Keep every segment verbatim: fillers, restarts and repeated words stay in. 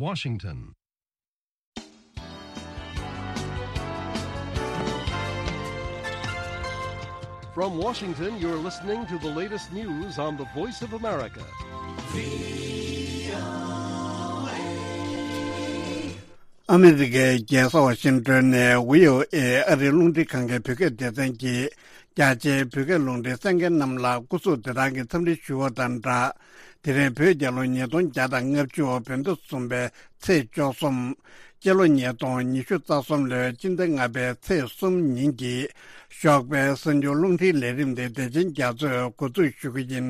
Washington. From Washington, you're listening to the latest news on the Voice of America. ཨ་མི་རི་ཀའི་རྒྱལ་ས་ཝ་ཤིང་ཏོན་ནས་བྷི་ཨོ་ཨེ་ཨ་རིའི་རླུང་འཕྲིན་ཁང་གི་བོད་སྐད་སྡེ་ཚན་གྱིས་རྒྱ་ཆེའི་བོད་སྐད་རླུང་འཕྲིན་གསན་མཁན་རྣམས་ལ་སྐུ་གཟུགས་བདེ་ཐང་གི་འཚམས་འདྲི་ཞུ་བ་དང་སྦྲགས། དེ་རིང་བོད་རྒྱལ་ལོ་ཉིས་སྟོང་བརྒྱ་དང་ལྔ་བཅུ་བོད་ཟླ་གསུམ་པའི་ཚེས་བཅུ་གསུམ། སྤྱི་ལོ་ཉིས་སྟོང་ཉི་ཤུ་རྩ་གསུམ་ལོའི་སྤྱི་ཟླ་ལྔ་པའི་ཚེས་གསུམ་ཉིན་གྱི་ཞོགས་པའི་གསར་འགྱུར་རླུང་འཕྲིན་ལས་རིམ་དེ་བདེ་ཆེན་རྒྱ་མཚོས་འགོ་འཛུགས་ཞུ་གི་ཡིན།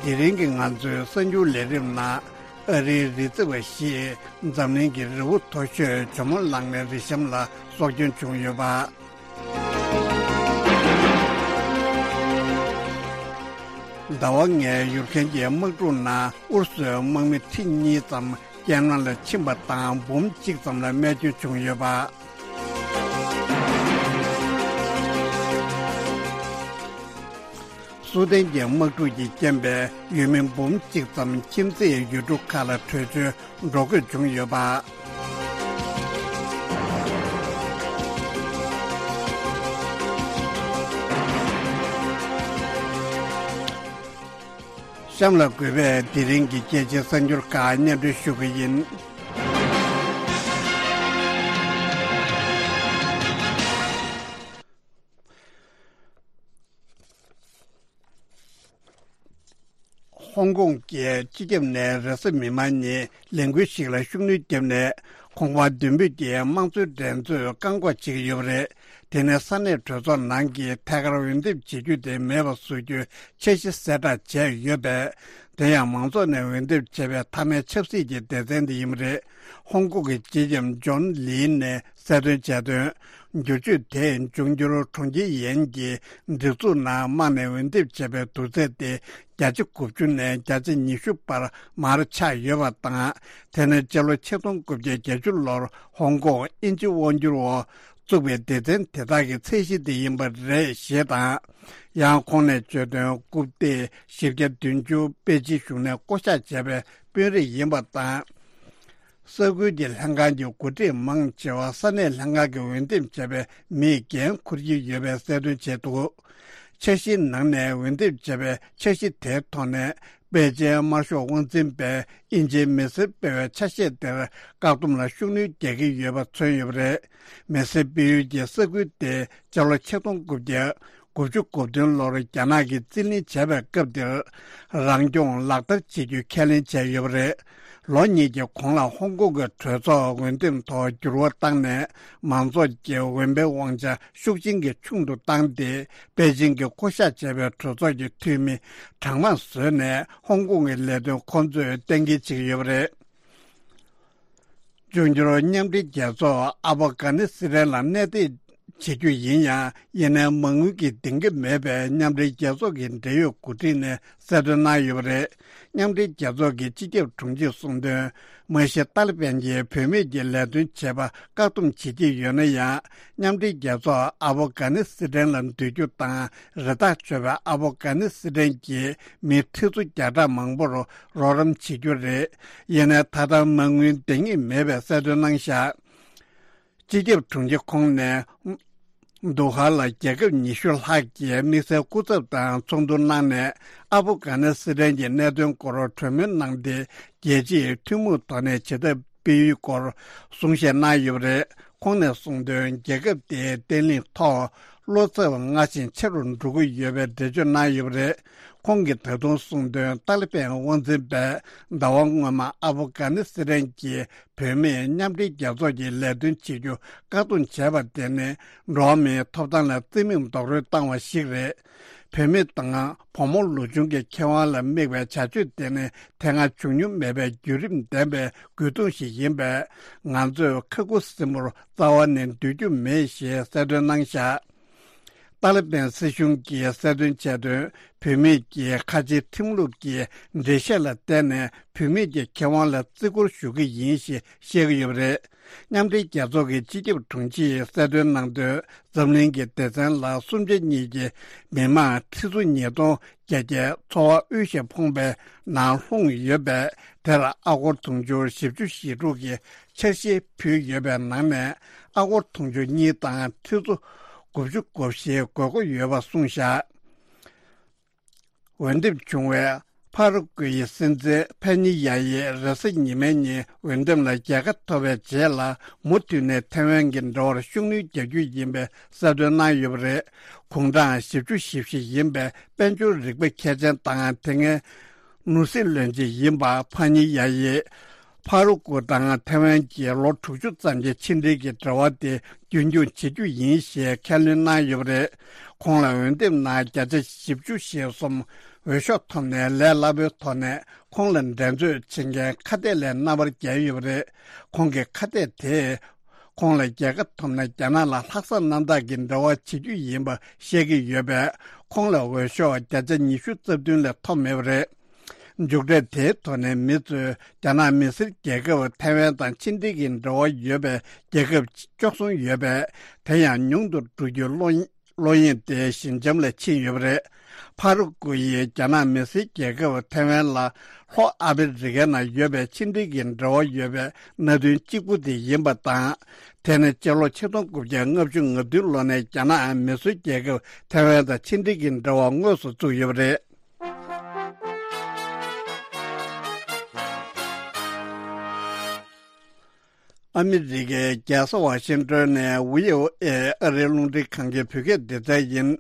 དེ་རིང་གི་ང་ཚོའི་གསར་འགྱུར་ལས་རིམ་ནང་ཨ་རིའི་རི་རྩེ་བ་བཞིས་འཛམ་གླིང་གི་རི་བོ་མཐོ་ཤོས་ཇོ་མོ་གླང་མའི་རི་གཤམ་ལ་སྲོག་སྐྱོན་བྱུང་ཡོད་པ། ཟླ་བ་ལྔའི་ཡུལ་ཁན་གྱི་དམག་འཁྲུག་ནང་ཨུ་རུ་སུའི་དམག་མི་ཁྲི་གཉིས་ཙམ་རྐྱེན་ངན་ལ་ཕྱིན་པ་དང་འབུམ་གཅིག་ཙམ་ལ་རྨས་སྐྱོན་བྱུང་ཡོད་པ། སུའུ་ཏན་གྱི་དམག་འཁྲུག་གི་རྐྱེན་པས་ཡུལ་མི་འབུམ་གཅིག་ཙམ་ཁྱིམ་མཚེས་ཡུལ་གྲུ་ཁག་ལ་བྲོས་བྱོལ་འགྲོ་དགོས་བྱུང་ཡོད་པ། གཤམ་ལ་དགོས་པའི་དེ་རིང་གི་སྐད་ཆའི་གསར་འགྱུར་ཁག་སྙན་སྒྲོན་ཞུ་གི་ཡིན། ཧོང་ཀོང་གི་སྤྱི་ཁྱབ་ནས་རེས་གཟའ་མིག་དམར་ཉིན་ལས་འགུལ་ཞིག་ལ་ཤུགས་སྣོན་བརྒྱབ་ནས་ཁང་པ་བདུན་པོ་དེའི་དམངས་གཙོའི་འགྲན་རྩོད་བཀག་འགོག་བྱེད་ཀྱི་ཡོད་པ་རེད། དེ་ནས་ས་གནས་གྲོས་ཚོགས་ནང་གི་ཐད་ཀར་འོས་འདེམས་བྱེད་རྒྱུ་དེ་མེད་པ་བཟོ་རྒྱུའི་འཆར་གཞི་གསལ་བསྒྲགས་བྱས་ཡོད་པས། དེ་ཡང་མང་ཚོགས་ནས་འོས་འདེམས་བྱས་པའི་མཐའ་མའི་ཆབ་སྲིད་ཀྱི་སྡེ་ཚན་དེ་ཡིན་པ་རེད། ཧོང་ཀོང་གི་སྤྱི་ཁྱབ་ཇོན་ལི་ནས་གསལ་སྟོན་བྱས་དོན། བསྒྱུར་བཅོས་དེས་འབྱུང་འགྱུར་གྲོང་ཁྱེར་ཡན་གྱི་སྒྲིག་འཛུགས་ནང་དམངས་ནས་འོས་འདེམས་བྱས་པའི་བསྡུར་ཚད་དེ་བརྒྱ་ཆ་དགུ་བཅུ་ནས་བརྒྱ་ཆ་ཉི་ཤུ་བར་མར་ཆག་ཡོད་པ་དང་། དེ་ནས་སྤྱི་ལོ་ཆིག་སྟོང་དགུ་བརྒྱ་བརྒྱད་ཅུ་ལོར་ཧོང་ཀོང་དབྱིན་ཇི་དབང་སྒྱུར་འོག་བཙུགས་པའི་སྡེ་ཚན་དེ་དག་གི་ཚད་གཞི་དེ་ཡིན་པ་རེད་ཞེས་དང་། ཡང་ཁོང་ནས་བརྗོད་དོན། རྐུབ་སྟེགས་བཞི་བརྒྱ་བདུན་ཅུ་པེ་ཅིན་གཞུང་ནས་བསྐོ་གཞག་བྱས་པའི་དཔོན་རིགས་ཡིན་པ་དང་། ས་ཁུལ་གྱི་ལྷན་ཁང་གི་འགོ་ཁྲིད་མང་ཆེ་བ་ས་གནས་ལྷན་ཁང་གིས་འོས་འདེམས་བྱས་པའི་མིས་འགན་འཁུར་གྱི་ཡོད་པའི་གསལ་སྟོན་བྱས་འདུག་འཆར་གཞིའི་ནང་ནས་འོས་འདེམས་བྱས་པའི་འཆར་གཞི་དེའི་ཐོག་ནས། པེ་ཅིན་དམར་ཤོག་དབང་འཛིན་པས་དབྱིན་ཇིའི་མི་སེར་སྤེལ་བའི་ཆ་ཤས་དེར་བཀག་སྡོམ་ལ་ཤུགས་སྣོན་རྒྱག་གི་ཡོད་པ་མཚོན་ཡོད་པ་རེད། མི་སེར་སྤེལ་ཡུལ་གྱི་ས་ཁུལ་དེ་སྤྱི་ལོ་ཆིག་སྟོང་དགུ་བརྒྱ་དགུ་བཅུ་གོ་བདུན་ལོར་རྒྱ་ནག་གིས་རྩིས་ལེན་བྱས་པའི་སྐབས་དེར་རང་སྐྱོང་ལག་བསྟར་བྱེད་རྒྱུ་ཁས་ལེན་བྱས་ཡོད་པ་རེད། ལོ་གཉིས་ཀྱི་གོང་ལ་ཧོང་ཀོང་གི་གྲོས་ཚོགས་འོས་འདེམས་ཐོག་འགྱུར་བ་བཏང་ནས། མང་ཚོགས་ཀྱི་འོས་འཕེན་དབང་ཆ་ཤུགས་ཆེན་གྱིས་ཆུང་དུ་བཏང་སྟེ། པེ་ཅིན་གྱིས་བསྐོ་གཞག་བྱས་པའི་གྲོས་ཚོགས་ཀྱི་འཐུས་མི་གྲངས་མང་བཟོས་ནས། ཧོང་ཀོང་གི་ལས་དོན་ཁོང་ཚོས་གཏན་འཁེལ་བྱེད་ཀྱི་ཡོད་པ་རེད། འབྱུང་འགྱུར་མཉམ་འབྲེལ་རྒྱལ་ཚོགས་ཨ་ཕོ་གྷ་ནི་སི་ཐན་ལ་གནས་སྡོད་བྱེད་རྒྱུ་ཡིན་ཡང་། ཡིན་ནའི་མ་དངུལ་གྱི་འདེང་གི་མེད་པས། མཉམ་འབྲེལ་རྒྱལ་ཚོགས་ཀྱི་འབྲེལ་ཡོད་འགོ་ཁྲིད་ནས་གསལ་སྟོན་གནང་ཡོད་པ་རེད། མཉམ་འབྲེལ་རྒྱལ་ཚོགས་ཀྱི་སྤྱི་ཁྱབ་དྲུང་ཆེས་གསུངས་དོན། མ་གཞི་ཏཱ་ལི་པན་གྱིས་བུད་མེད་ཀྱི་ལས་དོན་བྱེད་པ་བཀག་སྡོམ་བྱེད་ཀྱི་ཡོད་ན་ཡང་། མཉམ་འབྲེལ་རྒྱལ་ཚོགས་ཨ་ཕོ་གྷ་ནི་སི་ཐན་ལ་སྡོད་རྒྱུ་དང་། རི་དྭགས་གཅོད་པའི་ཨ་ཕོ་གྷ་ནི་སི་ཐན་གྱི་མི་ཁྲི་ཚོ་བརྒྱ་ཕྲག་མང་པོར་རོགས་རམ་བྱེད་རྒྱུ་རེད། ཡིན་ནའི་ད་ལྟ་མ་དངུལ་འདང་ངེས་མེད་པའི་གསལ་སྟོན་གནང་བཞག་སྤྱི་ཁྱབ་དྲུང་ཆེ་ཁོང་ནས། དུ་ཧ་ལ་རྒྱལ་ཁབ་ཉི་ཤུ་ལྷག་གིས་དམིགས་བསལ་སྐུ་ཚབ་དང་ཚོགས་འདུ་གནང་ནས། ཨ་ཕོ་གྷ་ནི་སི་ཐན་གྱི་གནད་དོན་སྐོར་གྲོས་མོལ་གནང་སྟེ། རྒྱལ་སྤྱིའི་ཐུན་མོང་ཐོག་ནས་བྱེད་ཐབས་སྤེལ་ཡུལ་སྐོར་གསུང་བཤད་གནང་ཡོད་པ་རེད། ཁོང་ནས་གསུངས་དོན། རྒྱལ་ཁབ་དེའི་བརྟན་ལྷིང་ཐོག་བློ་འཚབ་སྔར་བཞིན་ཆེ་རུ་འགྲོ་གི་ཡོད་པའི་འགྲེལ་བརྗོད་གནང་ཡོད་པ་རེད། ཁོང་གིས་ད་དུང་གསུངས་དོན། ཏཱ་ལི་པན་དབང་འཛིན་པས་ཟླ་བ་སྔོན་མ་ཨ་ཕོ་གྷ་ནི་སི་ཐན་གྱི་བུད་མེད་མཉམ་འབྲེལ་རྒྱལ་ཚོགས་ཀྱི་ལས་དོན་བྱེད་རྒྱུ་བཀག་སྡོམ་བྱས་པ་དེ་ནི་འགྲོ་བ་མིའི་ཐོབ་ཐང་ལ་བརྩི་མེད་རྡོག་རོལ་བཏང་བ་ཞིག་རེད། བུད་མེད་དང་བུ་མོ་ལོ་ཆུང་གི་ཁེ་དབང་ལ་དམིགས་པའི་བྱ་སྤྱོད་དེ་ནི་དེ་སྔ་བྱུང་མྱོང་མེད་པའི་བརྒྱུད་རིམ་ལྡན་པའི་རྒོལ་རྡུང་ཞིག་ཡིན་པས། ང་ཚོས་ཁ་ཁུ་སིམ་པོར་རྩ་བ་ནས་སྡོད་རྒྱུ་མེད་ཞེས་གསལ་སྟོན་གནང་བཞག་ཏཱ་ལི་བན་སྲིད་གཞུང་གིས་གསལ་སྟོན་བྱས་དོན། བུད་མེད་ཀྱི་ཁ་ཆེའི་ཁྲིམས་ལུགས་ཀྱི་འགྲེལ་བཤད་ལ་བརྟེན་ནས་བུད་མེད་ཀྱི་ཁེ་དབང་ལ་བརྩི་བཀུར་ཞུ་གི་ཡིན་ཞེས་བཤད་ཀྱི་ཡོད་པ་རེད། མཉམ་འབྲེལ་རྒྱལ་ཚོགས་ཀྱི་སྤྱི་ཁྱབ་དྲུང་ཆེས་གསལ་སྟོན་གནང་དོན། འཛམ་གླིང་གི་སྡེ་ཚན་ལ་སུམ་ཆ་གཉིས་ཀྱི་མི་མང་ཁྲི་ཚོ་ཉིས་སྟོང་བརྒྱད་བརྒྱ་འཚོ་བ་དབུལ་ཞིང་ཕོངས་པའི་ནང་ལྷུང་ཡོད་པས། དེར་ཨ་སྒོར་དུང་ཕྱུར་བཞི་བཅུ་ཞེ་དྲུག་གི་འཆར་གཞི་ཕུལ་ཡོད་པའི་ནང་ནས། ཨ་སྒོར་དུང་ཕྱུར་གཉིས་དང་ཁྲི་ཚོ་དགུ་བཅུ་གོ་བཞི་དགོས་མཁོ་ཡོད་པ་གསུངས་བཞག་འོས་འདེམས་བྱུང་བའི་ཕ་རུ་ཀུའི་སྲིད་འཛིན་ཕེ་ཉི་ཡ་ཡིས་རེས་གཟའ་ཉི་མའི་ཉིན་འོས་འདེམས་ལ་རྒྱལ་ཁ་ཐོབ་པའི་རྗེས་ལ། མུ་མཐུད་ནས་ཐའེ་ཝན་གྱི་འབྲེལ་བར་ཤུགས་སྣོན་རྒྱག་རྒྱུ་ཡིན་པའི་གསལ་སྟོན་གནང་ཡོད་པ་རེད། གུང་གྲངས་བཞི་བཅུ་ཞེ་བཞི་ཡིན་པའི་དཔལ་འབྱོར་རིག་པ་མཁས་ཅན་དང་། དེ་སྔའི་ནོར་སྲིད་བློན་ཆེན་ཡིན་པ་ཕ་ཉི་ཡ་ཡིས། ཕ་རུ་ཀུ་དང་ཐའེ་ཝན་གྱི་ལོ་དྲུག་ཅུ་ཙམ་གྱི་ཕྱི་འབྲེལ་གྱི་འབྲེལ་བ་དེ་རྒྱུན་འཁྱོངས་བྱེད་རྒྱུ་ཡིན་ཞེས་ཁས་ལེན་གནང་ཡོད་པ་རེད། ཁོང་ལ་འོས་འདེམས་ནང་བརྒྱ་ཆ་བཞི་བཅུ་ཞེ་གསུམ་འོས་ཤོག་ཐོབ་ནས། ལས་སླ་པོའི་ཐོག་ནས་ཁོང་ལ་འགྲན་རྩོད་བྱེད་མཁན་ཁ་གཏད་ལས་རྣམ་པར་རྒྱལ་ཡོད་པ་རེད། ཁོང་གི་ཁ་གཏད་དེས་ཁོང་ལ་རྒྱལ་ཁ་ཐོབ་ན། རྒྱ་ནག་ལ་ལྷག་བསམ་རྣམ་དག་གི་འབྲེལ་བ་བྱེད་རྒྱུ་ཡིན་པ་བཤད་ཀྱི་ཡོད་པས། ཁོང་ལ་འོས་ཤོག་བརྒྱ་ཆ་ཉི་ཤུ་རྩ་བདུན་ལས་ཐོབ་མེད་པ་རེད། མཇུག་འབྲས་དེའི་ཐོག་ནས་མི་ཚོས་རྒྱ་ནག་མི་སེར་རྒྱལ་ཁབ་ཐའེ་ཝན་དང་ཕྱི་འབྲེལ་གྱི་འབྲེལ་བ་ཡོད་པའི་རྒྱལ་ཁབ་བཅུ་གསུམ་ཡོད་པས། དེ་ཡང་ཉུང་དུ་འགྲོ་རྒྱུའི་བློ་བློ་གཡེང་དེ་ཞི་འཇམ་ལ་ཕྱིན་ཡོད་པ་རེད། ཕ་རུ་ཀུ་ཡིས་རྒྱ་ནག་མི་སེར་རྒྱལ་ཁབ་ཐའེ་ཝན་ལ་ལྷོ་ཨ་ཕི་རི་ཀའི་ནང་ཡོད་པའི་ཕྱི་འབྲེལ་གྱི་འབྲེལ་བ་ཡོད་པའི་གནད་དོན་གཅིག་པུ་དེ་ཡིན་པ་དང་། དེ་ནི་སྤྱི་ལོ་ཆིག་སྟོང་དགུ་བརྒྱ་ལྔ་བཅུ་ང་བདུན་ལོ་ནས་རྒྱ་ནག་མི་སེར་རྒྱལ་ཁབ་ཐའེ་ཝན་དང་ཕྱི་འབྲེལ་གྱི་འབྲེལ་བ་དངོས་སུ་བཙུགས་ཡོད་པ་རེད། ཨ་མི་རི་ཀའི་རྒྱལ་ས་ཝ་ཤིང་ཏོན་ནས་བྷི་ཨོ་ཨེ་ཨ་རིའི་རླུང་འཕྲིན་ཁང་གི་བོད་སྐད་སྡེ་ཚན་ཡིན།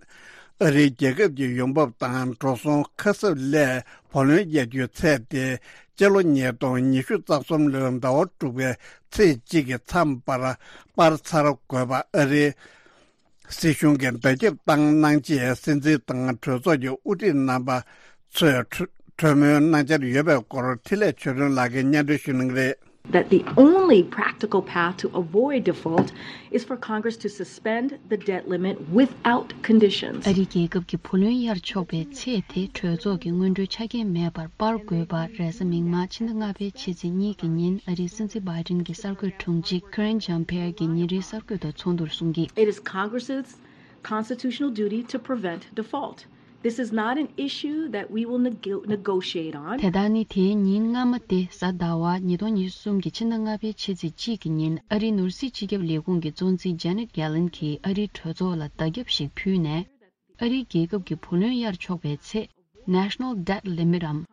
ཨ་རིའི་རྒྱལ་ཁབ་ཀྱི་ཡོང་འབབ་དང་འགྲོ་སོང་ཁ་གསབ་སླད་བུ་ལོན་གཡར་རྒྱུའི་ཚད་དེ། སྤྱི་ལོ་ཉིས་སྟོང་ཉི་ཤུ་རྩ་གསུམ་ལོའི་ཟླ་བ་དྲུག་པའི་ཚེས་གཅིག་གི་མཚམས་བར་སྤར་ཚར་དགོས་པ་ཨ་རིའི་སྲིད་གཞུང་གིས་བརྡ་ཁྱབ་བཏང་གནང་རྗེས། སྲིད་འཛིན་དང་གྲོས་ཚོགས་ཀྱི་དབུ་ཁྲིད་རྣམ་པ་ཚོས་གྲོས་གྲོས་མོལ་གནང་འཆར་ཡོད་པའི་སྐོར། འཕྲིན་ལས་ཆོས་སྒྲོན་ལགས་ཀྱིས་སྙན་སྒྲོན་ཞུ་གནང་གི་རེད། That the only practical path to avoid default is for Congress to suspend the debt limit without conditions. ཨ་རི་རྒྱལ་ཁབ་ཀྱི་བུ་ལོན་གཡར་ཆོག་པའི་ཚད་དེ་གྲོས་ཚོགས་ཀྱི་སྔོན་འགྲོའི་ཆ་རྐྱེན་མེད་པར་སྤར་དགོས་པ། རེས་གཟའ་མིག་དམར་ཕྱི་ཟླ་ལྔ་པའི་ཕྱི་ཚེས་གཉིས་ཀྱི་ཉིན་ཨ་རིའི་སྲིད་འཛིན་བྷའི་ཌེན་གྱི་གསར་འགོད་དྲུང་ཆེ་Karine Jean-Pierre གྱིས་ཉིན་རེའི་གསར་འགོད་པར་ཚོགས་འདུར་གསུངས་ཀྱིས། It is Congress's constitutional duty to prevent default. This is not an issue that we will nego- negotiate on. དེ་དག་ནི་དེའི་ཉིན་སྔ་མ་སྟེ། གཟའ་ཟླ་བ་ཉིས་སྟོང་ཉི་ཤུ་གསུམ་གྱི་ཕྱི་ཟླ་ལྔ་པའི་ཕྱི་ཚེས་གཅིག་གི་ཉིན་ཨ་རིའི་ནོར་སྲིད་སྤྱི་ཁྱབ་ལས་ཁུངས་ཀྱི་གཙོ་འཛིན་Janet Yellen གྱིས་ཨ་རིའི་གྲོས་ཚོགས་ལ་བརྡ་ཁྱབ་ཞིག་ཕུལ་ནས། ཨ་རིའི་རྒྱལ་ཁབ་ཀྱི་བུ་ལོན་གཡར་ཆོག་པའི་ཚད། National Debt Limit འམ།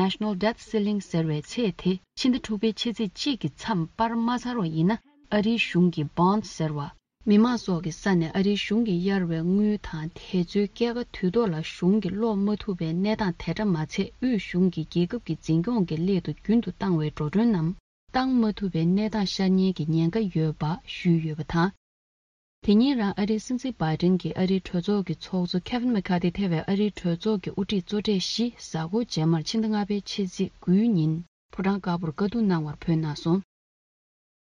National Debt Ceiling ཟེར་བའི་ཚད་དེ་ཕྱི་ཟླ་དྲུག་པའི་ཕྱི་ཚེས་གཅིག་གི་མཚམས་སྤར་མ་ཚར་བ་ཡིན་ན། ཨ་རིའི་གཞུང་གི་bonds ཟེར་བ། མི་དམངས་སོགས་ཀྱི་ས་ནས་ཨ་རིའི་གཞུང་གིས་གཡར་བའི་དངུལ་དང་། དེ་ཚོའི་སྐྱེད་ཀ་དུས་ཐོག་ལ་གཞུང་གིས་སློག་མ་ཐུབ་པའི་གནས་སྟངས་དེ་འདྲ་མ་ཚད། དབུས་གཞུང་གིས་རྒྱལ་ཁབ་ཀྱི་འཛིན་སྐྱོང་གི་སླད་དུ་རྒྱུན་དུ་བཏང་བའི་འགྲོ་གྲོན་ནམ། བཏང་མ་ཐུབ་པའི་གནས་སྟངས་ཤར་ཉེན་གྱི་ཉེན་ཁ་ཡོད་པ་ཞུས་ཡོད་པ་དང་། དེ་ཉིན་རང་ཨ་རིའི་སྲིད་འཛིན་བྷའི་ཌེན་གྱིས་ཨ་རིའི་གྲོས་ཚོགས་ཀྱི་ཚོགས་གཙོ་Kevin McCarthy ཐེ་བའི་ཨ་རིའི་གྲོས་ཚོགས་ཀྱི་དབུ་ཁྲིད་གཙོ་གྲས་བཞི་གཟའ་འཁོར་རྗེས་མར་ཕྱི་ཟླ་ལྔ་པའི་ཕྱི་ཚེས་དགུའི་ཉིན་ཕོ་བྲང་དཀར་པོར་བཀའ་བསྡུར་གནང་བར་བོད་གནང་སོང་།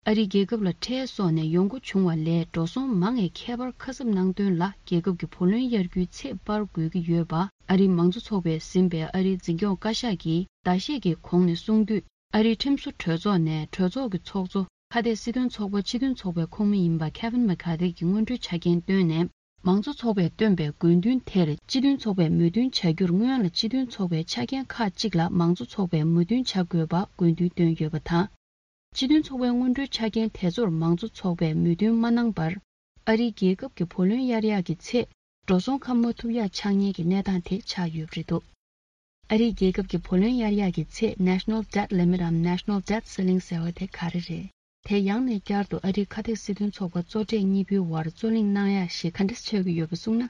ཨ་རིའི་རྒྱལ་ཁབ་ལ་ཁྲལ་སོགས་ནས་ཡོང་སྒོ་བྱུང་བ་ལས་འགྲོ་སོང་མང་བས་ཁྱད་པར་ཁ་གསབ་གནང་དོན་ལ། རྒྱལ་ཁབ་ཀྱི་བུ་ལོན་གཡར་རྒྱུའི་ཚད་སྤར་དགོས་ཀྱི་ཡོད་པ། ཨ་རིའི་མང་གཙོ་ཚོགས་པས་ཟིན་པའི་ཨ་རིའི་འཛིན་སྐྱོང་བཀའ་ཤག་གིས་ཟླ་ཤས་ཀྱི་གོང་ནས་གསུངས་དུས། ཨ་རིའི་ཁྲིམས་བཟོ་གྲོས་ཚོགས་ནས་གྲོས་ཚོགས་ཀྱི་ཚོགས་གཙོ་ཁ་གཏད་སྲིད་དོན་ཚོགས་པ་སྤྱི་མཐུན་ཚོགས་པའི་ཁོངས་མི་ཡིན་པ་Kevin McCarthy གྱི་སྔོན་འགྲོའི་ཆ་རྐྱེན་བཏོན་ནས། མང་གཙོ་ཚོགས་པས་བཏོན་པའི་དགོས་འདུན་དེར་སྤྱི་མཐུན་ཚོགས་པས་མོས་མཐུན་བྱ་རྒྱུར། སྔོན་ལ་སྤྱི་མཐུན་ཚོགས་པའི་ཆ་རྐྱེན་ཁག་ཅིག་ལ་མང་གཙོ་ཚོགས་པས་མོས་མཐུན་བྱ་དགོས་པ་དགོས་འདུན་བཏོན་ཡོད་པ་དང་། སྤྱི་མཐུན་ཚོགས་པའི་སྔོན་འགྲོའི་ཆ་རྐྱེན་དེ་ཚོར་མང་གཙོ་ཚོགས་པས་མོས་མཐུན་མ་གནང་བར། ཨ་རིའི་རྒྱལ་ཁབ་ཀྱི་བུ་ལོན་གཡར་ཡག་གི་ཚེ། འགྲོ་སོང་ཁ་མ་ཐུབ་ཡག་ཆགས་ཉེན་གྱི་གནས་སྟངས་དེ་ཆགས་ཡོད་པ་རེད་འདུག་ཨ་རིའི་རྒྱལ་ཁབ་ཀྱི་བུ་ལོན་གཡར་ཡག་གི་ཚད། National Debt Limit འམ་National Debt Ceiling ཟེར་བ་དེ་ག་རེ་རེད། དེ་ཡང་ནས་བསྐྱར་དུ་ཨ་རིའི་ཁ་གཏད་སྲིད་དོན་ཚོགས་པ་གཙོ་གྲས་གཉིས་པོའི་དབར་རྩོད་གླེང་གནང་ཡག་ཞིག་ག་འདྲ་ཆགས་ཀྱི་ཡོད་པ་གསུངས་ན།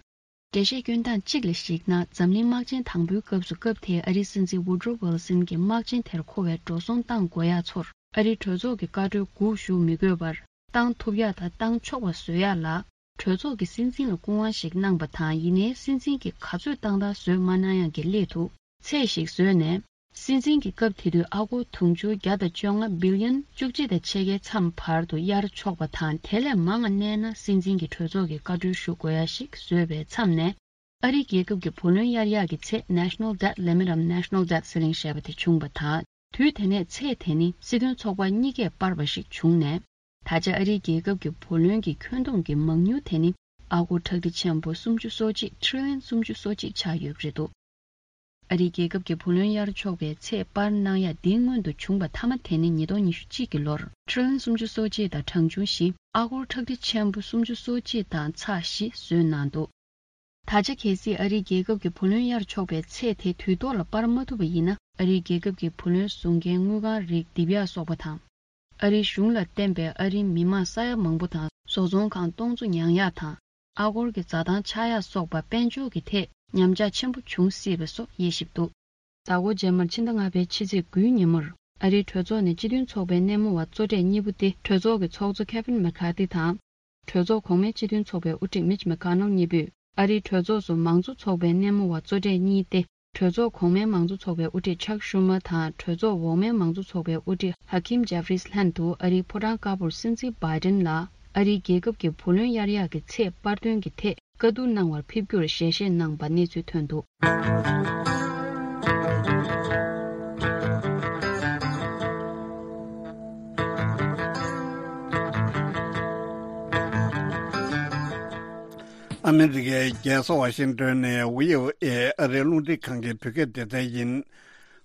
འགྲེལ་བཤད་སྐྱོན་སྟངས་གཅིག་ལ་གཞིགས་ན། འཛམ་གླིང་དམག་ཆེན་དང་པོའི་སྐབས་སུ། སྐབས་དེའི་ཨ་རིའི་སྲིད་འཛིན་Woodrow Wilson གྱིས་དམག་ཆེན་དེར་མཁོ་བའི་འགྲོ་སོང་བཏང་དགོས་ཡག་ཚོར། ཨ་རིའི་གྲོས་ཚོགས་ཀྱི་བཀའ་འཁྲོལ་སྒུག་བཞུགས་མི་དགོས་པར། བཏང་ཐུབ་ཡག་དང་བཏང་ཆོག་པ་བཟོ་ཡག་ལ། གྲོས་ཚོགས་ཀྱི་སྲིད་འཛིན་ལ་སྐུ་དབང་ཞིག་གནང་པ་དང་། ཡིན་ནའི་སྲིད་འཛིན་གྱིས་ག་ཚོད་བཏང་ཐག་བཟོས་མ་གནང་ཡག་གི་སླད་དུ། ཚད་ཞིག་བཟོས་ནས། སྲིད་འཛིན་གྱི་སྐབས་དེ་དུས་ཨ་སྒོར་དུང་ཕྱུར་བརྒྱ་དང་བཅོ་ལྔ་བི་ལི་ཡོན་བཅུ་གཅིག་དང་ཕྱེད་ཀའི་མཚམས་བར་དུ་གཡར་ཆོག་པ་དང་། དེ་ལས་མང་བ་གནས་ན་སྲིད་འཛིན་གྱི་གྲོས་ཚོགས་ཀྱི་བཀའ་འཁྲོལ་ཞུ་དགོས་ཡ་ཞིག་བཟོས་པའི་མཚམས་ནས། ཨ་རིའི་རྒྱལ་ཁབ་ཀྱི་བུ་ལོན་གཡར་ཡག་གི་ཚད་National Debt Limit འམ་National Debt Ceiling ཞེས་པ་དེ་བྱུང་བ་དང་། དུས་དེ་ནས་ཚད་དེ་ནི་སྲིད་དོན་ཚོགས་པ་གཉིས་ཀས་སྤར་བ་ཞིག་བྱུང་ནས། ད་ཆ་ཨ་རིའི་རྒྱལ་ཁབ་ཀྱི་བུ་ལོན་གྱི་ཁྱོན་བསྡོམས་ཀྱི་མང་ཉུང་དེ་ནི་ཨ་སྒོར་ཁྲག་ཁྲིག་ཆེན་པོ་སུམ་ཅུ་སོ་གཅིག་ཊི་རི་ལི་ཡོན་སུམ་ཅུ་སོ་གཅིག་ཆགས་ཡོད་པ་རེད་འདུག་ཨ་རིའི་རྒྱལ་ཁབ་ཀྱི་བུ་ལོན་གཡར་ཆོག་པའི་ཚད་སྤར་གནང་ཡ་འདི་སྔོན་དུ་བྱུང་བ་མཐའ་མ་དེ་ནི་ཉིས་སྟོང་ཉི་ཤུ་གཅིག་གི་ལོར་ཊི་རི་ལི་ཡོན་སུམ་ཅུ་སོ་གཅིག་དང་གྲངས་ཆུང་བཞི། ཨ་སྒོར་ཁྲག་ཁྲིག་ཆེན་པོ་སུམ་ཅུ་སོ་གཅིག་དང་ཚེག་བཞི་བཟོས་གནང་འདུག་ད་ཆ་གལ་སྲིད་ཨ་རིའི་རྒྱལ་ཁབ་ཀྱི་བུ་ལོན་གཡར་ཆོག་པའི་ཚད་དེ་དུས་ཐོག་ལ་སྤར་མ་ཐུབ་པ་ཡིན་ན། ཨ་རིའི་རྒྱལ་ཁབ་ཀྱི་བུ་ལོན་བཟོ་མཁན་དངུལ་ཁང་རིགས་འདེབས་ཡག་སོགས་པ་དང་། ཨ་རིའི་གཞུང་ལ་བརྟེན་པའི་ཨ་རིའི་མི་མང་ས་ཡ་མང་པོ་དང་བཟོ་ཚོང་ཁང་སྟོང་ཚོ་ཉར་ཡག་དང་། ཨ་སྒོར་གྱི་འཛའ་ཐང་ཆག་ཡག་སོགས་པ་དཔལ་འབྱོར་གྱི་ཐད་ཉམས་ཆག་ཆེན་པོ་འབྱུང་སྲིད་པ་སོགས་དབྱེ་ཞིབ་འདུག་ཟླ་འགོ་རྗེས་མར་ཕྱི་ཟླ་ལྔ་པའི་ཕྱི་ཚེས་དགུའི་ཉིན་མོར། ཨ་རིའི་གྲོས་ཚོགས་ནས་སྤྱི་མཐུན་ཚོགས་པའི་སྣེ་མོ་བ་གཙོ་གྲས་གཉིས་པོ་སྟེ། གྲོས་ཚོགས་ཀྱི་ཚོགས་གཙོ་ཁེ་ཝིན་མེ་ཁ་ཐི་དང་། གྲོས་ཚོགས་གོང་མའི་སྤྱི་མཐུན་ཚོགས་པའི་དབུ་ཁྲིད་མིཆ་མེ་ཁོ་ནེལ་གཉིས་པོས། ཨ་རིའི་གྲོས་ཚོགས་སུ་མང་གཙོ་ཚོགས་པའི་སྣེ་མོ་བ་གཙོ་གྲས་གཉིས་ཏེ། གྲོས་ཚོགས་གོང་མའི་མང་གཙོ་ཚོགས་པའི་དབུ་ཁྲིད་ཆག་ཤུ་མ་དང་། གྲོས་ཚོགས་འོག་མའི་མང་གཙོ་ཚོགས་པའི་དབུ་ཁྲིད་ཧ་ཁིམ་ཇེ་ཕི་རིས་ལྷན་དུ། ཨ་རིའི་ཕོ་བྲང་དཀར་པོར་སྲིད་འཛིན་བྷའི་ཌེན་ལ་ཨ་རིའི་རྒྱལ་ཁབ་ཀྱི་བུ་ལོན་གཡར་ཡག་གི་ཚད་སྤར་དོན་གྱི་ཐད་བཀའ་བསྡུར་གནང་བར་ཕེབས་རྒྱུར་ཞལ་བཞེས་གནང་པ་གནས་ཚུལ་ཐོན་འདུག་ཨ་མི་རི་ཀའི་རྒྱལ་ས་ཝ་ཤིང་ཏོན་ནས་བྷི་ཨོ་ཨེ་ཨ་རིའི་རླུང་འཕྲིན་ཁང་གི་བོད་སྐད་སྡེ་ཚན་ཡིན།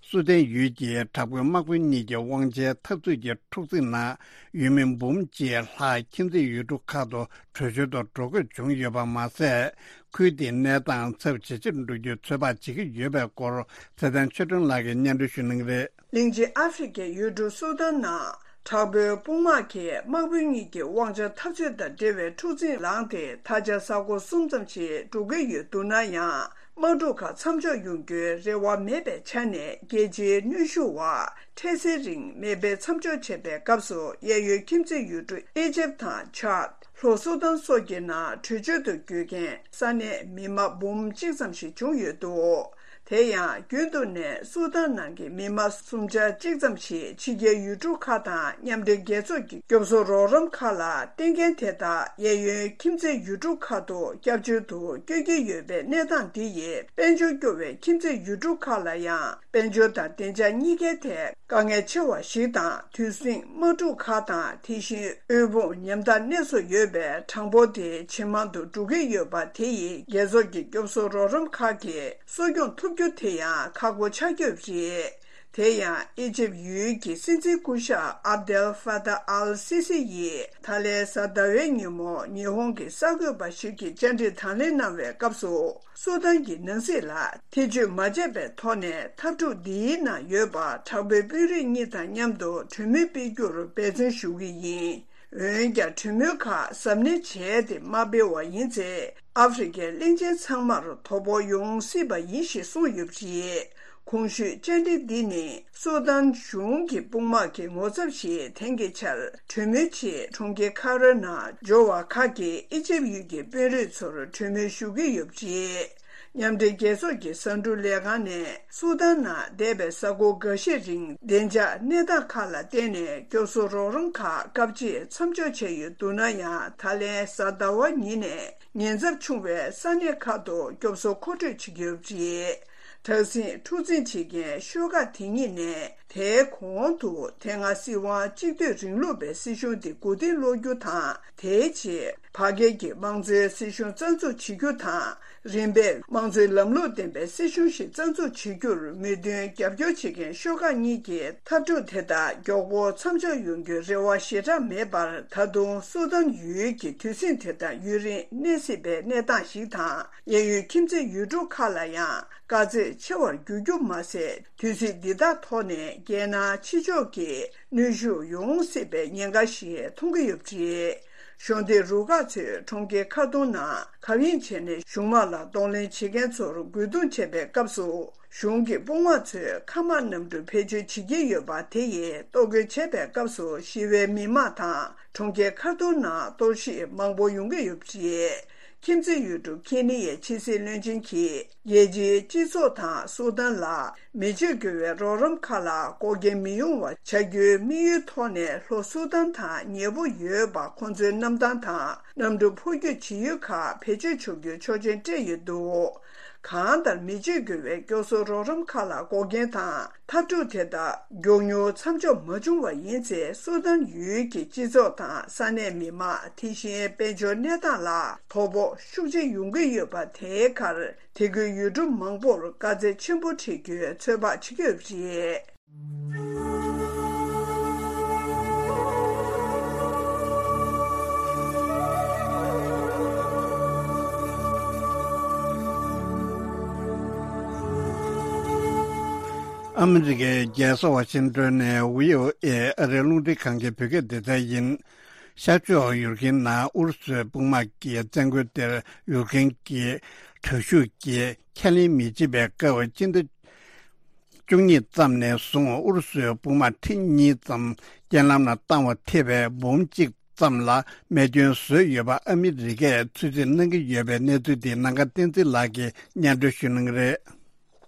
སུ་དན་ཡུལ་གྱི་དྲག་པོའི་དམག་དཔོན་གཉིས་ཀྱི་དབང་ཆའི་འཐབ་རྩོད་ཀྱི་འཁྲུག་འཛིང་ནང་ཡུལ་མི་འབུམ་གཅིག་ལྷག་ཁྱིམ་མཚེས་ཡུལ་གྲུ་ཁག་ཏུ་བྲོས་བྱོལ་དུ་འགྲོ་དགོས་བྱུང་ཡོད་པ་མ་ཟད། ཁུལ་དེའི་གནས་སྟངས་ཚབས་ཇེ་ཆེར་འགྲོ་རྒྱུའི་ཚོད་དཔག་བྱེད་ཀྱི་ཡོད་པའི་སྐོར་ཚེ་བརྟན་ཆོས་སྒྲོན་ལགས་ཀྱིས་སྙན་སྒྲོན་ཞུ་གནང་གི་རེད། གླིང་ཆེན་ཨ་ཧྥེ་རི་ཁའི་ཡུལ་གྲུ་སུ་དཱན་ནང་དྲག་པོའི་དཔུང་དམག་གིས་དམག་དཔོན་གཉིས་ཀྱི་དབང་ཆ་འཐབ་རྩོད་དང་འབྲེལ་བའི་འཁྲུག་འཛིང་ལངས་ཏེ། ད་ཆ་གཟའ་འཁོར་གསུམ་ཙམ་ཞིག་འགྲོ་གི་ཡོད་འདུག་ན་ཡང་། དམག་འཁྲུག་ཁག་མཚམས་འཇོག་ཡོང་རྒྱུའི་རེ་བ་མེད་པའི་ཆ་ནས། རྒྱལ་སྤྱིའི་གནོན་ཤུགས་འོག་འཕྲལ་སེལ་རིང་མེ་འཕེན་མཚམས་འཇོག་བྱས་པའི་སྐབས་སུ། གཡས་གཡོན་ཁྱིམ་མཚེས་ཡུལ་གྲུ་ཨི་ཇེབ་དང་ཆཱད། ལྷོ་སུ་དཱན་སོགས་ཀྱི་ནང་བྲོས་བྱོལ་དུ་བསྐྱོད་མཁན་ས་གནས་མི་མང་འབུམ་གཅིག་ཙམ་ཞིག་བྱུང་ཡོད་འདུག་དེ་ཡང་རྒྱུན་དུ་ནས་སུ་དཱན་ནང་གི་མི་མང་སུམ་ཆ་གཅིག་ཙམ་ཞིག་ཕྱི་རྒྱལ་ཡུལ་གྲུ་ཁག་དང་མཉམ་འབྲེལ་རྒྱལ་ཚོགས་ཀྱི་སྐྱོབ་གསོ་རོགས་རམ་ཁག་ལ་བརྟེན་མཁན་དེ་དག་གཡས་གཡོན་ཁྱིམ་མཚེས་ཡུལ་གྲུ་ཁག་ཏུ་སྐྱབས་བཅོལ་དུ་བསྐྱོད་ཀྱི་ཡོད་པའི་གནས་སྟངས་འདི་ཡིས། དཔལ་འབྱོར་སྐྱོ་བའི་ཁྱིམ་མཚེས་ཡུལ་གྲུ་ཁག་ལ་ཡང་དཔལ་འབྱོར་དང་བདེ་འཇགས་གཉིས་ཀའི་ཐད། དཀའ་ངལ་ཆེ་བ་ཞིག་དང་། དུས་ཟིང་དམག་འཁྲུག་ཁག་དང་། དེ་བཞིན་དབུལ་ཕོངས་ཉམ་ཐག་གནས་སུ་ཡོད་པའི་གྲངས་འབོར་དེ་ཇེ་མང་དུ་འགྲོ་གི་ཡོད་པ་དེ་ཡིས། རྒྱལ་ཚོགས་ཀྱི་སྐྱོབ་གསོ་རོགས་རམ་ཁག་གིས་གསོ་སྐྱོང་ཐུབ་རྒྱུ་དེ་ཡང་ཁག་པོ་ཆགས་ཀྱི་ཡོད་པ་རེད། དེ་ཡང་ཨི་ཇེབ་ཡུལ་གྱི་སྲིད་འཛིན་སྐུ་ཞབས་ཨབ་དེལ་ཧྥ་ཏཱ་ཨལ་སི་སི་ཡིས། ད་ལན་གཟའ་ཟླ་བའི་ཉིན་མོ་ཉི་ཧོང་གི་གསར་འགོད་པ་ཞིག་གིས་བཅར་འདྲི་དང་ལེན་གནང་བའི་སྐབས་སུ། སུ་དཱན་གྱི་ནང་སྲིད་ལ་ཐེ་བྱུས་མ་བྱས་པའི་ཐོག་ནས། འཐབ་འཁྲུག་འདིའི་ནང་ཡོད་པ་དྲག་པོའི་དཔོན་རིགས་གཉིས་དང་མཉམ་དུ་གྲོས་མོལ་སྤེལ་རྒྱུར་འབད་བརྩོན་ཞུ་གི་ཡིན། འོན་ཀྱང་། གྲོས་མོལ་ཁག་གཟབ་ནན་བྱས་ཏེ་མ་སྤེལ་བ་ཡིན་ཚེ། ཨ་ཧྥེ་རི་ཁའི་གླིང་ཆེན་ཚང་མར་དོ་ཕོག་ཡོང་སྲིད་པ་ཡིན་ཞེས་གསུངས་ཡོད་པ་རེད། གོང་ཞུས་བཅར་འདྲི་འདི་ནི། སུ་དཱན་གཞུང་གི་དཔུང་དམག་གི་ངོ་ཚབ་ཞིག་དེང་གི་ཆར་གྲོས་མོལ་ཆེད་གྲོང་ཁྱེར་ཁ་རོའི་ནང་འབྱོར་བ་ཁག་གིས་ཨི་ཇེབ་ཡུལ་གྱི་དཔོན་རིགས་ཚོར་གྲོས་མོལ་ཞུ་གི་ཡོད་པ་རེད། མཉམ་འབྲེལ་རྒྱལ་ཚོགས་ཀྱི་ཟ་འབྲུ་ལས་ཁང་ནས་སུ་དཱན་ནང་འདས་པའི་གཟའ་འཁོར་འགའ་ཤས་རིང་བདེ་འཇགས་གནས་སྟངས་ཁག་ལ་བརྟེན་ནས་སྐྱོབ་གསོ་རོགས་རམ་ཁག་སྐབས་གཅིག་མཚམས་འཇོག་བྱས་ཡོད་འདུག་ན་ཡང་། ད་ལན་གཟའ་ཟླ་བ་ཉིན་ནས་ཉེན་ཚབས་ཆུང་བའི་ས་གནས་ཁག་ཏུ་སྐྱོབ་གསོ་མཁོ་སྤྲོད་བྱེད་ཀྱི་ཡོད་པ་རེད། དྲག་ཟིང་འཁྲུག་འཛིང་བྱེད་མཁན་ཤོག་ཁག་དེ་གཉིས་ནས། དེའི་གོང་དུ་དེ་སྔ་སྲིད་དབང་གཅིག་སྡུད་རིང་ལུགས་པའི་སྲིད་གཞུང་དེ་མགོ་རྟིང་སློག་རྒྱུ་དང་། དེའི་རྗེས་བར་བརྒལ་གྱི་དམངས་གཙོའི་སྲིད་གཞུང་རྩ་འཛུགས་བྱེད་རྒྱུ་དང་། རིམ་པས་དམངས་གཙོའི་ལམ་ལུགས་ལྡན་པའི་སྲིད་གཞུང་ཞིག་རྩ་འཛུགས་བྱེད་རྒྱུར་མོས་མཐུན་རྒྱབ་སྐྱོར་བྱེད་མཁན་ཤོག་ཁག་གཉིས་ཀྱིས། འཐབ་འཁྲུག་དེ་དག་མགྱོགས་པོ་མཚམས་འཇོག་ཡོང་རྒྱུའི་རེ་བ་ཞེ་དྲག་མེད་པར། ད་དུང་སུ་དཱན་ཡུལ་གྱི་དུས་ཟིང་དེ་དག་ཡུན་རིང་གནས་སྲིད་པའི་གནས་སྟངས་ཤིག་དང་། གཡས་གཡོན་ཁྱིམ་མཚེས་ཡུལ་གྲུ་ཁག་ལ་ཡང་དཀའ་ཚེགས་ཆེ་བར་འགྱུར་རྒྱུ་མ་ཟད། དུས་ཚིགས་འདི་དག་ཐོག་ནས་རྒྱལ་ནང་ཕྱི་ཕྱོགས་ཀྱི་གནོན་ཤུགས་ཡོང་སྲིད་པའི་ཉེན་ཁ་ཞིག་མཐོང་གི་ཡོད་པ་རེད། གཞོགས་འདེགས་རུ་ཁག་ཚོས་གྲོང་ཁྱེར་ཁ་ཏུང་ནང་གབ་ཡིབ་བྱས་ནས་གཞུང་དམག་ལ་གདོང་ལེན་བྱེད་མཁན་ཚོར་རྒོལ་རྡུང་བྱས་པའི་སྐབས་སུ། གཞུང་གི་དཔུང་དམག་ཚོས་མཁའ་དམག་གནམ་གྲུ་བེད་སྤྱོད་བྱེད་ཀྱི་ཡོད་པ་དེ་ཡིས་གཏོར་རྒོལ་བྱས་པའི་སྐབས་སུ། ཞི་བའི་མི་དམངས་དང་གྲོང་ཁྱེར་ཁ་ཏུང་ནང་གཏོར་བཤིག་མང་པོ་ཡོང་གི་ཡོད་པ་རེད། ཁྱིམ་མཚེས་ཡུལ་གྲུ་ཁེ་ནི་ཡའི་ཕྱི་སྲིད་བློན་ཆེན་གྱིས་རྒྱལ་སྤྱིའི་སྤྱི་ཚོགས་དང་སུ་དཱན་ལ་མི་བརྗེད་དགོས་པའི་རོགས་རམ་ཁག་ལ་འགོག་རྐྱེན་མི་ཡོང་བ་བྱ་རྒྱུའི་དམིགས་ཡུལ་ཐོག་ནས་ལྷོ་སུ་དཱན་དང་ཉེ་པོ་ཡོད་པ་ཁོང་ཚོའི་གནམ་ཐང་དང་གནམ་གྲུ་འཕུར་སྐྱོད་བྱེད་ཡུལ་ཁག་བེད་སྤྱོད་ཆོག་རྒྱུའི་ཆོག་མཆན་སྤྲད་ཡོད་འདུག་གང་ལྟར་མི་བརྗེད་དགོས་པའི་སྐྱོ་གསོ་རོགས་རམ་ཁག་ལ་འགོག་རྐྱེན་དང་འཐབ་འཁྲུག་དེ་དག་མགྱོགས་མྱུར་མཚམས་འཇོག་མ་བྱུང་བ་ཡིན་ཚེ་སུ་དཱན་ཡུལ་གྱི་སྤྱི་ཚོགས་དང་ས་གནས་མི་མང་དེ་བཞིན་དཔལ་འབྱོར་གནས་སྟངས་ལ་དོ་ཕོག་ཤུགས་ཆེ་ཡོང་གི་ཡོད་པ་དེའི་ཁར་དེ་ཁུལ་ཡུལ་གྲུ་མང་པོར་དཀའ་ཚེགས་ཆེན་པོ་འཕྲད་རྒྱུའི་ཚོད་དཔག་བྱེད་ཀྱི་ཡོད་པ་རེད། ཨ་མི་རི་ཀའི་རྒྱལ་ས་ཝ་ཤིང་ཏོན་ནས་བྷི་ཨོ་ཨེ་ཨ་རིའི་རླུང་འཕྲིན་ཁང་གི་བོད་སྐད་སྡེ་ཚན་ཡིན། ཤར་ཕྱོགས་ཡུཀ་རེན་ནང་ཨུ་རུ་སུའི་དཔུང་དམག་གིས་བཙན་རྒོལ་དེར་ཡུཀ་རེན་གྱི་དྲག་ཤུགས་ཀྱིས་ཁས་ལེན་མི་བྱེད་པའི་སྐབས་སྤྱི་ཟླ་བཅུ་གཉིས་ཙམ་ནས་བཟུང་ཨུ་རུ་སུའི་དཔུང་དམག་ཁྲི་གཉིས་ཙམ་རྐྱེན་ལམ་ལ་བཏང་བ་ཐེ་བའི་འབུམ་གཅིག་ཙམ་ལ་རྨས་སྐྱོན་བཟོས་ཡོད་པ་ཨ་མི་རི་ཀས་ཚོད་རྩིས་གནང་གི་ཡོད་པའི་གནས་ཚུལ་འདི་ནམ་མཁའ་བསྟན་འཛིན་ལགས་ཀྱིས་སྙན་སྒྲོན་ཞུ་གནང་གི་རེད།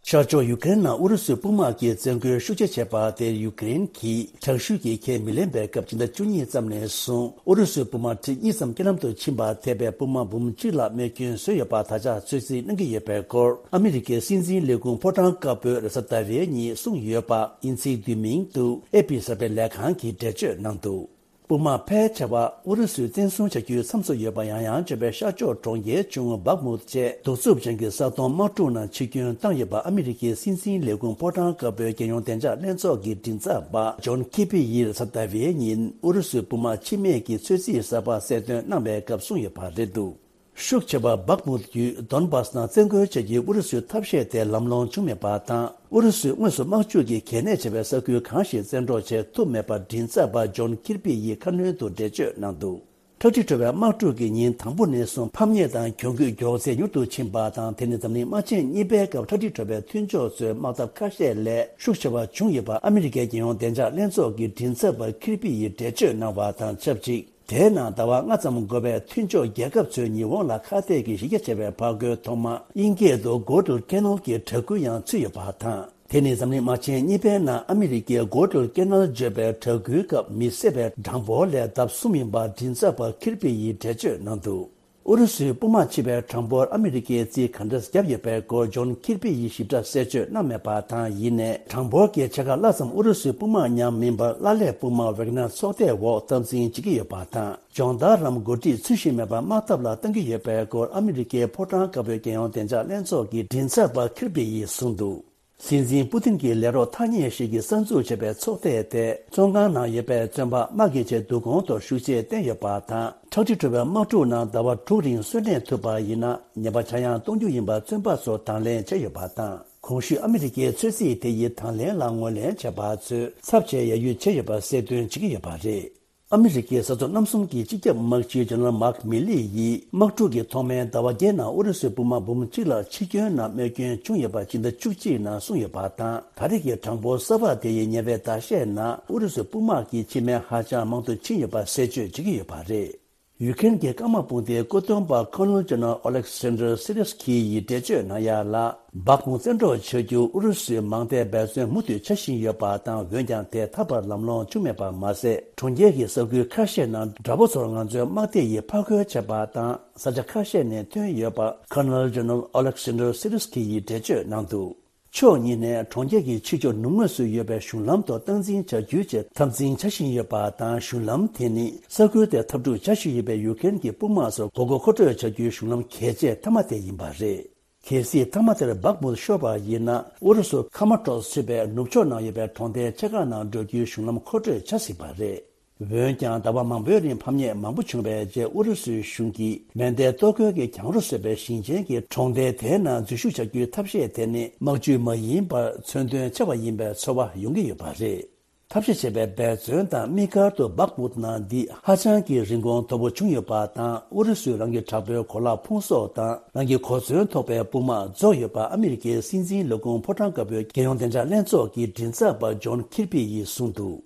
ཤར་ཕྱོགས་ཡུཀ་རེན་ནང་ཨུ་རུ་སུའི་དཔུང་དམག་གིས་བཙན་རྒོལ་ཤུགས་ཆེ་བྱས་པ་དེར་ཡུཀ་རེན་གྱིས་དྲག་ཤུགས་ཀྱིས་ཁས་མི་ལེན་པའི་སྐབས་ཕྱི་ཟླ་བཅུ་གཉིས་ཙམ་ནས་བཟུང་ཨུ་རུ་སུའི་དཔུང་དམག་ཁྲི་གཉིས་ཙམ་རྐྱེན་ལམ་དུ་ཕྱིན་པ་ཐེ་བའི་དཔུང་དམག་འབུམ་གཅིག་ལ་རྨས་སྐྱོན་བཟོས་ཡོད་པ་ད་ཆ་ཚོད་རྩིས་གནང་གི་ཡོད་པའི་སྐོར་ཨ་མི་རི་ཀའི་སྲིད་འཛིན་ལས་ཁུངས་ཕོ་བྲང་དཀར་པོས་རེས་གཟའ་ཟླ་བའི་ཉིན་གསུངས་ཡོད་པ་དབྱིན་ཚིག་བསྡུས་མིང་དུ་ཨེ་པི་གསར་སྤེལ་ལས་ཁང་གིས་འགྲེལ་བརྗོད་གནང་འདུག་དཔུང་དམག་ཕལ་ཆེ་བ་ཨུ་རུ་སུས་བཙན་བཟུང་བྱ་རྒྱུའི་མཚམས་སུ་ཡོད་པ་ཡང་ཡང་བརྗོད་པའི་ཤར་ཕྱོགས་གྲོང་ཁྱེར་ཆུང་ངུ་བག་མུད་བཅས་གདུག་རྩུབ་ཅན་གྱི་ས་དོང་དམག་འཁྲུག་ནང་འཆི་སྐྱོན་བཏང་ཡོད་པ་ཨ་མི་རི་ཀའི་སྲིད་འཛིན་ལས་ཁུངས་ཕོ་བྲང་དཀར་པོའི་རྒྱལ་ཡོངས་བདེ་འཇགས་ལྷན་ཚོགས་ཀྱི་མགྲིན་ཚབ་པ་ཇོན་ཁི་པི་ཡིས་རེས་གཟའ་ཟླ་བའི་ཉིན་ཨུ་རུ་སུའི་དཔུང་དམག་འཆི་རྨས་ཀྱི་ཚོད་རྩིས་གསར་པ་གསལ་སྟོན་གནང་བའི་སྐབས་གསུངས་ཡོད་པ་རེད་འདུག་ཤུགས་ཆེ་བ་བག་མུད་ཡུལ་དོན་བཱས་ནང་བཙན་རྒོལ་བྱ་རྒྱུའི་ཨུ་རུ་སུའི་ཐབས་ཤེས་དེ་ལམ་ལྷོང་བྱུང་མེད་པ་དང་། ཨུ་རུ་སུས་དངོས་སུ་དམག་འཁྲུག་གི་གལ་གནད་ཆེ་བའི་ས་ཁུལ་གང་ཞིག་བཙན་འཕྲོག་བྱེད་ཐུབ་མེད་པར་མགྲིན་ཚབ་པ་ཇོན་ཁིར་པི་ཡིས་ཁ་སྣོན་དུ་འགྲེལ་བརྗོད་གནང་འདུག་ཁྲག་དྲི་བྲོ་བའི་དམག་འཁྲུག་གི་ཉིན་དང་པོ་ནས་བཟུང་ཕམ་ཉེས་དང་གྱོང་གུད་མགྱོགས་ཚད་མྱུར་དུ་ཕྱིན་པ་དང་། དེ་ནི་འཛམ་གླིང་དམག་ཆེན་གཉིས་པའི་སྐབས་ཁྲག་དྲི་བྲོ་བའི་མཐུན་ཕྱོགས་ཚོའི་དམག་འཐབ་ཁ་ཤས་ལས་ཤུགས་ཆེ་བ་བྱུང་ཡོད་པ་ཨ་མི་རི་ཀའི་རྒྱལ་ཡོངས་བདེ་འཇགས་ལྷན་ཚོགས་ཀྱི་མགྲིན་ཚབ་པ་ཁིར་པི་ཡིས་འགྲེལ་བརྗོད་གནང་བ་དང་ཆབས་ཅིག་དེའི་ནང་ཟླ་བ་ལྔ་ཙམ་འགོར་བའི་མཐུན་ཕྱོགས་རྒྱལ་ཁབ་ཚོའི་ཉི་འོང་ལ་ཁ་གཏད་ཀྱི་གཞི་རྒྱ་ཆེ་བའི་ཕར་རྒོལ་ཐོག་མ་དབྱིན་སྐད་དུ་གོ་ཏུལ་ཀེ་ནལ་གྱི་གྲགས་འགུལ་ཡང་ཚུད་ཡོད་པ་དང་། དེ་ནི་འཛམ་གླིང་དམག་ཆེན་གཉིས་པའི་ནང་ཨ་མི་རི་ཀའི་གོ་ཏུལ་ཀེ་ནལ་བརྗོད་པའི་གྲགས་འགུལ་སྐབས་མི་བསད་པའི་གྲངས་འབོར་ལས་ལྡབ་གསུམ་ཡིན་པ་མགྲིན་ཚབ་པ་ཁིར་པི་ཡིས་འགྲེལ་བརྗོད་གནང་འདུག་ཨུ་རུ་སུའི་དཔུང་དམག་འཆི་བའི་གྲངས་འབོར་ཨ་མི་རི་ཀས་རྩིས་ག་འདྲ་བརྒྱབ་ཡོད་པའི་སྐོར་ཇོན་ཁིར་པི་ཡིས་ཞིབ་ཕྲ་གསལ་བརྗོད་གནང་མེད་པ་དང་། ཡིན་ནའི་གྲངས་འབོར་གྱི་ཕྱེད་ཀ་ལྷག་ཙམ་ཨུ་རུ་སུའི་དཔུང་དམག་མཉམ་མིན་པར་ལྷ་ལས་དཔུང་དམག་ཝེག་ནར་ཚོགས་སྡེའི་འོག་འཐབ་འཛིང་བྱེད་ཀྱི་ཡོད་པ་དང་། སྦྱོང་བརྡར་རམ་འགོ་ཁྲིད་ཚུལ་བཞིན་མེད་པར་དམག་འཐབ་ལ་གཏང་གི་ཡོད་པའི་སྐོར་ཨ་མི་རི་ཀའི་ཕོ་བྲང་དཀར་པོའི་རྒྱལ་ཡོངས་བདེ་འཇགས་ལྷན་ཚོགས་ཀྱི་མགྲིན་ཚབ་པ་ཁིར་པི་ཡིས་གསུངས་འདུག་སྲིད་འཛིན་པུ་ཏིན་གྱི་ལས་རོགས་ཐ་སྙད་ཞིག་གིས་གསར་འཛུགས་བྱས་པའི་ཚོགས་སྡེ་དེ་བཙོན་ཁང་ནང་ཡོད་པའི་བཙོན་པ་དམག་གི་ཆེད་བསྡུ་སྐོང་ཐོག་ཤུགས་ཆེར་བསྟན་ཡོད་པ་དང་། ཁྲག་དྲི་བྲོ་བའི་དམག་འཁྲུག་ནང་ཟླ་བ་དྲུག་རིང་གསོན་གནས་ཐུབ་པ་ཡིན་ན་ཉེས་པ་ཆག་ཡང་གཏོང་རྒྱུ་ཡིན་པ་བཙོན་པ་ཚོར་དང་ལེན་བྱས་ཡོད་པ་དང་། གོང་ཞུས་ཨ་མི་རི་ཀའི་ཚོད་རྩིས་དེ་ཡི་དང་ལེན་ལ་ངོས་ལེན་བྱས་པ་ཚོས་ཚབས་ཆེའི་ཡར་ཡུལ་བྱས་ཡོད་པ་གསལ་སྟོན་བྱེད་ཀྱི་ཡོད་པ་རེད། ཨ་མི་རི་ཀའི་ས་མཚམས་གནམ་གསུམ་གྱི་སྤྱི་ཁྱབ་དམག་སྤྱི་ཇེ་ནེ་རལ་མཱག་མི་ལི་ཡིས་དམག་འཁྲུག་གི་ཐོག་མའི་ཟླ་བ་བརྒྱད་ནང་ཨུ་རུ་སུའི་དཔུང་དམག་འབུམ་གཅིག་ལ་འཆི་སྐྱོན་ནམ་རྨས་སྐྱོན་བྱུང་ཡོད་པ་སྤྱི་ཟླ་བཅུ་གཅིག་ནང་གསུངས་ཡོད་པ་དང་། ད་རེས་ཀྱི་གྲངས་འབོར་གསར་པ་དེ་ཡི་ཉེ་བའི་ཟླ་ཤས་ནང་ཨུ་རུ་སུའི་དཔུང་དམག་གི་འཆི་རྨས་ཧ་ཅང་མང་དུ་ཕྱིན་ཡོད་པ་གསལ་བརྗོད་བྱེད་ཀྱི་ཡོད་པ་རེད། ཡུ་ཁེན་གྱི་སྐར་དམག་དཔུང་སྡེའི་སྐུ་གདུང་པ་ཁོ་ནལ་ཇེ་ནེ་རལ་ཨོ་ལེག་སན་ཌར་སི་རི་སི་ཁི་ཡིས་འགྲེལ་བརྗོད་གནང་ཡ་ལ། སྦག་མུ་བཙན་འཕྲོག་བྱ་རྒྱུ་ཨུ་རུ་སུས་མང་མཐའི་འབད་བརྩོན་མུ་མཐུད་བྱ་བཞིན་ཡོད་པ་དང་། འོན་ཀྱང་དེ་ད་བར་ལམ་ལྷོང་བྱུང་མེད་པ་མ་ཟད། གྲོང་ཁྱེར་གྱི་ས་ཁུལ་ཁ་ཤས་ནང་དགྲ་བོ་ཚོར་ང་ཚོའི་དམག་སྡེ་ཡིས་ཕར་རྒོལ་བྱས་པ་དང་། ས་ཆ་ཁ་ཤས་ནས་ཐོན་ཡོད་པ་ཁོ་ནལ་ཇེ་ནེ་རལ་ཨོ་ལེག་སན་ཌར་སི་རི་སི་ཁི་ཡིས་འགྲེལ་བརྗོད་གནང་འདུག་ཕྱོགས་གཉིས་ནས་གྲོང་ཁྱེར་གྱི་ཕྱི་ཕྱོགས་ནུབ་ངོས་སུ་ཡོད་པའི་གཞུང་ལམ་ཐོག་སྟངས་འཛིན་བྱ་རྒྱུའི་ཆེད་འཐབ་འཛིང་བྱ་བཞིན་ཡོད་པ་དང་། གཞུང་ལམ་དེ་ནི་ས་ཁུལ་དེར་འཐབ་འཁྲུག་བྱ་བཞིན་ཡོད་པའི་ཡུ་ཁེན་གྱི་དཔུང་དམག་ཚོར་མགོ་སྐོར་མཁོ་སྤྲོད་བྱ་རྒྱུའི་གཞུང་ལམ་གལ་ཆེ་མཐའ་མ་དེ་ཡིན་པ་རེད། གལ་སྲིད་མཐའ་མ་དེར་སྦག་མུ་ཤོར་བ་ཡིན་ན། ཨུ་རུ་སུ་ཁ་མ་ཀྲོས་ཞེས་པའི་ནུབ་ཕྱོགས་ནང་ཡོད་པའི་གྲོང་རྡལ་ཆེ་ཁག་ནང་འགྲོ་རྒྱུའི་གཞུང་ལམ་མཁོ་སྤྲོད་བྱ་སྲིད་པ་རེད། འོན་ཀྱང་ཟླ་བ་མང་པོའི་རིང་ཕམ་ཉེས་མང་པོ་བྱུང་བའི་རྗེས། ཨུ་རུ་སུའི་གཞུང་གིས་མེ་མདའི་གཏོར་རྒོལ་གྱིས་གྱང་རོ་བཟོས་པའི་ཞིང་ཆེན་གྱི་གྲོང་རྡལ་དེའི་ནང་འཛུལ་ཞུགས་བྱ་རྒྱུའི་ཐབས་ཤེས་དེ་ནི་དམག་ཇུས་མ་ཡིན་པར་མཚོན་དོན་ཆེ་བ་ཡིན་པའི་ཚོར་བ་ཡོང་གི་ཡོད་པ་རེད། ཐབས་ཤེས་བྱས་པའི་འབད་བརྩོན་དང་དམིགས་བཀར་དུ་སྦག་མུད་ནང་འདི་ཧ་ཅང་གི་རིན་གོང་མཐོ་པོ་བྱུང་ཡོད་པ་དང་། ཨུ་རུ་སུས་རང་གི་དྲག་པོའི་གོ་ལག་ཕུང་གསོག་དང་རང་གི་གོ་མཚོན་ཐོགས་པའི་དཔུང་དམག་རྫོགས་ཡོད་པ་ཨ་མི་རི་ཀའི་སྲིད་འཛིན་ལས་ཁུངས་ཕོ་བྲང་དཀར་པོའི་རྒྱལ་ཡོངས་བདེ་འཇགས་ལྷན་ཚོགས་ཀྱི་མགྲིན་ཚབ་པ་ཇོན་ཁིར་པི་ཡིས་གསུངས་འདུག་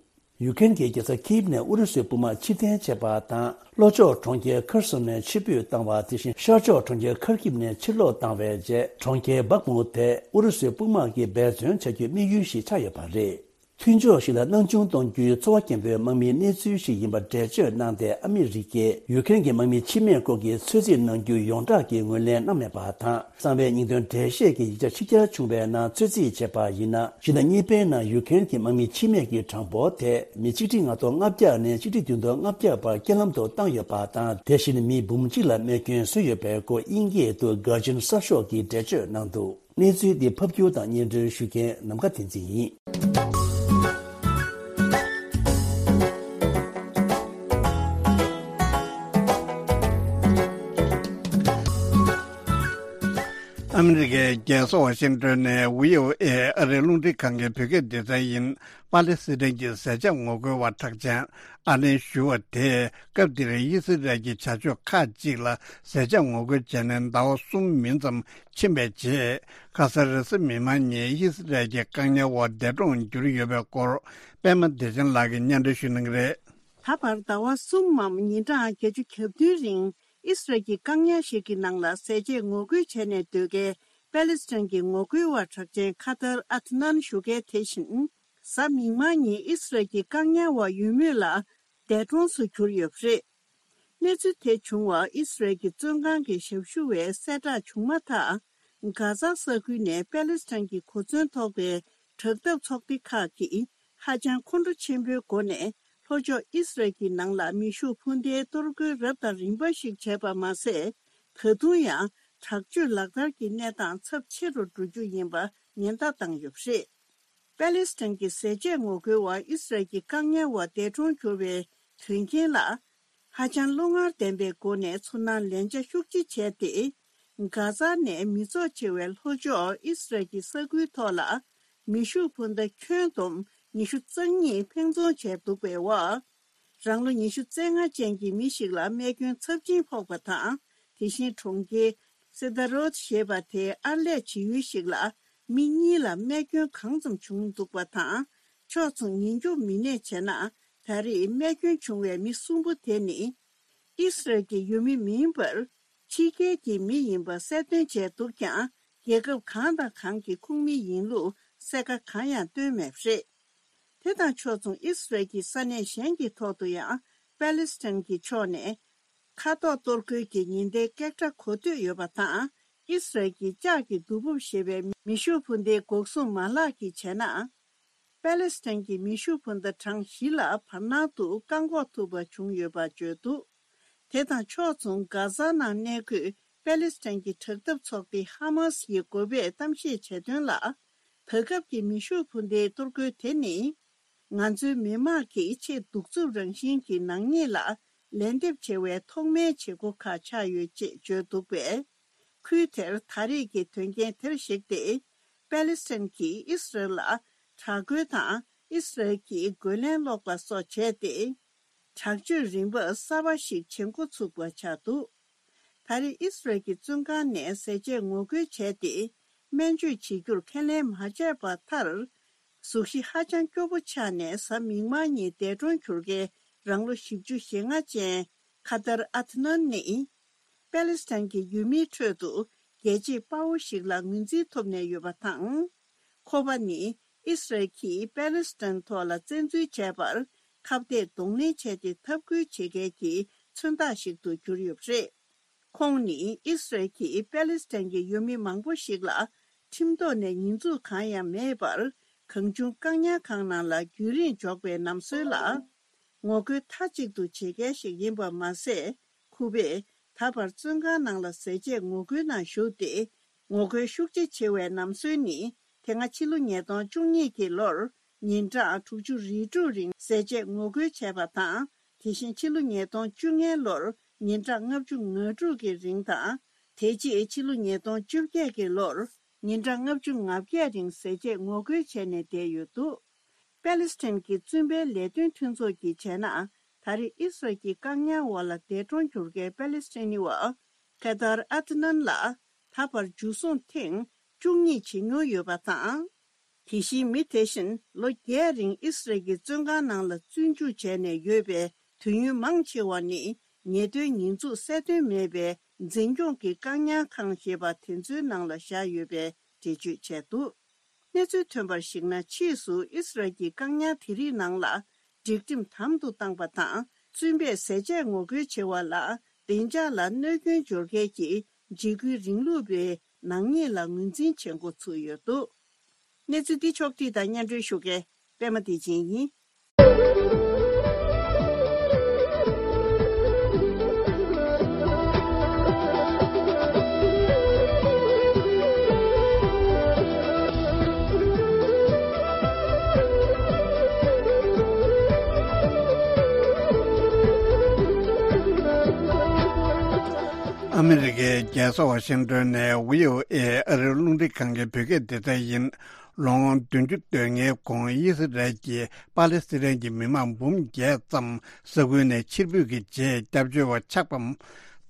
ཡུ་ཀེ་རེན་གྱི་རྒྱལ་ས་ཁིབ་ནས་ཨུ་རུ་སུའི་དཔུང་དམག་ཕྱིར་འཐེན་བྱས་པ་དང་། ལྷོ་ཕྱོགས་གྲོང་ཁྱེར་ཁར་སོན་ནས་ཕྱིར་འབུད་བཏང་བ། དེ་བཞིན་ཤར་ཕྱོགས་གྲོང་ཁྱེར་ཁར་ཀིབ་ནས་ཕྱིར་ལོག་བཏང་བའི་རྗེས། གྲོང་ཁྱེར་བག་མུ་དེ་ཨུ་རུ་སུའི་དཔུང་དམག་གིས་འབད་བརྩོན་བྱ་རྒྱུའི་དམིགས་ཡུལ་ཞིག་ཆགས་ཡོད་པ་རེད། མཐུན་ཕྱོགས་ཤིག་ལ་སྣང་ཆུང་གཏོང་རྒྱུའི་ཚོར་བ་སྐྱེན་པོའི་དམག་མིའི་གནས་ཚུལ་ཞིག་ཡིན་པར་འགྲེལ་བརྗོད་གནང་སྟེ། ཨ་མི་རི་ཀས་ཡུ་ཀེ་རེན་གྱི་དམག་མི་འཆི་རྨས་སྐོར་གྱི་ཚོད་རྩིས་གནང་རྒྱུ་ཡོངས་གྲགས་ཀྱི་ངོས་ལེན་གནང་མེད་པ་དང་། གསང་བའི་སྙིང་དོན་འགྲེལ་བཤད་ཀྱི་ཡིག་ཆ་ཕྱི་གྱར་བྱུང་བའི་ནང་ཚོད་རྩིས་བྱས་པ་ཡིན་ན། ཕྱི་ཟླ་གཉིས་པའི་ནང་ཡུ་ཀེ་རེན་གྱི་དམག་མི་འཆི་རྨས་ཀྱི་གྲངས་འབོར་དེ་མི་ཆིག་ཁྲི་ལྔ་སྟོང་ལྔ་བརྒྱ་ནས་ཆིག་ཁྲི་བདུན་སྟོང་ལྔ་བརྒྱ་བར་རྐྱེན་ལམ་དུ་བཏང་ཡོད་པ་དང་། དེ་བཞིན་མི་འབུམ་གཅིག་ལ་རྨས་སྐྱོན་བཟོས་ཡོད་པའི་སྐོར་དབྱིན་སྐད་དུ་གྷར་ཇན་གསར་ཤོག་གིས་འགྲེལ་བརྗོད་གནང་འདུག། གནས་ཚུལ་འདི་ཕབ་སྒྱུར་དང་སྙན་སྒྲོན་ཞུ་མཁན་ནམ་མཁའ་བསྟན་འཛིན་ཡིན། ཨ་མི་རི་ཀའི་རྒྱལ་ས་ཝ་ཤིང་ཏོན་ནས་བྷི་ཨོ་ཨེ་ཨ་རིའི་རླུང་འཕྲིན་ཁང་གི་བོད་སྐད་སྡེ་ཚན་ཡིན། པ་ལེ་སི་ཐན་གྱི་ཟས་བཅད་ངོ་རྒོལ་བ་གྲགས་ཅན་ཨ་ལན་ཞུ་བ་དེས། སྐབས་དེར་དབྱི་སི་རལ་གྱི་བྱ་སྤྱོད་ཁག་ཅིག་ལ་ཟས་བཅད་ངོ་རྒོལ་བྱས་ནས་ཟླ་བ་གསུམ་མིན་ཙམ་ཕྱིན་པའི་རྗེས། ཁ་སང་རེས་གཟའ་མིག་དམར་ཉིན་དབྱི་སི་རལ་གྱི་བཀག་ཉར་འོག་འདས་གྲོངས་གྱུར་ཡོད་པའི་སྐོར། པད་མ་བདེ་ཆེན་ལགས་ཀྱིས་སྙན་སྒྲོན་ཞུ་གནང་གི་རེད། ད་བར་ཟླ་བ་གསུམ་མམ་ཉིན་གྲངས་བརྒྱད་ཅུ་གྱ་བདུན་རིང་དབྱི་སི་རལ་གྱི་བཀག་ཉར་ཞིག་གི་ནང་ལ་ཟས་བཅད་ངོ་རྒོལ་བྱས་ནས་སྡོད་མཁན་པེ་ལེ་སི་ཐན་གྱི་ངོ་རྒོལ་བ་གྲགས་ཅན་ཁ་ཐར་ཨ་ཐི་ནན་ཞུ་མཁན་དེ་བཞིན། གཟའ་མིག་དམར་ཉིན་ཨི་སི་རལ་གྱི་བཀག་ཉར་འོག་ཡོད་མུས་ལ་འདས་གྲོངས་སུ་གྱུར་ཡོད་པ་རེད། གནས་ཚུལ་དེ་བྱུང་བ་ཨི་སི་རལ་གྱི་བཙོན་ཁང་གི་ཞབས་ཞུ་བས་གསལ་བསྒྲགས་བྱུང་མ་ཐག་གྷ་ཛ་ས་ཁུལ་ནས་པེ་ལེ་སི་ཐན་གྱི་གོ་མཚོན་ཐོགས་པའི་དྲག་འཐབ་ཚོགས་སྡེ་ཁག་གིས་ཧ་ཅང་ཁོང་ཁྲོ་ཆེན་པོའི་སྒོ་ནས་ལྷོ་ཕྱོགས་ཨི་སི་རལ་གྱི་ནང་ལ་མེ་ཤུགས་འཕུར་མདེལ་གཏོར་རྒོལ་རབ་དང་རིམ་པ་ཞིག་བྱས་པ་མ་ཟད། ད་དུང་ཡང་དྲག་སྤྱོད་ལག་བསྟར་གྱི་གནས་སྟངས་ཚབས་ཆེ་རུ་འགྲོ་རྒྱུ་ཡིན་པ་ཉེན་བརྡ་བཏང་ཡོད་པ་རེད། པེ་ལེ་སི་ཐན་གྱི་ཟས་བཅད་ངོ་རྒོལ་བ་ཨི་སི་རལ་གྱི་བཀག་ཉར་འོག་འདས་གྲོངས་གྱུར་བའི་དོན་རྐྱེན་ལ། ཧ་ཅང་བློ་ངར་ལྡན་པའི་སྒོ་ནས་ཚོར་སྣང་ལན་ཆ་ཤུགས་ཆེ་བྱས་ཏེ། གྷ་ཛ་ནས་མི་ཚོགས་ཆེ་བའི་ལྷོ་ཕྱོགས་ཨི་སི་རལ་གྱི་ས་ཁུལ་ཐོག་ལ། མེ་ཤུགས་འཕུར་མདའ་ཁྱོན་བསྡོམས་ཉི་ཤུ་རྩ་གཉིས་འཕེན་རྫོང་བྱས་འདུག་པའི་འོག་རང་ལོ་ཉི་ཤུ་རྩ་ལྔ་ཅན་གྱི་མི་ཞིག་ལ་རྨས་སྐྱོན་ཚབས་ཆེན་ཕོག་པ་དང་། དེ་བཞིན་གྲོང་ཁྱེར་སེ་ད་རོད་ཞེས་པ་དེའི་ཨར་ལས་བྱེད་ཡུལ་ཞིག་ལ་མི་གཉིས་ལ་རྨས་སྐྱོན་གང་ཙམ་བྱུང་འདུག་པ་དང་། ཕྱོགས་མཚུངས་ཉེན་སྐྱོབ་མི་སྣས་བྱས་ན། ད་རེས་རྨས་སྐྱོན་བྱུང་བའི་མི་གསུམ་པོ་དེ་ནི་ཨི་སི་རལ་གྱི་ཡུལ་མི་མིན་པར། ཕྱི་རྒྱལ་གྱི་མི་ཡིན་པ་གསལ་སྟོན་བྱས་འདུག་ཀྱང་། རྒྱལ་ཁབ་གང་དང་གང་གི་ཁོངས་མི་ཡིན་ལུགས་གསལ་ཁ་གང་ཡང་བཏོན་མེད་པ་རེད། དེ་དང་ཕྱོགས་མཚུངས་ཨི་སི་རལ་གྱི་ས་གནས་གཞན་གྱི་ཐོག་ཏུ་ཡང་པེ་ལེ་སི་ཐན་གྱི་ཕྱོགས་ནས་མཁའ་ཐོག་གཏོར་རྒོལ་གྱི་ཉེན་བརྡའི་སྐད་སྒྲ་གོ་ཐོས་ཡོད་པ་དང་། ཨི་སི་རལ་གྱི་ལྕགས་ཀྱི་རྡོ་སྦུབ་ཞེས་པའི་མེ་ཤུགས་འཕུར་མདའི་འགོག་སྲུང་མ་ལག་གིས་བྱས་ན། པེ་ལེ་སི་ཐན་གྱི་མེ་ཤུགས་འཕུར་མདའ་གྲངས་བཞི་ལ་བར་སྣང་དུ་བཀག་འགོག་ཐུབ་པ་བྱུང་ཡོད་པ་བརྗོད་འདུག་དེ་དང་ཕྱོགས་མཚུངས་གྷ་ཛ་ནང་གནས་འཁོད་པེ་ལེ་སི་ཐན་གྱི་དྲག་འཐབ་ཚོགས་སྡེ་ཧ་མ་སི་ཡིས་འགོ་པས་གཏམ་བཤད་བྱས་དོན་ལ། ད་སྐབས་ཀྱི་མེ་ཤུགས་འཕུར་མདའི་གཏོར་རྒོལ་དེ་ནི། ང་ཚོའི་མི་དམངས་ཀྱི་ཆེས་གདུག་རྩུབ་རང་བཞིན་གྱི་ནག་ཉེས་ལ་ལན་འདེབས་བྱེད་པའི་ཐོག་མའི་བྱེད་སྒོ་ཁག་ཆགས་ཡོད་ཅེས་བརྗོད་འདུག་པས། ཁུལ་དེར་ད་རེས་ཀྱི་དོན་རྐྱེན་དེར་གཞིགས་ཏེ། པེ་ལེ་སི་ཐན་གྱིས་ཨི་སི་རལ་ལ་དྲག་རྒོལ་དང་ཨི་སི་རལ་གྱིས་རྒོལ་ལན་སློག་པ་སོགས་བྱས་ཏེ། དྲག་སྤྱོད་རིམ་པ་གསར་པ་ཞིག་བྱེད་འགོ་ཚུགས་པ་ཆགས་འདུག་ད་རེས་ཨི་སི་རལ་གྱི་བཙོན་ཁང་ནས་ཟས་བཅད་ངོ་རྒོལ་བྱས་ཏེ། སྨན་བཅོས་བྱེད་རྒྱུར་ཁས་ལེན་མ་བྱས་པར་མཐར། གཟུགས་གཞི་ཧ་ཅང་སྐྱོ་པོ་ཆགས་ནས་གཟའ་མིག་དམར་ཉིན་འདས་གྲོངས་གྱུར་མཁན་རང་ལོ་བཞི་བཅུ་ཞེ་ལྔ་ཅན་ཁ་ཏར་ཨ་ཐི་ནན་ནི། པེ་ལེ་སི་ཐན་གྱི་ཡུལ་མིའི་ཁྲོད་དུ་རྒྱལ་གཅེས་དཔའ་བོ་ཞིག་ལ་ངོས་འཛིན་ཐོབ་ནས་ཡོད་པ་དང་། ཁོ་པ་ནི་ཨི་སི་རལ་གྱིས་པེ་ལེ་སི་ཐན་ཐོག་ལ་བཙན་འཛུལ་བྱས་པར་ཁ་གཏད་གདོང་ལེན་བྱས་ཏེ་འཐབ་རྒོལ་བྱེད་མཁན་གྱི་མཚོན་རྟགས་ཤིག་ཏུ་གྱུར་ཡོད་པ་རེད། ཁོང་ནི་ཨི་སི་རལ་གྱིས་པེ་ལེ་སི་ཐན་གྱི་ཡུལ་མི་མང་པོ་ཞིག་ལ་ཁྲིམས་ཐོག་ནས་ཉེས་འཛུགས་གང་ཡང་མེད་པར། གང་བྱུང་བཀག་ཉར་ཁང་ནང་ལ་རྒྱུན་རིང་འཇོག་པའི་ལམ་སྲོལ་ལ་ངོ་རྒོལ་མཐའ་གཅིག་ཏུ་བྱེད་མཁན་ཞིག་ཡིན་པ་མ་ཟད། ཁོ་པས་ད་བར་བཙོན་ཁང་ནང་ལ་ཟས་བཅད་ངོ་རྒོལ་ནང་ཞུགས་ཏེ། ངོ་རྒོལ་ཤུགས་ཆེ་བྱེད་པའི་ལམ་སྲོལ་ནི། དེ་སྔ་ཕྱི་ལོ་ཉིས་སྟོང་བཅུ་གཉིས་ཀྱི་ལོར་ཉིན་གྲངས་དྲུག་ཅུ་རེ་དྲུག་རིང་ཟས་བཅད་ངོ་རྒོལ་བྱས་པ་དང་། དེ་བཞིན་ཕྱི་ལོ་ཉིས་སྟོང་བཅོ་ལྔའི་ལོར་ཉིན་གྲངས་ལྔ་བཅུ་ང་དྲུག་གི་རིང་དང་། དེ་རྗེས་ཕྱི་ལོ་ཉིས་སྟོང་བཅོ་བརྒྱད་ཀྱི་ལོར་ཉིན་གྲངས་ལྔ་བཅུ་ང་བརྒྱད་རིང་ཟས་བཅད་ངོ་རྒོལ་བྱས་ནས་བསྡད་ཡོད་འདུག་པེ་ལེ་སི་ཐན་གྱི་བཙོན་པའི་ལས་དོན་མཐུན་ཚོགས་ཀྱིས་བྱས་ན། ད་རེས་ཨི་སི་རལ་གྱི་བཀག་ཉར་འོག་ལ་འདས་གྲོངས་གྱུར་མཁན་པེ་ལེ་སི་ཐན་ནི་བ་ཁ་ཏར་ཨ་ཐི་ནན་ལ་ད་བར་འཇུ་བཟུང་ཐེངས་བཅུ་གཉིས་བྱེད་མྱོང་ཡོད་པ་དང་། དེ་བཞིན་མི་དེ་བཞིན་ལོ་བརྒྱད་རིང་ཨི་སི་རལ་གྱི་བཙོན་ཁང་ནང་ལ་བཙོན་འཇུག་བྱས་ནས་ཡོད་པའི་དུས་ཡུན་མང་ཆེ་བ་ནི་ཉེས་དོན་ཉེས་འཛུགས་གསལ་སྟོན་མེད་པའི་འཛིན་སྐྱོང་གི་བཀག་ཉར་ཁང་ཞེས་པ་དེ་ཚོའི་ནང་ལ་བཞག་ཡོད་པའི་འགྲེལ་བརྗོད་བྱས་འདུག་གནས་ཚུལ་ཐོན་པར་གཞིགས་ན། ཕྱིས་སུ་ཨི་སི་རལ་གྱིས་བཀག་ཉར་དེ་རིགས་ནང་ལ་སྒྲིག་ཁྲིམས་དམ་དུ་བཏང་པ་དང་། བཙོན་པས་ཟས་བཅད་ངོ་རྒོལ་བྱེད་པ་ལ་བདེ་འཇགས་ལ་གནོད་སྐྱོན་སྦྱོར་མཁན་གྱི་འཇིགས་སྐུལ་རིང་ལུགས་པའི་ནག་ཉེས་ལ་ངོས་འཛིན་བྱེད་འགོ་ཚུགས་ཡོད་འདུག་གནས་ཚུལ་འདི་ཕྱོགས་བསྒྲིགས་དང་སྙན་སྒྲོན་ཞུ་མཁན་པད་མ་བདེ་ཆེན་ཡིན། ཨ་མི་རི་ཀའི་རྒྱལ་ས་ཝ་ཤིང་ཏོན་ནས་བྷི་ཨོ་ཨེ་ཨ་རིའི་རླུང་འཕྲིན་ཁང་གི་བོད་སྐད་སྡེ་ཚན་ཡིན། ལོ་ངོ་བདུན་ཅུ་དོན་ལྔའི་གོང་ཨི་སི་རལ་གྱིས་པ་ལེ་སི་ཐན་གྱི་མི་མང་འབུམ་བརྒྱད་ཙམ་ས་ཁུལ་ནས་ཕྱིར་འབུད་ཀྱི་རྗེས་སྐྱབས་བཅོལ་བ་ཆགས་པ་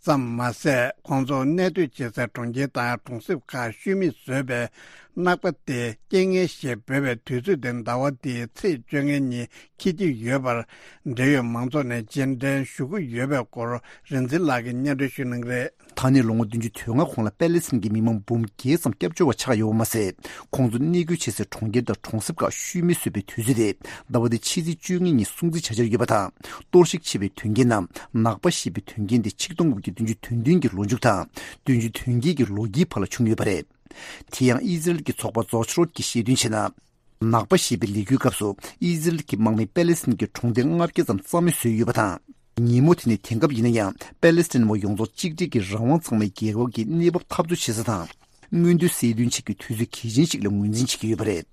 ཙམ་མ་ཟད། ཁོང་ཚོ་གནས་སྡོད་བྱེད་སའི་གྲོང་ཁྱེར་དང་གྲོང་གསེབ་ཁག་ཤུལ་མེད་བཟོས་པའི་གནག་པ་སྟེ་རྐྱེན་ངན་ཞེས་འབོད་པའི་དུས་ཚོད་དེ་ཟླ་བ་འདིའི་ཚེས་བཅོ་ལྔ་ཉིན་འཁེལ་གྱི་ཡོད་པར། འབྲེལ་ཡོད་མང་ཚོགས་ནས་རྗེས་དྲན་ཞུ་གི་ཡོད་པའི་སྐོར་རིག་འཛིན་ལགས་ཀྱིས་སྙན་སྒྲོན་ཞུ་གནང་གི་རེད། ད་ནས་ལོ་ངོ་བདུན་ཅུ་དོན་ལྔ་གོང་ལ་པེ་ལེ་སི་ཐན་གྱི་མི་མང་འབུམ་བརྒྱད་ཙམ་སྐྱབས་བཅོལ་བ་ཆགས་ཡོད་པ་མ་ཟད། ཁོང་ཚོ་གནས་སྡོད་བྱེད་སའི་གྲོང་ཁྱེར་དང་གྲོང་གསེབ་ཁག་ཤུལ་མེད་བཟོས་པའི་དུས་ཚོད་དེ་ཟླ་བ་འདིའི་ཕྱི་ཚེས་བཅོ་ལྔ་ཉིན་སྲུང་བརྩི་བྱ་འཆར་ཡོད་པ་དང་། གཏོར་བཤིག་བྱས་པའི་དོན་རྐྱེན་ནམ་ནག་པ་ཞེས་པའི་དོན་རྐྱེན་དེ་ཆིག་སྟོང་དགུ་བརྒྱ་བདུན་ཅུ་དོན་བདུན་གྱི་ལོ་མཇུག་དང་བདུན་ཅུ་དོན་བརྒྱད་ཀྱི་ལོ་དཀྱིལ་བར་ལ་བྱུང་ཡོད་པ་རེད། དེ་ཡང་ཨི་ཟི་རལ་གྱི་ཚོགས་པ་ཛོ་ཆི་རོད་ཀྱིས་བཤད་དོན་བྱས་ན། ནག་པ་ཞེས་པའི་ལས་འགུལ་སྐབས་སུ་ཨི་ཟི་རལ་གྱི་དམག་མིས་པེ་ལེ་སི་ཐན་གྱི་གྲོང་སྡེ་ལྔ་བརྒྱ་ཙམ་རྩ་མེད་བཟོས་ཡོད་པ་དང་། ཉིན་མོ་དེ་ནི་དེང་སྐབས་ཡིན་ན་ཡང་པེ་ལེ་སི་ཐན་བ་ཡོངས་རྫོགས་གཅིག་སྒྲིལ་གྱིས་རང་དབང་ཚང་མའི་རྒྱལ་ཁབ་ཀྱི་གནས་བབ་འཐབ་རྩོད་བྱེད་ས་དང་། མངོན་འདོད་གསལ་སྟོན་བྱེད་རྒྱུའི་དུས་ཚོད་གལ་ཆེན་ཞིག་ལ་ངོས་འཛིན་བྱེད་ཀྱི་ཡོད་པ་རེད།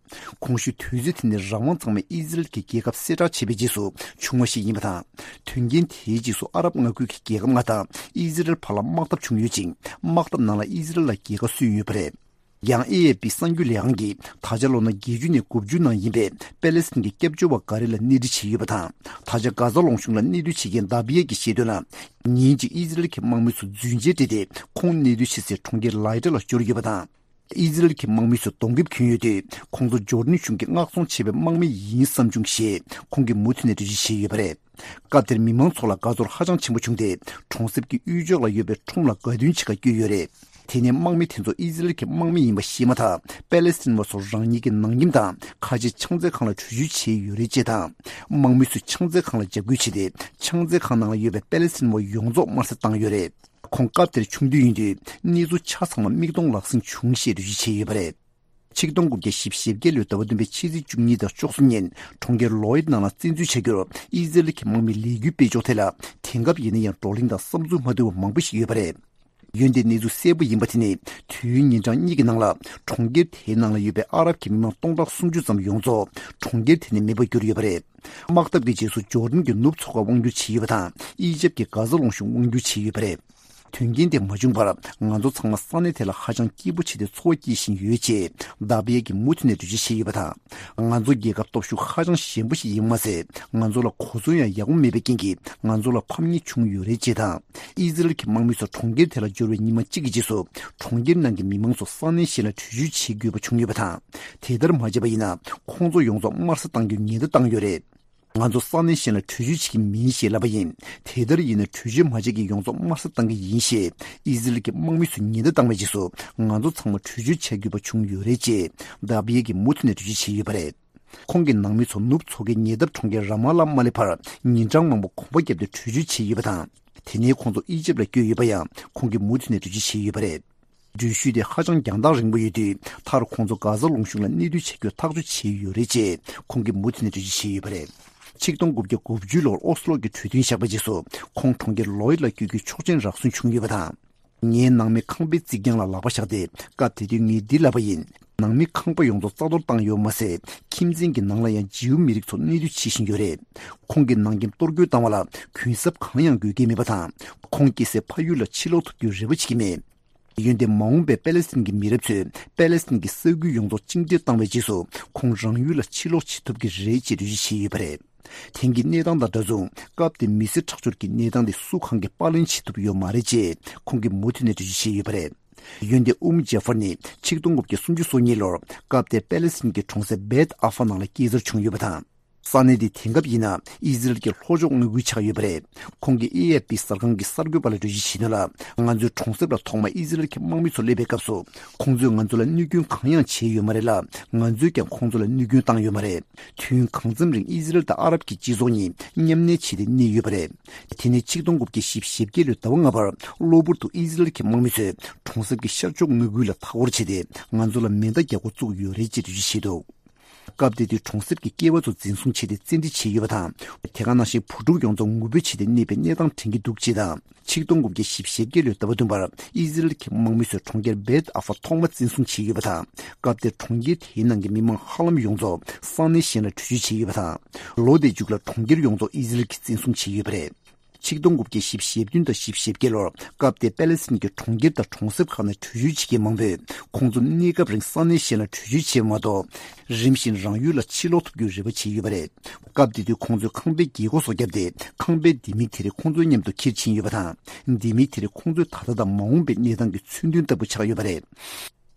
གོང་ཞུས་དུས་ཚོད་དེ་ནི་རང་དབང་ཚང་མས་ཨི་ཟི་རལ་གྱི་རྒྱལ་ཁབ་གསལ་བསྒྲགས་བྱས་པའི་རྗེས་སུ་བྱུང་བ་ཞིག་ཡིན་པ་དང་། དོན་རྐྱེན་དེའི་རྗེས་སུ་ཨ་རབ་མངའ་ཁུལ་གྱི་རྒྱལ་ཁབ་ལྔ་དང་ཨི་ཟི་རལ་བར་ལ་དམག་འཐབ་བྱུང་ཡོད་ཅིང་། དམག་འཐབ་ནང་ལ་ཨི་ཟི་རལ་ལ་རྒྱལ་ཁ་སོན་ཡོད་པ་རེད། ཡང་ཨེ་ཨེ་པི་གསར་འགྱུར་ལས་ཁང་གིས་ད་ཆ་ལོ་ན་བརྒྱད་ཅུ་ནས་དགུ་བཅུ་ནང་ཡིན་པའི་པེ་ལེ་སི་ཐན་གྱི་སྐྱབས་བཅོལ་བ་འགའ་རེ་ལ་གནས་འདྲི་བྱས་ཡོད་པ་དང་། ད་ཆ་གྷ་ཟ་ལུང་གཤོང་ལ་གནས་སྡོད་བྱེད་མཁན་དཱ་བི་ཡ་གིས་བཤད་དོན་ལ། ཉིན་གཅིག་ཨི་ཟི་རལ་གྱི་དམག་མི་ཚོ་རྫུན་ཆས་སྤྲས་ཏེ་ཁོང་གནས་སྡོད་བྱེད་སའི་གྲོང་ཁྱེར་ལའི་ཏྲ་ལ་འབྱོར་ཡོད་པ་དང་། ཨི་ཟི་རལ་གྱི་དམག་མི་ཚོས་གདོང་ཁེབས་གྱོན་ཡོད་དུས་ཁོང་ཚོ་ཇོར་ཌན་གཞུང་གིས་མངགས་གཏོང་བྱས་པའི་དམག་མི་ཡིན་བསམ་བྱུང་ཞེས་ཁོང་གིས་མུ་མཐུད་ནས་འགྲེལ་བརྗོད་བྱས་ཡོད་པ་རེད། སྐབས་དེར་མི་མང་ཚོ་ལ་དགའ་ཚོར་ཧ་ཅང་ཆེན་པོ་བྱུང་སྟེ། གྲོང་གསེབ་ཀྱི་དབུས་ཕྱོགས་ལ་ཡོད་པའི་ཁྲོམ་ལ་དགའ་སྟོན་བྱེད་གར་བསྐྱོད་ཡོད་རེད། དེ་ནས་དམག་མི་དེ་ཚོ་ཨི་ཟི་རལ་གྱི་དམག་མི་ཡིན་པ་ཤེས་མ་ཐག་པེ་ལེ་སི་ཐན་བ་ཚོར་རང་ཉིད་ཀྱི་ནང་ཁྱིམ་དང་ཁ་ཆེ་ཕྱག་འཚལ་ཁང་ལ་བྲོས་བྱོལ་བྱས་ཡོད་རེད་ཅེས་དང་། དམག་མི་ཚོས་ཕྱག་འཚལ་ཁང་ལ་འཇབ་རྒོལ་བྱས་ཏེ། ཕྱག་འཚལ་ཁང་ནང་ལ་ཡོད་པའི་པེ་ལེ་སི་ཐན་བ་ཡོངས་རྫོགས་དམར་བསད་བཏང་ཡོད་རེད། ཁོང་སྐབས་དེར་ཆུང་དུས་ཡིན་དུས་གནས་ཚུལ་ཆ་ཚང་མ་མིག་མཐོང་ལག་ཟིན་བྱུང་ཞེས་འགྲེལ་བརྗོད་བྱས་ཡོད་པ་རེད། ཆིག་སྟོང་དགུ་བརྒྱ་བཞི་བཅུ་ཞེ་བརྒྱད་ལོའི་ཟླ་བ་བདུན་པའི་ཕྱི་ཚེས་བཅུ་གཉིས་དང་བཅུ་གསུམ་ཉིན་གྲོང་ཁྱེར་ལོ་ཡིད་ནང་ལ་བཙན་འཛུལ་བྱ་རྒྱུར་ཨི་ཟི་རལ་གྱི་དམག་མིའི་ལས་འགུལ་སྤེལ་ཕྱོགས་ཐད་ལ་དེང་སྐབས་ཡིན་ན་ཡང་བགྲོ་གླེང་དང་བསམ་ཚུལ་མ་བསྡུར་བ་མང་པོ་ཞིག་ཡོད་པ་རེད། འོན་ཏེ་གནས་ཚུལ་གསལ་པོ་ཡིན་པ་དེ་ནི་དུས་ཡུན་ཉིན་གྲངས་གཉིས་ཀྱི་ནང་ལ་གྲོང་ཁྱེར་དེའི་ནང་ལ་ཡོད་པའི་ཨ་རབ་ཀྱི་མི་མང་སྟོང་ཕྲག་སུམ་ཅུ་ཙམ་ཡོངས་རྫོགས་གྲོང་ཁྱེར་དེ་ནས་མེད་པར་གྱུར་ཡོད་པ་རེད། དམག་འཐབ་ཀྱི་རྗེས་སུ་ཇོར་ཌན་གྱི་ནུབ་མཚོ་ཁར་དབང་བསྒྱུར་བྱས་ཡོད་པ་དང་། ཨི་ཇེབ་ཀྱི་གྷ་ཟ་ལུང་གཤོང་དབང་བསྒྱུར་བྱས་ཡོད་པ་རེད། དོན་རྐྱེན་དེ་མ་བྱུང་བར་ང་ཚོ་ཚང་མ་ས་གནས་དེ་ལ་ཧ་ཅང་སྐྱིད་པོ་བྱས་ཏེ་འཚོ་བ་སྐྱེལ་བཞིན་ཡོད་ཅེས་དཱ་བི་ཡ་གིས་མུ་མཐུད་ནས་འགྲེལ་བརྗོད་བྱས་ཡོད་པ་དང་། ང་ཚོ་རྒྱལ་ཁབ་སྟོབས་ཤུགས་ཧ་ཅང་ཞན་པོ་ཞིག་ཡིན་པ་མ་ཟད། ང་ཚོ་ལ་གོ་མཚོན་ཡང་ཡག་པོ་མེད་པའི་རྐྱེན་གྱིས་ང་ཚོ་ལ་ཕམ་ཉེས་བྱུང་ཡོད་རེད་ཅེས་དང་། ཨི་ཟི་རལ་གྱི་དམག་མི་ཚོ་གྲོང་ཁྱེར་དེ་ལ་འབྱོར་བའི་ཉི་མ་གཅིག་གི་རྗེས་སུ་གྲོང་ཁྱེར་ནང་གི་མི་མང་ཚོ་ས་གནས་གཞན་ལ་བྲོས་བྱོལ་བྱེད་དགོས་པ་བྱུང་ཡོད་པ་དང་། དེ་ལྟར་མ་བྱས་པ་ཡིན་ན་ཁོང་ཚོ་ཡོངས་རྫོགས་དམར་བསད་གཏང་རྒྱུའི་ཉེན་བརྡ་བཏང་ཡོད་རེད། ང་ཚོ་ས་གནས་གཞན་ལ་བྲོས་བྱོལ་བྱེད་ཀྱི་མིན་ཞེས་ལབ་པ་ཡིན། དེ་ལྟར་ཡིན་ན་བྲོས་བྱོལ་མ་བྱེད་མཁན་ཡོངས་རྫོགས་དམར་བསད་གཏང་གི་ཡིན་ཞེས་ཨི་ཟི་རལ་གྱི་དམག་མི་ཚོས་ཉེན་བརྡ་བཏང་བའི་རྗེས་སུ་ང་ཚོ་ཚང་མ་བྲོས་བྱོལ་བྱ་དགོས་པ་བྱུང་ཡོད་རེད་ཅེས་དཱ་བི་ཡ་གིས་མུ་མཐུད་ནས་འགྲེལ་བརྗོད་བྱས་ཡོད་པ་རེད། ཁོང་གི་ནང་མི་ཚོ་ནུབ་མཚོ་ཁའི་ཉེ་འདབས་གྲོང་ཁྱེར་ར་མ་ལ་མ་སླེབས་བར་ཉིན་གྲངས་མང་པོ་གོམ་པ་བརྒྱབ་སྟེ་བྲོས་བྱོལ་བྱས་ཡོད་པ་དང་། དེ་ནས་ཁོང་ཚོ་ཨི་ཇེབ་ལ་བསྐྱོད་ཡོད་པ་ཡང་ཁོང་གིས་མུ་མཐུད་ནས་འགྲེལ་བརྗོད་བྱས་ཡོད་པ་རེད། འགྲུལ་བཞུད་དེ་ཧ་ཅང་རྒྱང་ཐག་རིང་པོ་ཡོད་དུས་མཐར་ཁོང་ཚོ་གྷ་ཟ་ལུང་གཤོང་ལ་གནས་སྡོད་བྱ་རྒྱུར་ཐག་གཅོད་བྱས་ཡོད་རེད་ཅེས་ཁོང་གིས་མུ་མཐུད་ནས་འགྲེལ་བརྗོད་བྱས་ཡོད་པ་རེད། ཆིག་སྟོང་དགུ་བརྒྱ་དགུ་བཅུ་ལོར་ཨོ་སི་ལོ་གི་གྲོས་མཐུན་བཞག་པའི་རྗེས་སུ་ཁོང་གྲོང་ཁྱེར་ལོ་ཡིད་ལ་བསྐྱོད་རྒྱུའི་ཆོག་མཆན་རག་སོན་བྱུང་ཡོད་པ་དང་། ངའི་ནང་མི་ཁང་པའི་རྩིག་གྱང་ལ་ལག་པ་བཞག་སྟེ་སྐབས་དེ་དུས་ངས་འདི་ལབ་པ་ཡིན། ནང་མི་ཁང་པ་ཡོངས་རྫོགས་རྩ་གཏོར་བཏང་ཡོད་མ་ཟད། ཁྱིམ་མཚེས་ཀྱི་ནང་ལ་ཡང་ཇིའུ་མི་རིགས་ཚོ་གནས་སྡོད་བྱེད་བཞིན་ཡོད་རེད། ཁོང་གི་ནང་ཁྱིམ་གཏོར་རྒོལ་བཏང་བ་ལ་གུན་གསབ་གང་ཡང་དགོས་ཀྱི་མེད་པ་དང་། ཁོང་སྐྱེ་སའི་ཕ་ཡུལ་ལ་ཕྱིར་ལོག་ཐུབ་རྒྱུའི་རེ་བ་བྱེད་ཀྱི་མེད། འོན་ཏེ་མ་འོངས་པའི་པེ་ལེ་སི་ཐན་གྱི་མི་རབས་ཚོས་པེ་ལེ་སི་ཐན་གྱི་ས་ཁུལ་ཡོངས་རྫོགས་གཅིག་སྒྲིལ་བཏང་བའི་རྗེས་སུ་ཁོང་རང་ཡུལ་ལ་ཕྱིར་ལོག་བྱེད་ཐུབ་ཀྱི་རེད་ཅེས་འགྲེལ་བརྗོད་བྱས་ཡོད་པ་རེད། དེང་གི་གནས་སྟངས་དང་འདྲ་མཚུངས་སྐབས་དེའི་མི་སེར་ཁྲག་སྦྱོར་གྱི་གནས་སྟངས་དེ་སུ་གང་གིས་པར་ལེན་བྱེད་ཐུབ་ཡོད་མ་རེད་ཅེས་ཁོང་གིས་མུ་མཐུད་ནས་འགྲེལ་བརྗོད་བྱས་ཡོད་པ་རེད། ཡོན་ཏན་ཨུམ་ཇེ་ཧྥར་ནི་ཆིག་སྟོང་དགུ་བརྒྱ་སུམ་ཅུ་སོ་གཉིས་ལོར་སྐབས་དེར་པེ་ལེ་སི་ཐན་གྱི་གྲོང་གསེབ་བེད་ཨ་ཧྥ་ནང་ལ་སྐྱེས་འཚར་བྱུང་ཡོད་པ་དང་། ས་གནས་འདི་དེང་སྐབས་ཡིན་ན་ཨི་ཟི་རལ་གྱི་ལྷོ་ཕྱོགས་མངའ་ཁུལ་ཆགས་ཡོད་པ་རེད། ཁོང་གིས་ཨེ་ཨེཕ་པི་གསར་ཁང་གི་གསར་འགོད་པ་ལ་འགྲེལ་བརྗོད་བྱས་དོན་ལ། ང་ཚོའི་གྲོང་གསེབ་ལ་ཐོག་མར་ཨི་ཟི་རལ་གྱི་དམག་མི་ཚོ་སླེབས་པའི་སྐབས་སུ། ཁོང་ཚོས་ང་ཚོ་ལ་གནོད་སྐྱོན་གང་ཡང་བྱས་ཡོད་མ་རེད་ལ། ང་ཚོས་ཀྱང་ཁོང་ཚོ་ལ་གནོད་སྐྱོན་བཏང་ཡོད་མ་རེད། དུས་ཡུན་གང་འཚམ་རིང་ཨི་ཟི་རལ་དང་ཨ་རབ་ཀྱི་སྤྱི་ཚོགས་གཉིས་མཉམ་གནས་བྱས་ཏེ་གནས་ཡོད་པ་རེད། དེ་ནས་ཆིག་སྟོང་དགུ་བརྒྱ་བཞི་བཅུ་ཞེ་བརྒྱད་ལོའི་ཟླ་བ་ལྔ་པར་གློ་བུར་དུ་ཨི་ཟི་རལ་གྱི་དམག་མི་ཚོས་གྲོང་གསེབ་ཀྱི་ཤར་ཕྱོགས་མངའ་ཁུལ་ལ་མཐའ་སྐོར་བྱས་ཏེ་ང་ཚོ་ལ་མེ་མདའ་རྒྱག་འགོ་བཙུགས་ཡོད་རེད་ཅེས་འགྲེལ་བརྗོད་བྱས་འདུག་སྐབས་དེ་དུས་གྲོང་གསེབ་ཀྱི་སྐྱེས་པ་ཚོ་འཛིན་བཟུང་བྱས་ཏེ་བཙན་ཁྲིད་བྱས་ཡོད་པ་དང་། དེ་ག་ནང་བཞིན་བུ་ཕྲུག་ཡོངས་རྫོགས་ངུ་འབོད་བྱས་ཏེ་གནས་པའི་གནས་སྟངས་དྲན་གྱི་འདུག་ཅེས་དང་། ཆིག་སྟོང་དགུ་བརྒྱ་བཞི་བཅུ་ཞེ་བརྒྱད་ལོའི་ཟླ་བ་བདུན་པར་ཨི་ཟི་རལ་གྱི་དམག་མི་ཚོས་གྲོང་ཁྱེར་བེད་ཨ་ཧྥ་ཐོག་མ་བཙན་བཟུང་བྱས་ཡོད་པ་དང་། སྐབས་དེར་གྲོང་ཁྱེར་དེའི་ནང་གི་མི་མང་ཧ་ལམ་ཡོངས་རྫོགས་ས་གནས་གཞན་ལ་བྲོས་བྱོལ་བྱས་ཡོད་པ་དང་། ལོ་དེའི་མཇུག་ལ་གྲོང་ཁྱེར་ཡོངས་རྫོགས་ཨི་ཟི་རལ་གྱིས་བཙན་བཟུང་བྱས་ཡོད་པ་རེད། ཆིག་སྟོང་དགུ་བརྒྱ་བཞི་བཅུ་ཞེ་བདུན་དང་བཞི་བཅུ་ཞེ་བརྒྱད་ལོར་སྐབས་དེར་པེ་ལེ་སི་ཐན་གྱི་གྲོང་ཁྱེར་དང་གྲོང་གསེབ་ཁག་ནས་བྲོས་བྱོལ་བྱེད་མཁན་མང་པོས་ཁོང་ཚོ་གནས་སྐབས་རིང་ས་གནས་གཞན་ལ་བྲོས་བྱོལ་བྱས་པ་མ་གཏོགས། རིམ་བཞིན་རང་ཡུལ་ལ་ཕྱིར་ལོག་ཐུབ་རྒྱུའི་རེ་བ་བྱས་ཡོད་པ་རེད། སྐབས་དེ་དུས་ཁོང་ཚོས་ཁང་པའི་རྒྱལ་སྒོ་སོགས་བརྒྱབ་སྟེ་ཁང་པའི་ལྡེ་མིག་དེ་རིགས་ཁོང་ཚོའི་མཉམ་དུ་འཁྱེར་ཕྱིན་ཡོད་པ་དང་། ལྡེ་མིག་དེ་རིགས་ཁོང་ཚོའི་ད་ལྟ་དང་མ་འོངས་པའི་གནས་སྟངས་ཀྱི་མཚོན་དོན་ལྟ་བུ་ཆགས་ཡོད་པ་རེད།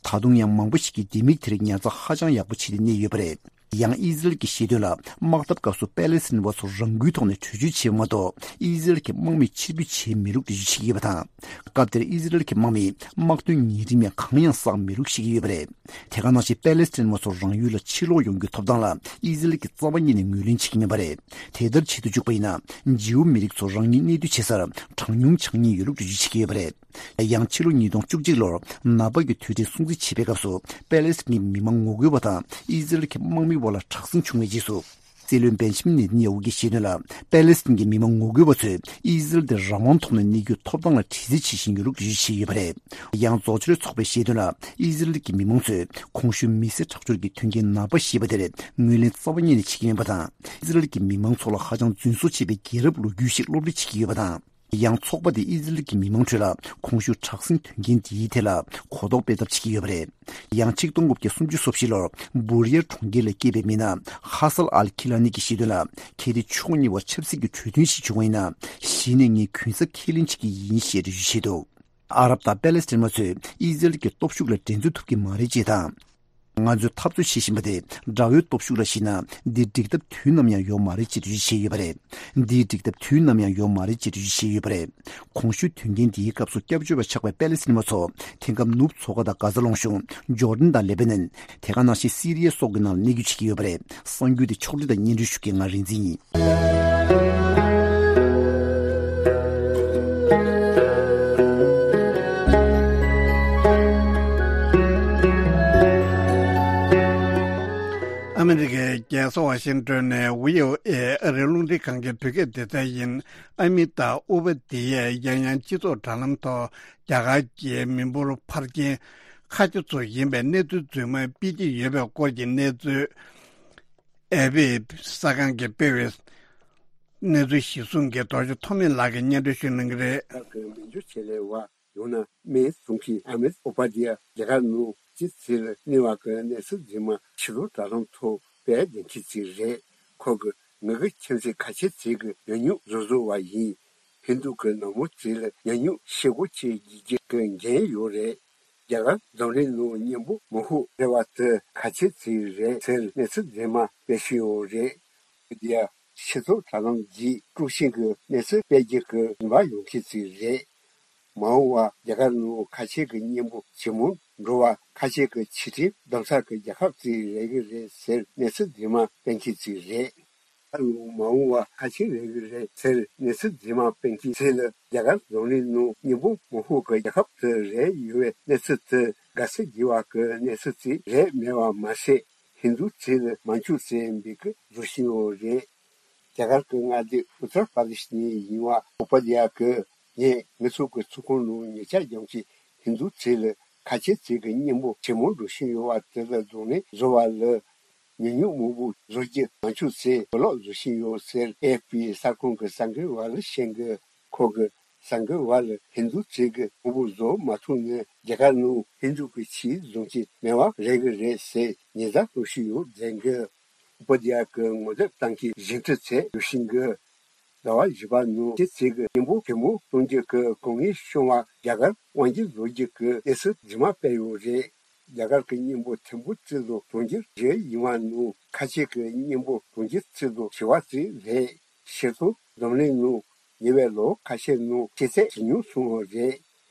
ད་དུང་ཡང་མང་པོ་ཞིག་གིས་ལྡེ་མིག་དེ་རིགས་ཉར་ཚགས་ཧ་ཅང་ཡག་པོ་བྱས་ཏེ་གནས་ཡོད་པ་རེད། ཡང་ཨི་ཟི་རལ་གྱིས་བཤད་དོན་ལ། དམག་འཐབ་སྐབས་སུ་པེ་ལེ་སི་ཐན་པ་ཚོ་རང་འགུལ་ཐོག་ནས་བྲོས་བྱོལ་བྱས་པ་མ་གཏོགས། ཨི་ཟི་རལ་གྱི་དམག་མིས་ཕྱིར་འབུད་བྱས་མེད་ལུགས་འགྲེལ་བརྗོད་བྱེད་ཀྱི་ཡོད་པ་དང་། སྐབས་དེར་ཨི་ཟི་རལ་གྱི་དམག་མིས་དམག་དོན་ཉེས་ཁྲིམས་ཡང་གང་ཡང་བསགས་མེད་ལུགས་བཤད་ཀྱི་ཡོད་པ་རེད། དེ་ག་ནང་བཞིན་པེ་ལེ་སི་ཐན་པ་ཚོ་རང་ཡུལ་ལ་ཕྱིར་ལོག་ཡོང་རྒྱུའི་ཐོབ་ཐང་ལ་ཨི་ཟི་རལ་གྱིས་རྩ་བ་ཉིད་ནས་ངོས་ལེན་བྱེད་ཀྱི་མེད་པ་རེད། དེ་ལྟར་བྱེད་དུ་བཅུག་པ་ཡིན་ན། ཇིའུ་མི་རིགས་ཚོ་རང་ཉིད་གནས་སྡོད་བྱེད་སར་གྲངས་ཉུང་ཆགས་ཉེན་ཡོད་ལུགས་འགྲེལ་བརྗོད་བྱེད་ཀྱི་ཡོད་པ་རེད། ཡང་ཕྱི་ལོ་ཉིས་སྟོང་བཅུ་གཅིག་ལོར་ནག་པ་གི་དུས་དྲན་སྲུང་བརྩི་བྱེད་པའི་སྐབས་སུ་པེ་ལེ་སི་ཐན་གྱི་མི་མང་ངོ་རྒོལ་བ་དང་ཨི་ཟི་རལ་གྱི་དམག་མི་དབར་ལ་དྲག་ཟིང་བྱུང་བའི་རྗེས་སུ། སྲིད་བློན་བེན་ཇི་མིན་ནེ་ཐན་ཡ་ཧུ་གྱིས་བཤད་དོན་ལ། པེ་ལེ་སི་ཐན་གྱི་མི་མང་ངོ་རྒོལ་བ་ཚོས་ཨི་ཟི་རལ་དེ་རང་དབང་ཐོག་ནས་གནས་རྒྱུའི་ཐོབ་ཐང་ལ་དྲི་རྩད་བྱེད་བཞིན་ཡོད་ལུགས་འགྲེལ་བརྗོད་བྱས་ཡོད་པ་རེད། ཡང་། རྫོགས་ཆེན་ཚོགས་པས་བཤད་དོན་ལ། ཨི་ཟི་རལ་གྱི་མི་མང་ཚོས་གོང་ཞུས་མི་སེར་ཁྲག་སྦྱོར་གྱི་མཐུན་རྐྱེན་ནག་པ་ཞེས་པ་དེར་ངོས་ལེན་རྩ་བ་ཉིད་ནས་བྱེད་ཀྱི་མེད་པ་དང་། ཨི་ཟི་རལ་གྱི་མི་མང་ཚོ་ལ་ཧ་ཅང་རྫུན་བཟོ་བྱས་པའི་རྒྱལ་རབས་ལོ་རྒྱུས་ཤིག་སློབ་ཁྲིད་བྱེད་ཀྱི་ཡོད་པ་དང་། ཡང་། ཚོགས་པ་དེས་ཨི་ཟི་རལ་གྱི་མི་མང་ཁྲོད་ལ་གོང་ཞུས་དྲག་ཟིང་དོན་རྐྱེན་འདིའི་ཐད་ལ་གོ་རྟོགས་སྤེལ་ཐབས་བྱེད་ཀྱི་ཡོད་པ་རེད། ཡང་། ཆིག་སྟོང་དགུ་བརྒྱ་སུམ་ཅུ་སོ་བཞི་ལོར་བུར་ཡེར་གྲོང་ཁྱེར་ལ་སྐྱེས་པའི་མི་སྣ་ཧ་སལ་ཨལ་ཁི་ལ་ནི་གྱིས་བཤད་དོན་ལ། གལ་ཏེ་ཕྱོགས་གཉིས་བར་ཆབ་སྲིད་ཀྱི་གྲོས་མཐུན་ཞིག་བྱུང་བ་ཡིན་ན། གཞི་ནས་ངས་གུན་གསབ་ཁས་ལེན་བྱེད་ཀྱི་ཡིན་ཞེས་འགྲེལ་བརྗོད་བྱས་འདུག་ཨ་རབ་དང་པེ་ལེ་སི་ཐན་པ་ཚོས་ཨི་ཟི་རལ་གྱི་སྟོབས་ཤུགས་ལ་འགྲན་རྩོད་ཐུབ་ཀྱི་མ་རེད་ཅེས་དང་། ང་ཚོས་འཐབ་རྩོད་བྱེད་བཞིན་པ་དེ་དགྲ་བོའི་སྟོབས་ཤུགས་ལ་གཞིགས་ན། འདིའི་འགྲིག་ཐབས་དུས་ནམ་ཡང་ཡོད་མ་རེད་ཅེས་འགྲེལ་བརྗོད་བྱས་ཡོད་པ་རེད། འདིའི་འགྲིག་ཐབས་དུས་ནམ་ཡང་ཡོད་མ་རེད་ཅེས་འགྲེལ་བརྗོད་བྱས་ཡོད་པ་རེད། གོང་ཞུས་དོན་རྐྱེན་འདིའི་སྐབས་སུ་སྐྱབས་བཅོལ་བ་ཆགས་པའི་པེ་ལེ་སི་ཐན་པ་ཚོ་དེང་སྐབས་ནུབ་མཚོ་ཁ་དང་གྷ་ཛ་ལུང་གཤོང་། ཇོར་ཌན་དང་ལེ་བྷ་ནན། དེ་ག་ནང་བཞིན་སི་རི་ཡ་སོགས་ཀྱི་ནང་ལ་གནས་སྡོད་བྱེད་ཀྱི་ཡོད་པ་རེད། གསར་འགྱུར་དེ་ཕྱོགས་སྒྲིག་དང་སྙན་སྒྲོན་ཞུ་མཁན་ང་རིག་འཛིན་ཡིན། ཨ་མི་རི་ཀའི་རྒྱལ་ས་ཝ་ཤིང་ཏོན་ནས་བྷི་ཨོ་ཨེ་ཨ་རིའི་རླུང་འཕྲིན་ཁང་གི་བོད་སྐད་སྡེ་ཚན་ཡིན། ཨ་མི་དང་ཨུ་པ་དི་ཡས་ཡང་ཡང་སྤྱི་ཚོགས་དྲ་ལམ་ཐོག་རྒྱ་གར་གྱི་མི་འབོར་འཕར་རྐྱེན་ཁ་ཆེ་ཚོ་ཡིན་པའི་གནས་ཚུལ་རྫུན་མ་སྤེལ་གྱི་ཡོད་པའི་སྐོར་གྱི་གནས་ཚུལ། ཨེ་པི་གསར་ཁང་གིས་སྤེལ་བའི་གནས་ཚུལ་གཞིར་བཟུང་གིས་རྡོ་རྗེ་ཐོགས་མེད་ལགས་ཀྱིས་སྙན་སྒྲོན་ཞུ་གནང་གི་རེད། ཁག་གི་མི་འགྱུར་ཆེད་ལས་བ་ཡང་ན་སྨན་ཟུང་གི་ཨ་མེས་ཨོ་པ་དི་ཡ་རྒྱ་གར་ནང་སྤྱི་ཚེས་ལ་གནས་པ་གི་གནས་ཚུལ་རྫུན་མ་ཕྱི་ལོགས་དྲ་ལམ་ཐོག་སྤེལ་བདེ་འཁྱེར་ཅིག་རེད། ཁོ་གི་ངེད་ཀྱི་ཁྱིམ་མཚེས་ཁ་ཆེ་ཚེ་གི་ཉོན་མོངས་བཟོ་བཟོ་བ་ཡིན། ཧིན་རྡུ་གི་ནག་མོ་ཚེ་ལ་ཉོན་མོངས་ཤེལ་སྒོ་ཆེ་རྒྱུ་རྒྱུ་གི་འགན་ཡོད་རེད། རྒྱ་གར་འཛམ་གླིང་ནང་གཉན་པོ་མང་ཤོས་རེད་བ་དེ་ཁ་ཆེ་ཚེ་རེད་ཟེར་གནས་ཚུལ་རྫུན་མ་སྤེལ་བཞིན་ཡོད་རེད། དེ་ཡང་སྤྱི་ཚོགས་དྲ་ལམ་བརྒྱུད་དཀྲུག་ཤིང་གི་གནས་ཚུལ་སྤེལ་རྒྱུ་གི་རིམ་པ་ཡོང་གི་ཚུལ་རེད། མ་འོངས་པར་རྒྱ་གར་ནང་ཁ་ཆེ་གི་གཉན་པོ་ཇེ་མང་འགྲོ་བར་ཁ་ཆེ་གི་ཆིག་སྒྲིལ་གདམ་ས་གི་རྒྱལ་ཁབ་ཅིག་རེད་གི་རེད་ཟེར་གནས་ཚུལ་རྫུན་མ་སྤེལ་གི་ཅིག་རེད། ད་ལོ་མ་འོངས་པར་ཁ་ཆེ་རེད་གི་རེད་ཟེར་གནས་ཚུལ་རྫུན་མ་སྤེལ་གི་ཚེ་ལ་རྒྱ་གར་འཛམ་གླིང་ནང་གཉན་པོ་མང་ཤོས་ཀྱི་རྒྱལ་ཁབ་དེ་རེད་ཡོད་པའི་གནས་ཚུལ་དེ་དགའ་བསུ་བགྱི་བ་གི་གནས་ཚུལ་ཅིག་རེད་མེད་པ་མ་ཟད། ཧིན་རྡུ་ཚེ་ལ་མ་འཆུག་ཟེར་འབོད་སྐུལ་བཟོ་བཞིན་ཡོད་རེད། རྒྱ་གར་གྱི་མངའ་སྡེ་ཨུ་ཏར་པར་དེ་ཤི་ནས་ཡིན་པ་ཨོ་པ་དི་ཡ་གིས་ངས་ངེད་ཚོ་གི་ཚོགས་ཁང་ནང་ཉེ་ཆར་རྒྱང་ཤིང་ཧིན་རྡུ་ཚེ་ལ་ཁ་ཆེ་ཚེ་གི་གཉན་པོ་ཇེ་མང་འགྲོ་བཞིན་ཡོད་པ་དེ་ལ་གདོང་ལེན་བཟོ་བ་ལ། ཉོན་མོངས་མང་པོ་བཟོ་རྒྱུ་མ་འཆུག་ཚེ་བོད་ལོག་བཟོ་བཞིན་ཡོད་ཟེར་ཨེ་ཨེཕ་པི་གསར་ཁང་གི་གསར་འགོད་པ་ལ་བཤད་གི། ཁོ་གི་གསར་འགོད་པ་ལ་ཧིན་རྡུ་ཚེ་གི་མང་པོ་བཟོ་མ་ཐུབ་ན་རྒྱ་གར་ནང་ཧིན་རྡུ་གི་ཆོས་བཟུང་གི་མེད་པ་རེད་གི་རེད་ཟེར་ཉེན་བརྡ་གཏོང་བཞིན་ཡོད་ཟེར་གི། ཨོ་པ་དི་ཡ་གི་ངོ་དེབ་སྟེང་གི་བཞེངས་ཁྲི་ཚད་ཡོད་བཞིན་གི། ཟླ་བ་བཞི་པ་ནང་ཁ་ཆེ་ཚིག་གི་སྙིང་པོ་གད་མོ་གཏོང་རྒྱུ་གི་དཀའ་ངལ་བྱུང་བ་རྒྱ་གར་དབང་སྒྱུར་ལོ་རྒྱུས་ཀྱི་གནས་ཚུལ་རྗེས་མ་སྤེལ་ཡོད་རེད། རྒྱ་གར་གྱི་སྙིང་པོ་ཐེར་འབུམ་གཅིག་ལོ་གྲོང་ཁྱེར་བཞི་ཡིན་པ་ནང་ཁ་ཆེ་གི་སྙིང་པོ་གྲོང་ཁྱེར་གཅིག་ལོ་བཞི་བ་གཅིག་རེད། ཕྱིར་ཚོང་འཛམ་གླིང་ནང་ཉེ་བའི་ལོ་ཁ་ཤས་ནང་ཆེས་ཚད་ཇེ་ཉུང་སོང་བ་རེད།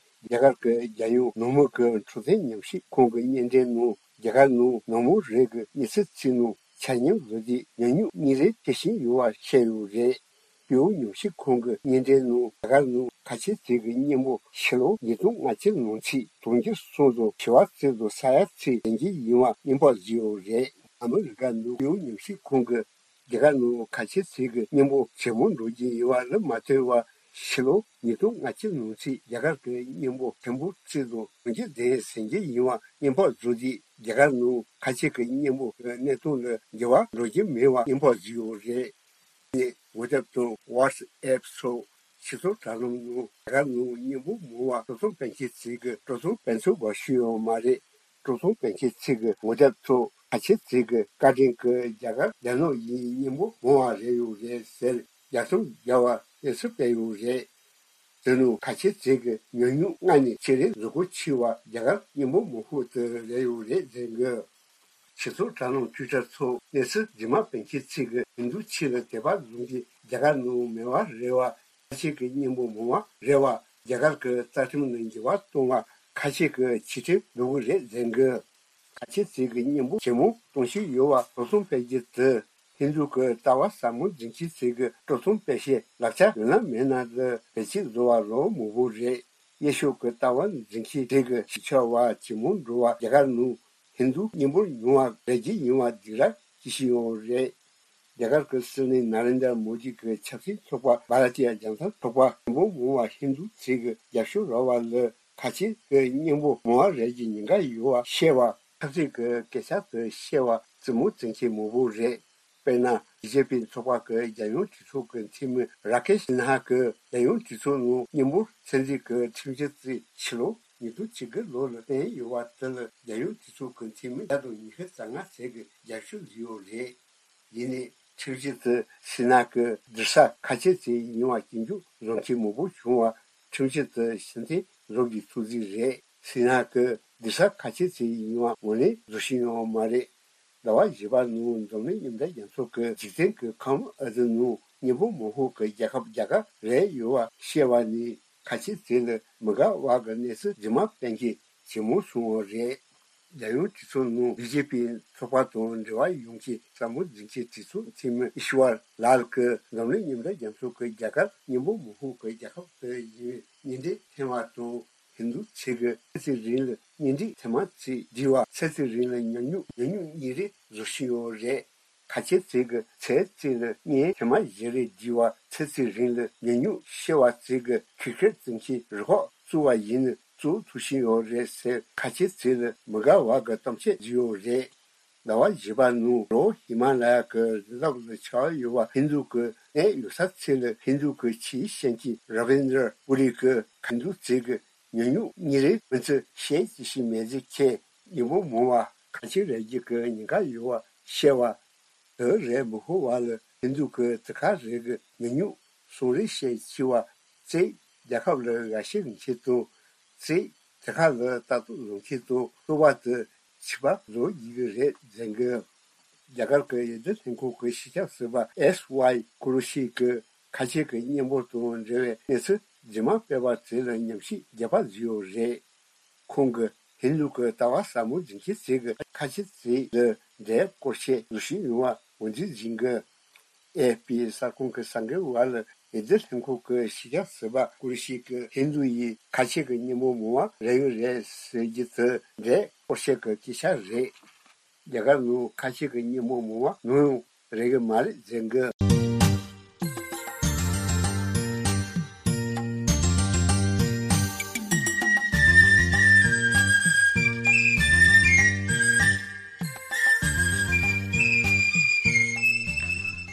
རྒྱ་གར་གྱི་རྒྱལ་ཡོངས་ནང་མི་གི་འཕྲོད་བསྟེན་ཉམས་ཞིབ་ཁང་གི་སྙན་འགྲེལ་ནང་རྒྱ་གར་ནང་ནང་མི་རེ་གི་གཉིད་སད་ཚིག་ནང་ཆ་སྙོམས་བཟོ་རྒྱུའི་ཉམས་མྱོང་གཉིས་རེ་སྐྱེ་བཞིན་ཡོད་པ་བཤད་ཡོད་རེད། སྤྱི་ཡོངས་ཉམས་ཞིབ་ཁང་གི་སྙན་འགྲེལ་ནང་རྒྱ་གར་ནང་ཁ་ཆེ་ཚིག་གི་སྙིང་པོ་ཕྱི་ལོ་ཉིས་སྟོང་ལྔ་བཅུ་ནང་ཚིག་གྲོང་ཁྱེར་གསུམ་དང་བྱེ་བ་གཅིག་དང་ས་ཡ་གཅིག་ལྡན་གྱི་ཡིན་པ་སྙན་པོ་བཟོས་ཡོད་རེད། ཨ་མི་རི་ཀ་ནང་སྤྱི་ཡོངས་ཉམས་ཞིབ་ཁང་གི་རྒྱ་གར་ནང་ཁ་ཆེ་ཚིག་གི་སྙིང་པོ་ཇེ་མང་འགྲོ་གི་ཡོད་པ་ལ་མ་ལྟོས་པར་ཕྱི་ལོ་ཉིས་སྟོང་ལྔ་བཅུ་ནང་ཚིག་རྒྱ་གར་གྱི་སྙིང་པོ་ཐེར་འབུམ་གཅིག་ལོ་གྲོང་ཁྱེར་ལྡན་ཟིན་གྱི་ཡིན་པ་སྙན་པོ་བཟོས་ཏེ་རྒྱ་གར་ནང་ཁ་ཆེ་གི་སྙིང་པོ་གི་གནས་སྟངས་ལ་འགྱུར་བ་འགྲོ་གི་མེད་པ་སྙན་པོ་བཟོས་ཡོད་རེད། ནས་ཝེ་ཏབ་དང་ཝ་ཊི་སི་ཨེབ་སོགས་སྤྱི་ཚོགས་དྲ་ལམ་ནང་རྒྱ་གར་ནང་སྙིང་པོ་མང་བ་སྤྲོ་ཚོང་སྤེལ་མཁན་ཚོས་ཀྱི་སྤྲོ་ཚོང་སྤེལ་ཚུལ་བ་ཤེས་ཡོད་མ་རེད། སྤྲོ་ཚོང་སྤེལ་མཁན་ཚོས་ཀྱི་ངོ་དེབ་ཐོག་ཁ་ཆེ་ཚོས་ཀྱི་བཀའ་དྲིན་གྱིས་རྒྱ་གར་རྒྱ་ནག་ཡིན་སྙིང་པོ་མང་བ་རེད་ཡོད་རེད་ཟེར་རྒྱ་ཚོང་རྒྱ་བ་གནས་ཚུལ་སྤེལ་ཡོད་རེད། དེ་ནང་ཁ་ཆེ་ཚོས་ཀྱི་ཉམས་མྱོང་ལྔ་ནས་ཆེད་ལས་བཟོ་བཀོད་བྱས་པ་རྒྱ་གར་སྙིང་པོ་མང་ཤོས་དེ་རེད་ཡོད་རེད་ཟེར་གི། སྤྱི་ཚོགས་དྲ་ལམ་ཊུའི་ཊར་ཐོག་གནས་ཚུལ་རྗེས་མ་སྤེལ་མཁན་ཚོས་ཀྱི་ཧིན་རྡུ་ཆོས་ལ་དད་པ་བཟུང་གིས་རྒྱ་གར་ནང་མེད་པ་རེད་བ། ཁ་ཆེ་གི་སྙིང་པོ་མང་བ་རེད་བ། རྒྱ་གར་གྱི་རྩ་ཁྲིམས་ནང་འགྱུར་བ་གཏོང་བ་ཁ་ཆེ་གི་ཆེ་མཐོང་འགྲོ་གི་རེད་ཟེར་གི། ཁ་ཆེ་ཚོས་ཀྱི་སྙིང་པོ་ཇེ་མང་གཏོང་བཞིན་ཡོད་པ་སྤྲོ་ཚོང་སྤེལ་རྒྱུ་དེ། ཧིན་རྡུ་གི་ལྟ་བ་ཟབ་མོ་འཛིན་མཁན་ཚོས་ཀྱི་སྤྲོ་ཚོང་སྤེལ་བྱེད་ལག་ཆ་ཡོད་ན་མེད་ན་ལ་བེད་སྤྱོད་བཟོ་བ་ལོ་མང་པོ་རེད། དབྱེ་ཞིབ་ཀྱི་ལྟ་བ་འཛིན་མཁན་ཚོས་ཀྱི་ཞིབ་ཆ་བ་ཇེ་མང་འགྲོ་བ་རྒྱ་གར་ནང་ཧིན་རྡུ་སྙིང་པོ་ཉུང་བ་རེ་རྒྱུ་ཡིན་པ་སྡིགས་ར་སྐྱེ་བཞིན་ཡོད་རེད། རྒྱ་གར་གྱི་སྲིད་བློན་ན་རེན་དྲ་མོ་དི་གི་ཆབ་སྲིད་ཚོགས་པ་བྷ་ར་ཏི་ཡ་ཇན་ཏ་ཚོགས་པ་སྙིང་པོ་མང་བ་ཧིན་རྡུ་ཚོས་ཀྱི་རྒྱབ་སྐྱོར་རག་པ་ལ་ཁ་ཆེ་གི་སྙིང་པོ་མང་བ་རེ་རྒྱུའི་ཉེན་ཁ་ཡོད་པ་བཤད་པ། ཆབ་སྲིད་ཀྱི་སྐད་ཆ་དེ་བཤད་པ་རྩེད་མོ་རྩེ་མཁན་མང་པོ་རེད། དཔེར་ན་བི་ཇེ་པི་ཚོགས་པ་གི་རྒྱལ་ཡོངས་གྲོས་ཚོགས་ཀྱི་འཐུས་མི་ར་ཀེ་ཤི་ནཧ་གིས་རྒྱལ་ཡོངས་གྲོས་ཚོགས་ནང་སྙིང་པོ་ཚན་རིག་གི་ཁྲིམས་གཞི་བརྩིས། ཕྱི་ལོ་ཉིས་སྟོང་བཅུ་དགུ་ལོ་ལ་བཏོན་ཡོད་པ་དེ་ལ་རྒྱལ་ཡོངས་གྲོས་ཚོགས་ཀྱི་འཐུས་མི་བརྒྱ་དང་ཉི་ཤུ་རྩ་ལྔ་ཙམ་གྱིས་རྒྱབ་སྐྱོར་བཟོས་ཡོད་རེད། ཡིན་ནའི་ཁྲིམས་གཞི་དེ་ཤི་ན་གི་འདུག་ས་ཁ་ཆེ་ཚོས་ཡིན་པ་སྐྱོན་བརྗོད་བཟོ་མཁན་མང་པོ་བྱུང་བ་ཁྲིམས་གཞི་དེ་ཕྱིར་འཐེན་བཟོ་དགོས་ཐུགས་འཛིན་རེད། ཤི་ན་གི་འདུག་ས་ཁ་ཆེ་ཚོས་ཡིན་པ་ངོས་ལེན་བཟོ་བཞིན་ཡོད་མ་རེད། ཟླ་བ་བཞི་པ་ནང་འཛམ་གླིང་མཉམ་འབྲེལ་རྒྱལ་ཚོགས་ཀྱི་འཇིག་རྟེན་གྱི་ཁམས་ཨ་ཟི་ནང་སྙིང་པོ་མང་ཤོས་ཀྱི་རྒྱལ་ཁབ་རྒྱ་གར་རེད་ཡོད་པ་བཤད་པ་ནི་ཁ་ཆེ་ཚོ་ལ་མི་དགའ་བ་གི་གནས་ཚུལ་རྗེས་མ་སྤེལ་མཁན་ཇེ་མང་སོང་བ་རེད། རྒྱལ་ཡོངས་གྲོས་ཚོགས་ནང་བི་ཇེ་པི་ཚོགས་པ་དང་འབྲེལ་བ་ཡོད་མཁན་ཟབ་མོ་འཛིན་མཁན་གྲོས་ཚོགས་འཐུས་མི་ཨི་ཤི་ཝར་ལལ་གྱིས་འཛམ་གླིང་མཉམ་འབྲེལ་རྒྱལ་ཚོགས་ཀྱི་རྒྱ་གར་སྙིང་པོ་མང་ཤོས་ཀྱི་རྒྱལ་ཁབ་དེ་ཡིན་པའི་གཉེན་འབྲེལ་འཐེན་པ་དང་། ཧིན་རྡུ་ཚོས་ཀྱི་ཚེ་གཅིག་རིང་ལ་གཉེན་སྒྲིག་ཐེངས་མ་གཅིག་བསྒྲིལ་བ་ཚེ་གཅིག་རིང་ལ་ཉམས་མྱོང་ཉམས་མྱོང་གཉིས་རེ་བཟོ་བཞིན་ཡོད་རེད། ཁ་ཆེ་ཚོས་ཀྱི་ཚེ་གཅིག་ལ་གཉེན་ཐེངས་མ་བཞི་རེ་བསྒྲིལ་བ་ཚེ་གཅིག་རིང་ལ་ཉམས་མྱོང་ཤེས་པ་ཚོས་ཀྱི་ཁྱི་ཁེར་བཙུན་གྱི་རུ་ཁག་བཙུགས་པ་ཡིན་ན་བཙུགས་ཐུབ་བཞིན་ཡོད་རེད་ཟེར་ཁ་ཆེ་ཚོ་ལ་མི་དགའ་བ་གི་གཏམ་བཤད་བརྒྱབ་ཡོད་རེད། ཟླ་བ་བཞི་པ་ནང་ལོ་ཧི་མ་ལ་ཡ་གི་རི་རབ་ལ་ཆགས་ཡོད་པ་ཧིན་རྡུ་གི་གནས་ཡོད་ས་ཚོ་ལ་ཧིན་རྡུ་གི་ཆེས་ཤན་གྱི་ར་བེན་དྲ་པུ་རི་གི་ཧིན་རྡུ་ཚོས་ཀྱི་ཉམས་མྱོང་གཉིས་རེ་མི་ཚེ་ཤེས་ཀྱི་ཤི་མེད་ཟེར་མཁན་སྙིང་པོ་མང་བ་ཁ་ཆེ་རེ་རྒྱུ་གི་ཉེན་ཁ་ཡོད་པ་བཤད་པ། དེ་རེད་མི་ཤོར་བ་ལ་ཧིན་རྡུ་གི་དེ་ཁ་རེ་གི་ཉམས་མྱོང་གསུང་རེ་བཤད་ཆེ་བ་བརྩིས། རྒྱལ་ཁབ་ལ་འགའ་ཤས་རིན་ཆེན་དང་བརྩིས། དེ་ཁ་ལ་ལྟ་རྟོག་བཟོ་མཁན་དང་ལྟོ་བ་དེ་ཆིག་པ་བཟོ་ཡི་གི་རེད་ཟེར་གི། རྒྱ་གར་གྱི་འོས་བསྡུ་ལྷན་ཁང་གི་སྤྱི་ཁྱབ་ཟུར་པ་ཨེས་ཝའི་ཀུ་རུ་ཤི་གིས་ཁ་ཆེ་གི་སྙིང་པོ་དང་འབྲེལ་བའི་གནས་ཚུལ་རྗེས་མ་སྤེལ་བ་དེ་ལ་ཉམས་ཞིབ་རྒྱས་པ་བཟོས་ཡོད་རེད། ཁོང་གིས་ཧིན་རྡུ་གི་ལྟ་བ་ཟབ་མོ་འཛིན་མཁན་ཚོས་ཀྱི་ཁ་ཆེ་ཚོ་ལ་འབྲེལ་སྐོར་ཆས་བཟོ་བཞིན་ཡོད་པ་ངོས་འཛིན་བྱེད་ཀྱི། ཨེ་ཨེཕ་པི་གསར་ཁང་གི་གསར་འགོད་པ་ལ་འོས་བསྡུ་ལྷན་ཁང་གི་སྤྱི་ཁྱབ་ཟུར་པ་ཀུ་རུ་ཤི་གིས་ཧིན་རྡུ་ཡིས་ཁ་ཆེ་གི་སྙིང་པོ་མང་བ་རེད་ཡོད་རེད་ཟེར་རྒྱུ་དེ་འབྲེལ་སྐོར་ཆས་ཀྱི་སྐད་ཆ་རེད། རྒྱ་གར་ནང་ཁ་ཆེ་གི་སྙིང་པོ་མང་བ་ནམ་ཡང་རེག་གི་མ་རེད་ཟེར་གི།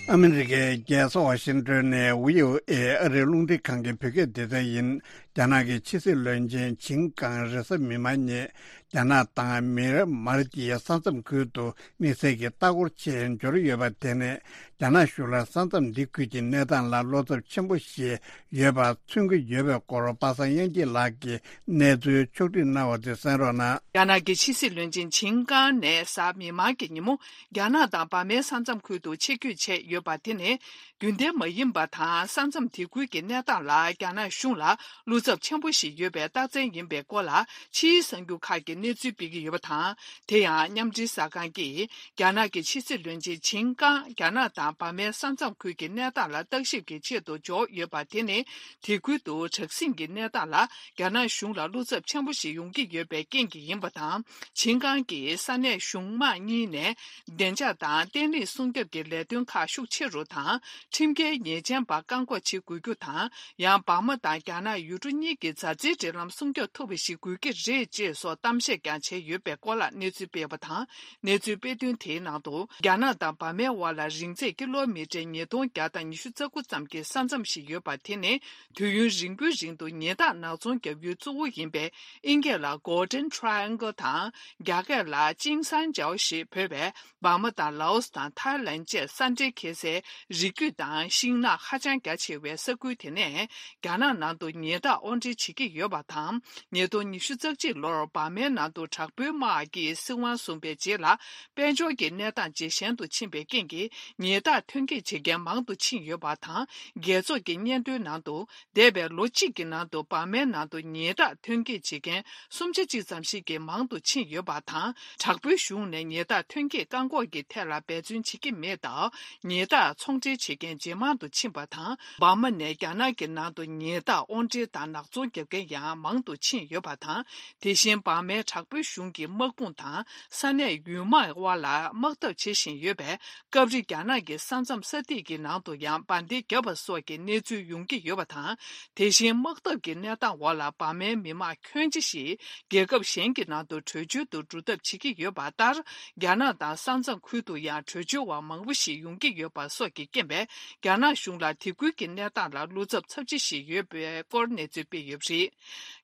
ཨ་མི་རི་ཀའི་རྒྱལ་ས་ཝ་ཤིང་ཏོན་ནས་བྷི་ཨོ་ཨེ་ཨ་རིའི་རླུང་འཕྲིན་ཁང་གི་བོད་སྐད་སྡེ་ཚན་ཡིན། རྒྱ་ནག་གི་ཕྱི་སྲིད་བློན་ཆེན་ཆིང་ཀང་རེས་གཟའ་མིག་དམར་ཉིན་རྒྱ་ནག་དང་མིའན་མར་གྱི་ས་མཚམས་ཁུལ་དུ་དམིགས་བསལ་གྱི་ལྟ་སྐོར་ཆེད་འབྱོར་ཡོད་པ་དེ་ནི། རྒྱ་ནག་གཞུང་ལ་ས་མཚམས་འདི་ཁུལ་གྱི་གནས་སྟངས་ལ་བློ་འཚབ་ཆེན་པོ་ཞིག་ཡོད་པ་མཚོན་གྱི་ཡོད་པའི་སྐོར། པ་སངས་དབྱངས་སྐྱིད་ལགས་ཀྱིས་གནས་ཚུལ་ཕྱོགས་བསྒྲིགས་གནང་བ་དེ་གསན་རོགས་གནང་། རྒྱ་ནག་གི་ཕྱི་སྲིད་བློན་ཆེན་ཆིང་ཀང་ནས་གཟའ་མིག་དམར་གྱི་ཉིན་མོ་རྒྱ་ནག་དང་འབར་མའི་ས་མཚམས་ཁུལ་དུ་ཆེད་བསྐྱོད་བྱས་ཡོད་པ་དེ་ནི། རྒྱུན་ལྡན་མ་ཡིན་པ་དང་། ས་མཚམས་དེ་ཁུལ་གྱི་གནས་སྟངས་ལ་རྒྱ་ནག་གཞུང་ལ་བློ་འཚབ་ཆེན་པོ་ཞིག་ཡོད་པའི་རྟགས་མཚན་ཡིན་པའི་སྐོར་ལ། ཕྱིའི་གསར་འགྱུར་ཁག་གིས་གནས་ཚུལ་སྤེལ་གྱི་ཡོད་པ་དང་། དེ་ཡང་མཉམ་འབྲེལ་གསར་ཁང་གིས། རྒྱ་ནག་གི་ཕྱི་སྲིད་བློན་ཆེན་ཆིང་ཀང་རྒྱ་ནག་དང་འབར་མའི་ས་མཚམས་ཁུལ་གྱི་གནས་སྟངས་ལ་བརྟག་ཞིབ་ཀྱི་ཆེད་དུ་འབྱོར་ཡོད་པ་དེ་ནི། དེ་ཁུལ་དུ་དྲག་ཟིང་གི་གནས་སྟངས་ལ་རྒྱ་ནག་གཞུང་ལ་བློ་འཚབ་ཆེན་པོ་ཞིག་ཡོང་གི་ཡོད་པའི་རྐྱེན་གྱིས་ཡིན་པ་དང་། ཆིང་ཀང་གིས་ས་གནས་གཞུང་དམངས་གཉིས་ནས་བདེ་འཇགས་དང་བརྟན་ལྷིང་སྲུང་སྐྱོབ་ཀྱི་ལས་དོན་ཁག་ཤུགས་ཆེ་རུ་དང་། ཁྲིམས་འགལ་ཉེས་ཅན་པ་བཀག་འགོག་བྱེད་དགོས་རྒྱུ་དང་། ཡང་འབར་མ་དང་རྒྱ་ནག་ཡུལ་གྲུ་གཉིས་ཀྱི་མཛའ་བརྩེའི་འབྲེལ་ལམ་སྲུང་སྐྱོབ་ཐུབ་པ་ཞིག་དགོས་ཀྱི་རེད་ཅེས་སོགས་གཏམ་བཤད་ཀྱང་བྱས་ཡོད་པའི་སྐོར་ལ་གནས་ཚུལ་སྤེལ་བ་དང་། གནས་ཚུལ་སྤེལ་དོན་དེའི་ནང་དུ། རྒྱ་ནག་དང་འབར་མའི་དབར་ལ་རིང་ཚད་ཀི་ལོ་མི་ཊར་ཉིས་སྟོང་བརྒྱ་དང་ཉི་ཤུ་རྩ་དགུ་ཙམ་གྱི་ས་མཚམས་ཤིག་ཡོད་པ། དེ་ནི་དུས་ཡུན་རིང་པོའི་རིང་དུ་ཉེན་བརྡ་ནག་ཚོང་བརྒྱབ་ཡུལ་གཙོ་བོ་ཡིན་པའི་ཨིན་སྐད་ལ་Golden Triangle དང་། རྒྱ་སྐད་ལ་ཅིང་སན་ཅའོ་ཞེས་འབོད་པའི། འབར་མ་དང་ལའོ་སི་དང་ཐའི་ལན་བཅས་ས་འབྲེལ་ཁེལ་སའི་རི་རྒྱུད་དང་ཤིང་ནགས་ཧ་ཅང་རྒྱ་ཆེ་བའི་ས་ཁུལ་དེ་ནས། རྒྱ་ནག་ནང་དུ་ཉེན་བརྡ་དབོར་འདྲེན་བྱེད་ཀྱི་ཡོད་པ་དང་། ཉིས་སྟོང་ཉི་ཤུ་རྩ་གཅིག་ལོར་འབར་མའི་ནང་དུ་དྲག་པོའི་དམག་གིས་སྲིད་དབང་བཟུང་པའི་རྗེས་ལ། དཔལ་འབྱོར་གྱི་གནས་སྟངས་ཇེ་ཞན་དུ་ཕྱིན་པའི་རྐྱེན་གྱིས། ཉེན་བརྡ་ཐོན་སྐྱེལ་བྱེད་མཁན་མང་དུ་ཕྱིན་ཡོད་པ་དང་། རྒྱལ་ཚོགས་ཀྱི་སྙན་ཐོའི་ནང་དུ། འདས་པའི་ལོ་གཅིག་གི་ནང་དུ་འབར་མའི་ནང་དུ་ཉེན་བརྡ་ཐོན་སྐྱེལ་བྱེད་མཁན་སུམ་ཆ་གཅིག་ཙམ་ཞིག་གིས་མང་དུ་ཕྱིན་ཡོད་པ་དང་། དྲག་པོའི་གཞུང་ནས་ཉེན་བརྡ་ཐོན་སྐྱེད་བཀག་འགོག་གི་ཐད་ལ་འབད་བརྩོན་བྱེད་ཀྱི་མེད་སྟབས། ཉེན་བརྡ་ཚོང་འབྲེལ་བྱེད་མཁན་ཇེ་མང་དུ་ཕྱིན་པ་དང་། འབར་མ་ནས་རྒྱ་ནག་གི་ནང་དུ་ཉེན་བརྡ་དབོར་འདྲེན་དང་ནག་ཚོང་རྒྱག་མཁན་ཡང་མང་དུ་ཕྱིན་ཡོད་པ་དང་། དེ་བཞིན་འབར་མའི་དྲག་པོའི་གཞུང་གིས་དམག་དཔུང་དང་ས་གནས་ཡུལ་དམག་དབར་ལ་དམག་འཐབ་བྱེད་བཞིན་ཡོད་པས། སྐབས་རེ་རྒྱ་ནག་གི་ས་མཚམས་ས་ཐིག་གི་ནང་དུ་ཡང་འབར་མདེལ་བརྒྱབ་པ་སོགས་ཀྱི་གནས་ཚུལ་ཡོང་གི་ཡོད་པ་དང་། དེ་བཞིན་དམག་འཐབ་ཀྱི་གནས་སྟངས་འོག་ལ་འབར་མའི་མི་མང་ཁྱོན་ཆེ་ཞིག་རྒྱལ་ཁབ་གཞན་གྱི་ནང་དུ་བྲོས་བྱོལ་དུ་འགྲོ་ཐབས་བྱེད་ཀྱི་ཡོད་པ་ལྟར། རྒྱ་ནག་དང་ས་མཚམས་ཁུལ་དུ་ཡང་བྲོས་བྱོལ་བ་མང་པོ་ཞིག་ཡོང་གི་ཡོད་པ་སོགས་ཀྱི་རྐྱེན་པས། རྒྱ་ནག་གཞུང་ལ་དེ་ཁུལ་གྱི་གནས་སྟངས་ལ་བློ་འཚབ་ཚབས་ཆེ་ཞིག་ཡོད་པའི་སྐོར་གནས་ཚུལ་སྤེལ་ཡོད་པ་རེད།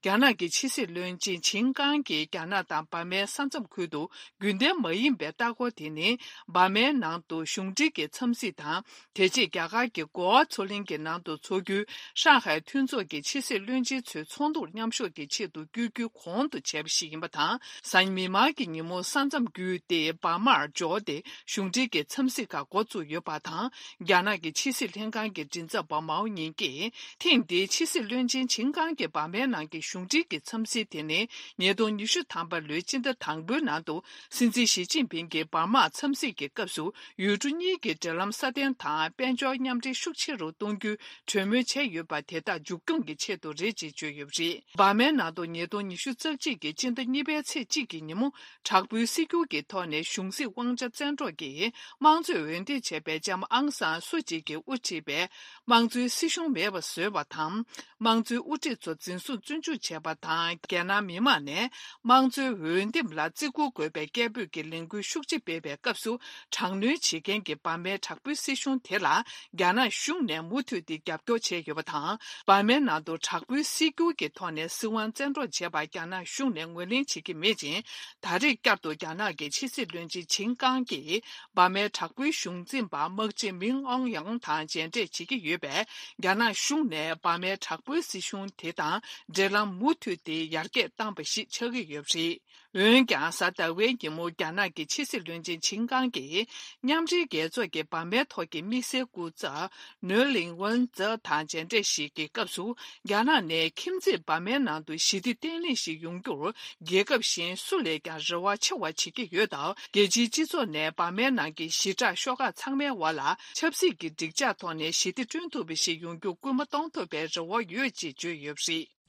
རྒྱ་ནག་གི་ཕྱི་སྲིད་བློན་ཆེན་ཆིན་ཀང་གིས་རྒྱ་ནག་དང་འབར་མའི་ས་མཚམས་ཁུལ་དུ་རྒྱུན་ལྡན་མ་ཡིན་པའི་ལྟ་སྐོར་དེ་ནི། འབར་མའི་ནང་དུ་གཞུང་འབྲེལ་གྱི་འཚམས་གཟིགས་དང་། དེ་རྗེས་རྒྱ་གར་གྱི་གོ་ཝ་མཚོ་གླིང་གི་ནང་དུ་འཚོགས་རྒྱུའི་ཧྲང་ཧའེ་མཐུན་ཚོགས་ཀྱི་ཕྱི་སྲིད་བློན་ཆེན་ཚོའི་ཚོགས་འདུར་མཉམ་ཞུགས་ཀྱི་ཆེད་དུ་བསྐྱོད་རྒྱུའི་གོང་དུ་བྱས་པ་ཞིག་ཡིན་པ་དང་། གཟའ་མིག་དམར་གྱི་ཉིན་མོ་ས་མཚམས་བརྒྱུད་དེ་འབར་མར་འབྱོར་ཏེ། གཞུང་འབྲེལ་གྱི་འཚམས་གཟིགས་ཁག་འགོ་བཙུགས་ཡོད་པ་དང་། རྒྱ་ནག་གི་ཕྱི་སྲིད་ལྷན་ཁང་གི་མགྲིན་ཚབ་པ་མའོ་ཉིང་གིས། ཐེངས་འདིའི་ཕྱི་སྲིད་བློན་ཆེན་ཆིན་ཀང་གི་འབར་མའི་ནང་གི་གཞུང་འབྲེལ་གྱི་འཚམས་གཟིགས་དེ་ནི། ཉིས་སྟོང་ཉི་ཤུ་ཐམ་པ་ལོའི་སྤྱི་ཟླ་དང་པོའི་ནང་དུ། སྲིད་འཛིན་ཞི་ཅིན་ཕིང་གིས་འབར་མར་འཚམས་གཟིགས་ཀྱི་སྐབས་སུ། ཡུལ་གྲུ་གཉིས་ཀྱི་འབྲེལ་ལམ་སྲ་བརྟན་དང་། དཔལ་འབྱོར་མཉམ་འབྲེལ་ཤུགས་ཆེ་རུ་གཏོང་རྒྱུའི་གྲོས་མོལ་བྱས་ཡོད་པ་དེ་དག་མཇུག་སྐྱོང་གི་ཆེད་དུ་རེད་ཅེས་བརྗོད་ཡོད་པ་རེད། འབར་མའི་ནང་དུ་ཉིས་སྟོང་ཉི་ཤུ་རྩ་གཅིག་གི་སྤྱི་ཟླ་གཉིས་པའི་ཚེས་གཅིག་གི་ཉིན་མོ། དྲག་པོའི་སྲིད་སྐྱོང་གི་ཐོག་ནས་གཞུང་སྲིད་དབང་ཆ་བཙན་འཕྲོག་གིས་དམངས་གཙོས་འོས་འདེམས་བྱས་པའི་ལྕམ་ཨང་སང་སུ་ཅི་གིས་དབུ་ཁྲིད་པའི་དམངས་གཙོའི་སྲིད་གཞུང་མེད་པ་བཟོས་པ་དང་། དམངས་གཙོའི་དབུ་ཁྲིད་ཚོ་འཛིན་བཟུང་བཙོན་འཇུག་བྱས་པ་དང་། རྒྱལ་ནང་མི་མང་ནས་དམངས་གཙོའི་འོས་འདེམས་ལ་བརྩི་བཀུར་དགོས་པའི་སྐད་འབོད་ཀྱི་ལས་འགུལ་ཤུགས་ཆེ་སྤེལ་བའི་སྐབས་སུ། དྲག་གནོན་བྱེད་མཁན་གྱི་འབར་མའི་དྲག་པོའི་སྲིད་གཞུང་དེ་ལ། རྒྱ་ནག་གཞུང་ནས་མུ་མཐུད་དེ་རྒྱབ་སྐྱོར་བྱས་ཡོད་པ་དང་། འབར་མའི་ནང་དུ་དྲག་པོའི་སྲིད་སྒྱུར་གྱི་ཐོག་ནས་སྲིད་དབང་བཙན་འཕྲོག་བྱས་པར་རྒྱ་ནག་གཞུང་ནས་ངོས་ལེན་བྱེད་ཀྱི་མེད་ཅིང་། ད་རེས་བསྐྱར་དུ་རྒྱ་ནག་གི་ཕྱི་སྲིད་བློན་ཆེན་ཆིན་ཀང་གིས་འབར་མའི་དྲག་པོའི་གཞུང་འཛིན་པ་དམག་སྤྱི་མིང་ཨོང་ཡང་དང་མཇལ་འཕྲད་བྱེད་ཀྱི་ཡོད་པས། རྒྱ་ནག་གཞུང་ནས་འབར་མའི་དྲག་པོའི་སྲིད་གཞུང་དེ་དང་འབྲེལ་ལམ་མུ་མཐུད་དེ་ཡར་རྒྱས་བཏང་པ་ཞིག་ཆགས་ཀྱི་ཡོད་པ་རེད། འོན་ཀྱང་། གཟའ་ཟླ་བའི་ཉིན་མོ་རྒྱ་ནག་གི་ཕྱི་སྲིད་བློན་ཆེན་ཆིན་ཀང་གིས། མཉམ་འབྲེལ་རྒྱལ་ཚོགས་ཀྱི་འབར་མའི་ཐོག་གི་དམིགས་བསལ་སྐུ་ཚབ་ནོར་ལིང་ཝུན་ཙེ་དང་མཇལ་འཕྲད་ཞིག་གི་སྐབས་སུ། རྒྱ་ནག་ནས་ཁྱིམ་མཚེས་འབར་མའི་ནང་དུ་ཞི་བདེ་བརྟན་ལྷིང་ཞིག་ཡོང་རྒྱུར། རྒྱལ་ཁབ་གཞན་སུ་ལས་ཀྱང་རེ་བ་ཆེ་བ་བྱེད་ཀྱི་ཡོད་སྟབས། རྒྱལ་སྤྱིའི་སྤྱི་ཚོགས་ནས་འབར་མའི་ནང་གི་ཞི་དྲག་ཤོག་ཁག་ཚང་མའི་དབར་ལ། ཆབ་སྲིད་ཀྱི་འགྲིག་འཇགས་ཐོག་ནས་ཞི་བདེ་བསྐྲུན་ཐུབ་པ་ཞིག་ཡོང་རྒྱུ་སྐུལ་མ་གཏོང་ཐུབ་པའི་རེ་བ་ཡོད་ཅེས་བརྗོད་ཡོད་པ་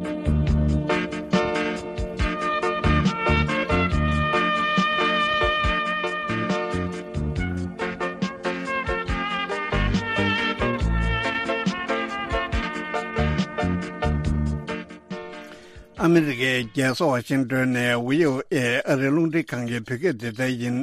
རེད། ཨ་མི་རི་ཀའི་རྒྱལ་ས་ཝ་ཤིང་ཏོན་ནས་བྷི་ཨོ་ཨེ་ཨ་རིའི་རླུང་འཕྲིན་ཁང་གི་བོད་སྐད་སྡེ་ཚན་ཡིན།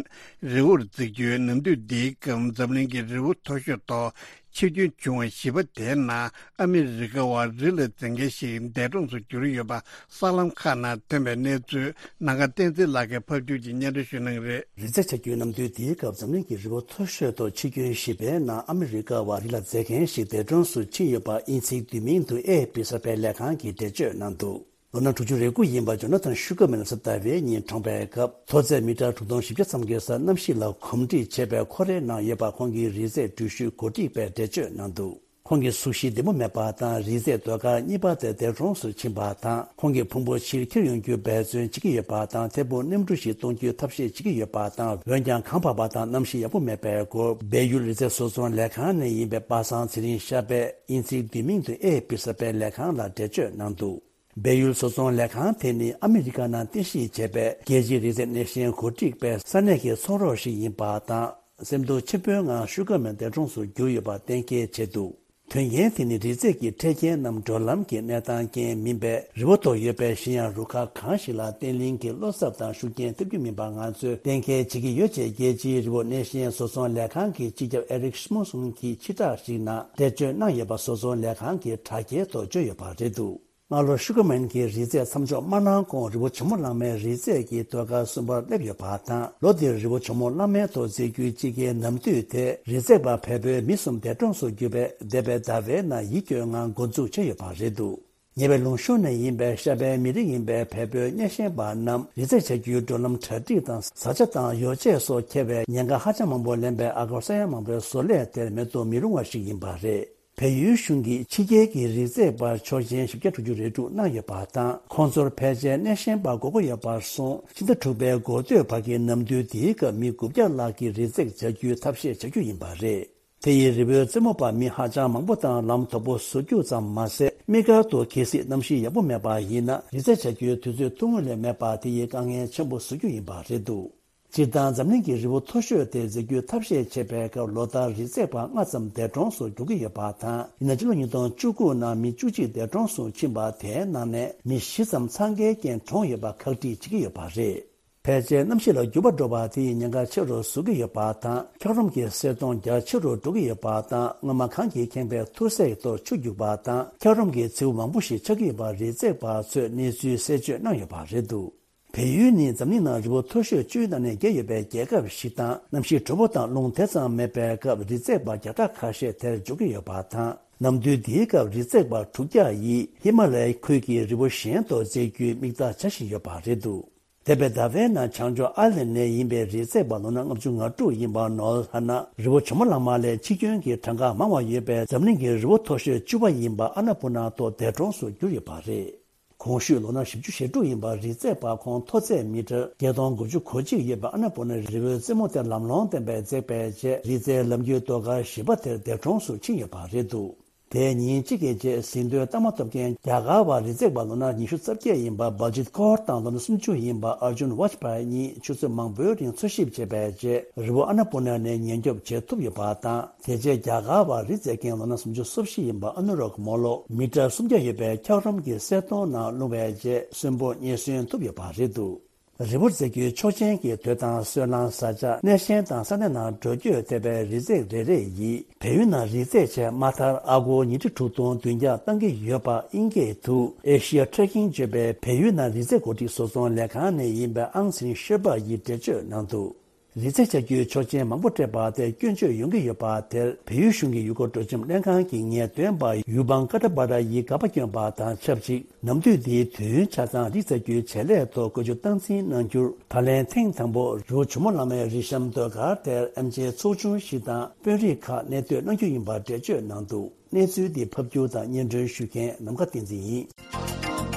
རི་བོར་འཛེགས་རྒྱུའི་ནམ་དུས་འདིའི་སྐབས་འཛམ་གླིང་གི་རི་བོ་མཐོ་ཤོས་ཐོག་ཆིབས་བསྒྱུར་བྱུང་བ་བཞི་པ་དེའི་ནང་ཨ་མི་རི་ཀ་བ་རི་ལ་འཛེག་མཁན་ཞིག་འདས་གྲོངས་སུ་གྱུར་ཡོད་པ་གསར་ལམ་ཁག་ནང་ཐོན་པའི་གནས་ཚུལ་ནམ་མཁའ་བསྟན་འཛིན་ལགས་ཀྱིས་ཕབ་སྒྱུར་གྱིས་སྙན་སྒྲོན་ཞུ་གནང་གི་རེད། རི་འཛེག་བྱ་རྒྱུའི་ནམ་དུས་འདིའི་སྐབས་འཛམ་གླིང་གི་རི་བོ་མཐོ་ཤོས་ཐོག་ཆིབས་བསྒྱུར་བཞི་པའི་ནང་ཨ་མི་རི་ཀ་བ་རི་ལ་འཛེག་མཁན་ཞིག་འདས་གྲོངས་སུ་ཕྱིན་ཡོད་པ་དབྱིན་ཚིག་བསྡུས་མིང་དུ་ཨེ་ཨེཕ་པི་གསར་སྤེལ་ལས་ཁང་གིས་འགྲེལ་བརྗོད་གནང་འདུག་ལོ་ན་དྲུག་ཅུ་རེ་དགུ་ཡིན་པ་ཇོ་ན་ཐན་ཤུ་གར་མན་ལ་སེབ་ཏ་བྷེ་ཉིན་གྲོངས་པའི་སྐབས་མཐོ་ཚད་མི་ཊར་དྲུག་སྟོང་བཞི་བརྒྱ་ཙམ་གྱི་སར་གནམ་གཤིས་ལ་གོམས་འདྲིས་ཆེ་བའི་ཁོར་ཡུག་ནང་ཡོད་པ་ཁོང་གི་རི་འཛེག་འགྲུལ་བཞུད་གོ་སྒྲིག་པས་འགྲེལ་བརྗོད་གནང་འདུག་ཁོང་གི་གཟུགས་གཞི་བདེ་པོ་མེད་པ་དང་རི་འཛེག་ཟློས་གར་གཉིས་པ་དེ་འདས་གྲོངས་སུ་ཕྱིན་པ་དང་ཁོང་གི་ཕུང་པོ་ཕྱིར་འཁྱེར་ཡོང་རྒྱུའི་འབད་བརྩོན་བྱེད་ཀྱི་ཡོད་པ་དང་ཐད་འཕུར་གནམ་གྲུ་ཞིག་གཏོང་རྒྱུའི་ཐབས་ཤེས་བྱེད་ཀྱི་ཡོད་པ་དང་འོན་ཀྱང་གངས་འཕགས་པ་དང་གནམ་གཤིས་ཡག་པོ་མེད་པའི་སྐོར་སྦས་ཡུལ་རི་འཛེག་བཟོ་ཚོང་ལས་ཁང་ནས་ཡིན་པའི་པ་སངས་ཚེ་རིང་ཤར་པས་དབྱིན་ཚིག་བསྡུས་མིང་དུ་ཨེ་ཨེཕ་པི་གསར་སྤེལ་ལས་ཁང་ལ་འགྲེལ་བརྗོད་གནང་འདུག་སྦས་ཡུལ་བཟོ་ཚོང་ལས་ཁང་དེ་ནི་ཨ་མི་རི་ཀ་ནང་རྟེན་གཞི་བྱས་པའི་རྒྱལ་སྤྱིའི་རི་འཛེག་སྣེ་ཤན་གོ་སྒྲིག་པའི་ས་གནས་ཀྱི་ཚོང་རོགས་ཤིག་ཡིན་པ་དང་། སེམས་སྡུག་ཆེན་པོའི་ངང་ཤུ་གར་མན་འདས་གྲོངས་སུ་གྱུར་ཡོད་པ་གཏན་འཁེལ་བྱས་འདུག་དོན་རྐྱེན་དེ་ནི་རི་འཛེག་གི་འཕྲལ་རྐྱེན་ནམ་འགྲོ་ལམ་གྱི་གནས་སྟངས་རྐྱེན་མིན་པས་རི་བོ་ཐོག་ཡོད་པའི་གཞན་ཡང་རུ་ཁག་གང་ཞིག་ལ་བརྟན་བརླིང་གི་བློ་འཚབ་དང་ཤུགས་རྐྱེན་ཐེབས་རྒྱུ་མིན་པ་ང་ཚོས་གཏན་འཁེལ་བྱེད་ཀྱི་ཡོད་ཅེས་རྒྱལ་སྤྱིའི་རི་བོ་སྣེ་ཤན་བཟོ་ཚོང་ལས་ཁང་གི་སྤྱི་ཁྱབ་ཨེ་རིག་ཤི་མོ་སུན་གྱིས་ཕྱིར་བསྒྲགས་ཤིག་ནང་འགྲེལ་བརྗོད་གནང་ཡོད་པ་བཟོ་ཚོང་ལས་ཁང་གི་དྲ་རྒྱའི་ཐོག་བརྗོད་ཡོད་པ་རེད་འདུག་སྔ་ལོ་ཤུ་གར་མན་གྱི་རི་འཛེག་མཚམས་འཇོག་མ་གནང་གོང་རི་བོ་ཇོ་མོ་གླང་མའི་རི་འཛེག་གི་ཟློས་གར་གསུམ་པར་སླེབས་ཡོད་པ་དང་ལོ་འདིར་རི་བོ་ཇོ་མོ་གླང་མའི་ཐོག་འཛེག་རྒྱུའི་དཔྱིད་ཀའི་ནམ་དུས་དེ་རི་འཛེག་པ་བལ་པོའི་མི་གསུམ་འདས་གྲོངས་སུ་གྱུར་པས་འདས་པའི་ཟླ་བའི་ནང་ཡིད་སྐྱོའི་ངང་འགོ་འཛུགས་བྱས་ཡོད་པ་རེད་འདུག་ཉེ་བའི་ལུང་ཤུར་ནས་ཡིན་པའི་ཤར་པའི་མི་རིགས་ཡིན་པའི་བལ་པོའི་གཉེན་ཞེན་པ་རྣམས་རི་འཛེག་བྱ་རྒྱུའི་འགྲོ་ལམ་གྲ་སྒྲིག་དང་བཟའ་བཅའ་དང་ཡོ་བྱད་སོགས་འཁྱེར་བའི་ཉེན་ཁ་ཧ་ཅང་མང་པོ་ལེན་པའི་ཨ་སྒོར་ས་ཡ་མང་པོའི་བཟོ་ལས་དེར་མེད་དུ་མི་རུང་བ་ཞིག་ཡིན་པ་རེད། བལ་ཡུལ་གཞུང་གིས་ཕྱི་རྒྱལ་གྱི་རི་འཛེག་པར་ཆོག་མཆན་བཞི་བརྒྱ་དྲུག་ཅུ་རེ་དྲུག་གནང་ཡོད་པ་དང་ཁོང་ཚོར་ཕལ་ཆེར་གནས་ཤན་པ་དགོས་མཁོ་ཡོད་པར་སོང་ཕྱི་ཟླ་དྲུག་པའི་འགོ་སྟོད་བར་གྱི་ནམ་དུས་འདིའི་སྐབས་མི་དགུ་བརྒྱ་ལྷག་གིས་རི་འཛེག་བྱ་རྒྱུའི་ཐབས་ཤེས་བྱ་རྒྱུ་ཡིན་པ་རེད། དེ་ཡིས་རི་བོའི་རྩེ་མོ་བར་མི་ཧ་ཅང་མང་པོ་དང་ལམ་དོག་པོ་བཟོ་རྒྱུ་ཙམ་མ་ཟད་དམིགས་བཀར་དུ་གལ་སྲིད་གནམ་གཤིས་ཡག་པོ་མེད་པ་ཡིན་ན་རི་འཛེག་བྱ་རྒྱུའི་དུས་ཚོད་ཐུང་ངུ་ལས་མེད་པ་དེ་ཡིས་དཀའ་ངལ་ཆེན་པོ་བཟོ་རྒྱུ་ཡིན་པ་རེད་འདུག་སྤྱིར་བཏང་འཛམ་གླིང་གི་རི་བོ་མཐོ་ཤོས་དེ་འཛེག་རྒྱུའི་ཐབས་ཤེས་བྱེད་པའི་སྐབས་ལོ་ལྟར་རི་འཛེག་པ་ལྔ་ཙམ་འདས་གྲོངས་སུ་འགྲོ་གི་ཡོད་པ་དང་ཡིན་ན་སྤྱི་ལོ་ཉིས་སྟོང་བཅུ་དགུ་ནང་མི་བཅུ་གཅིག་འདས་གྲོངས་སུ་ཕྱིན་པ་དེའི་ནང་ནས་མི་བཞི་ཙམ་འཚང་ཁའི་རྐྱེན་གྲོངས་ཡོད་པ་ཁག་དཀྲིས་བྱེད་ཀྱི་ཡོད་པ་རེད། ཕལ་ཆེར་གནམ་གཤིས་ལ་འགྱུར་བ་འགྲོ་བ་དེ་ཡིས་ཉེན་ཁ་ཆེ་རུ་བཟོ་གི་ཡོད་པ་དང་འཁྱགས་རོམ་གྱི་གསེར་མཐོང་རྒྱ་ཆེ་རུ་འགྲོ་གི་ཡོད་པ་དང་སྔོན་མ་གངས་ཀྱིས་ཁེངས་པའི་ཐུར་སེལ་ཐོག་ཆུ་རྒྱུག་པ་དང་འཁྱགས་རོམ་གྱི་མཚེའུ་མང་པོ་ཞིག་ཆགས་ཀྱི་ཡོད་པ་རི་འཛེག་པ་ཚོས་གནས་ཚུལ་གསལ་བརྗོད་གནང་ཡོད་པ་རེད་འདུག་བལ་ཡུལ་ནི་འཛམ་གླིང་ནང་རི་བོ་མཐོ་ཤོས་བཅུའི་ནང་ནས་བརྒྱད་ཡོད་པའི་རྒྱལ་ཁབ་ཞིག་དང་གནམ་གཤིས་དྲོ་པོ་དང་རླུང་དེ་ཙམ་མེད་པའི་སྐབས་རི་འཛེག་པ་བརྒྱ་ཕྲག་ཁ་ཤས་དེར་འབྱོར་གྱི་ཡོད་པ་དང་ནམ་དུས་འདིའི་སྐབས་རི་འཛེག་པ་དྲུག་བརྒྱ་ཡིས་ཧི་མ་ལའི་ཁུལ་གྱི་རི་བོ་གཞན་དུ་འཛེག་རྒྱུའི་དམིགས་གཏད་བྱ་བཞིན་ཡོད་པ་རེད་འདུག་འདས་པའི་ཟླ་བའི་ནང་བྱང་ཕྱོགས་ཨའི་ལན་ནས་ཡིན་པའི་རི་འཛེག་པ་ལོ་ན་ལྔ་བཅུ་ང་དྲུག་ཡིན་པ་ནོལ་ཧ་ན་རི་བོ་ཇོ་མོ་གླང་མ་ལས་འཆི་སྐྱོན་གྱི་གྲངས་ཀ་མང་བ་ཡོད་པའི་འཛམ་གླིང་གི་རི་བོ་མཐོ་ཤོས་བཅུ་པ་ཡིན་པ་ཨ་ན་པུ་ན་ཐོག་འདས་གྲོངས་སུ་གྱུར་ཡོད་པ་རེད། གོང་ཞུས་ལོ་ན་བཞི་བཅུ་ཞེ་དྲུག་ཡིན་པ་རི་འཛེག་པ་ཁོང་མཐོ་ཚད་མི་ཊར་བརྒྱད་སྟོང་དགུ་བཅུ་གོ་གཅིག་ཡོད་པའི་ཨ་ན་པུ་ན་རི་བོའི་རྩེ་མོ་དེ་ལམ་ལྷོང་ལྡན་པའི་འཛེག་པའི་རྗེས་རི་འཛེག་ལམ་རྒྱུད་ཟློས་གར་བཞི་པ་དེར་འདས་གྲོངས་སུ་ཕྱིན་ཡོད་པ་རེད་འདུག་དེའི་ཉིན་གཅིག་གི་རྗེས་ཟིན་ཐོའི་རྟགས་མ་ཐོབ་མཁན་རྒྱ་གར་བ་རི་འཛེག་པ་ལོ་ན་ཉི་ཤུ་རྩ་བརྒྱད་ཡིན་པ་བལ་ཇིད་ཀོར་དང་ལོ་ན་སུམ་ཅུ་ཡིན་པ་ཨར་ཇུན་ཝཱཇ་པཱ་གཉིས་ཆུ་ཚོད་མང་པོའི་རིང་འཚོལ་ཞིབ་བྱས་པའི་རྗེས་རི་བོ་ཨ་ན་པུ་ན་ནས་ཉེན་སྐྱོབ་བྱེད་ཐུབ་ཡོད་པ་དང་དེ་རྗེས་རྒྱ་གར་བ་རི་འཛེག་མཁན་ལོ་ན་སུམ་ཅུ་སོ་བཞི་ཡིན་པ་ཨ་ནུ་རག་མོ་ལོ་མི་ཊར་སུམ་བརྒྱ་ཡོད་པའི་འཁྱགས་རོམ་གྱི་གསེར་མཐོང་ནང་ལྷུང་བའི་རྗེས་གསོན་པོ་རྙེད་སོན་ཐུབ་ཡོད་པ་རེད་འདུག་རི་བོར་འཛེག་རྒྱུའི་ཆོག་མཆན་གྱི་དུས་དང་སོལ་རླངས་བཟའ་བཅའ་གནས་ཆེན་དང་ས་གནས་ནང་འགྲོ་སྐྱོད་ཐེབས་པའི་རི་འཛེག་རེ་རེ་ཡིས་བལ་ཡུལ་ནང་རི་འཛེག་ཆེད་དམའ་མཐར་ཨ་སྒོར་ཉིས་ཁྲི་དྲུག་སྟོང་བདུན་བརྒྱ་བཏང་གི་ཡོད་པ་དབྱིན་སྐད་དུ་Asia Trekking བརྗོད་པའི་བལ་ཡུལ་ནང་རི་འཛེག་གོ་སྒྲིག་བཟོ་ཚོང་ལས་ཁང་ནས་ཡིན་པའི་ཨང་སིན་ཤེར་པ་ཡིས་འགྲེལ་བརྗོད་གནང་འདུག་རི་འཛེག་བྱ་རྒྱུའི་ཆོག་མཆན་མང་པོ་སྤྲད་པ་དེ་སྐྱོན་བརྗོད་ཡོང་གི་ཡོད་པ་དེར་བལ་ཡུལ་གཞུང་གི་ཡུལ་སྐོར་སྤྲོ་འཆམ་ལྷན་ཁང་གི་ངེས་སྟོན་པ་ཡུ་བང་ཀ་ཏྲ་པ་ར་ཡིས་དགག་པ་བསྐྱོན་པ་དང་ཆབས་ཅིག་ནམ་དུས་འདིའི་དུས་ཡུན་ཆ་ཚང་རི་འཛེག་རྒྱུའི་བྱེད་ལས་ཐོག་བཀོལ་སྤྱོད་སྟངས་འཛིན་གནང་རྒྱུར་ད་ལན་ཐེངས་དང་པོ་རི་བོ་ཇོ་མོ་གླང་མའི་རི་གཤམ་ཟློས་གར་དེར་ཨེམ་ཆིའི་ཚོགས་ཆུང་ཞིག་དང་དཔོན་རིགས་ཁག་གནས་སྡོད་གནང་རྒྱུ་ཡིན་པ་འགྲེལ་བརྗོད་གནང་འདུག་གནས་ཚུལ་འདི་ཕབ་སྒྱུར་དང་སྙན་སྒྲོན་ཞུ་མཁན་ནམ་མཁའ་བསྟན་འཛིན་ཡིན།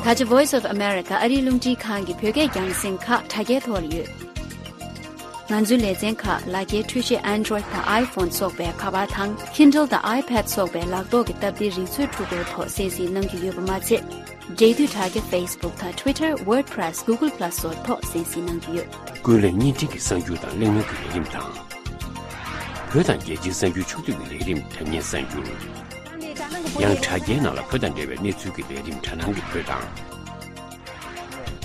ད་ཆ་Voice of America ཨ་རིའི་རླུང་འཕྲིན་ཁང་གི་བོད་སྐད་རྒྱང་སྲིང་ཁག་དྲ་རྒྱའི་ཐོག་ལ་ཡོད། ང་ཚོའི་ལེ་ཚན་ཁག་ལག་འཁྱེར་འཕྲུལ་ཆས་Android་དང་iPhone་སོགས་པའི་ཁ་པར་དང་Kindle་དང་iPad་སོགས་པའི་ལག་ཐོག་གི་སྟབས་བདེའི་རིག་མཛོད་འཕྲུལ་འཁོར་ཐོག་གསན་གཟིགས་གནང་རྒྱུ་ཡོད་པ་མ་ཚད། འབྲེལ་མཐུད་དྲ་རྒྱ་Facebook་དང་Twitter, WordPress, Google Plus་སོགས་ཐོག་གསན་གཟིགས་གནང་རྒྱུ་ཡོད། ཀུན་གླེང་བརྙན་འཕྲིན་གྱི་གསར་འགྱུར་དང་གླེང་མོལ་གྱི་ལས་རིམ་དང་། བོད་དང་རྒྱལ་སྤྱིའི་གསར་འགྱུར་ཕྱོགས་བསྡུས་ཀྱི་ལས་རིམ་དྲ་བརྙན་གསར་འགྱུར། ཡང་དྲ་རྒྱའི་ནང་ལ་བོད་དང་འབྲེལ་བའི་གནས་ཚུལ་གྱི་ལས་རིམ་དྲ་སྣང་གི་བོད་དང་།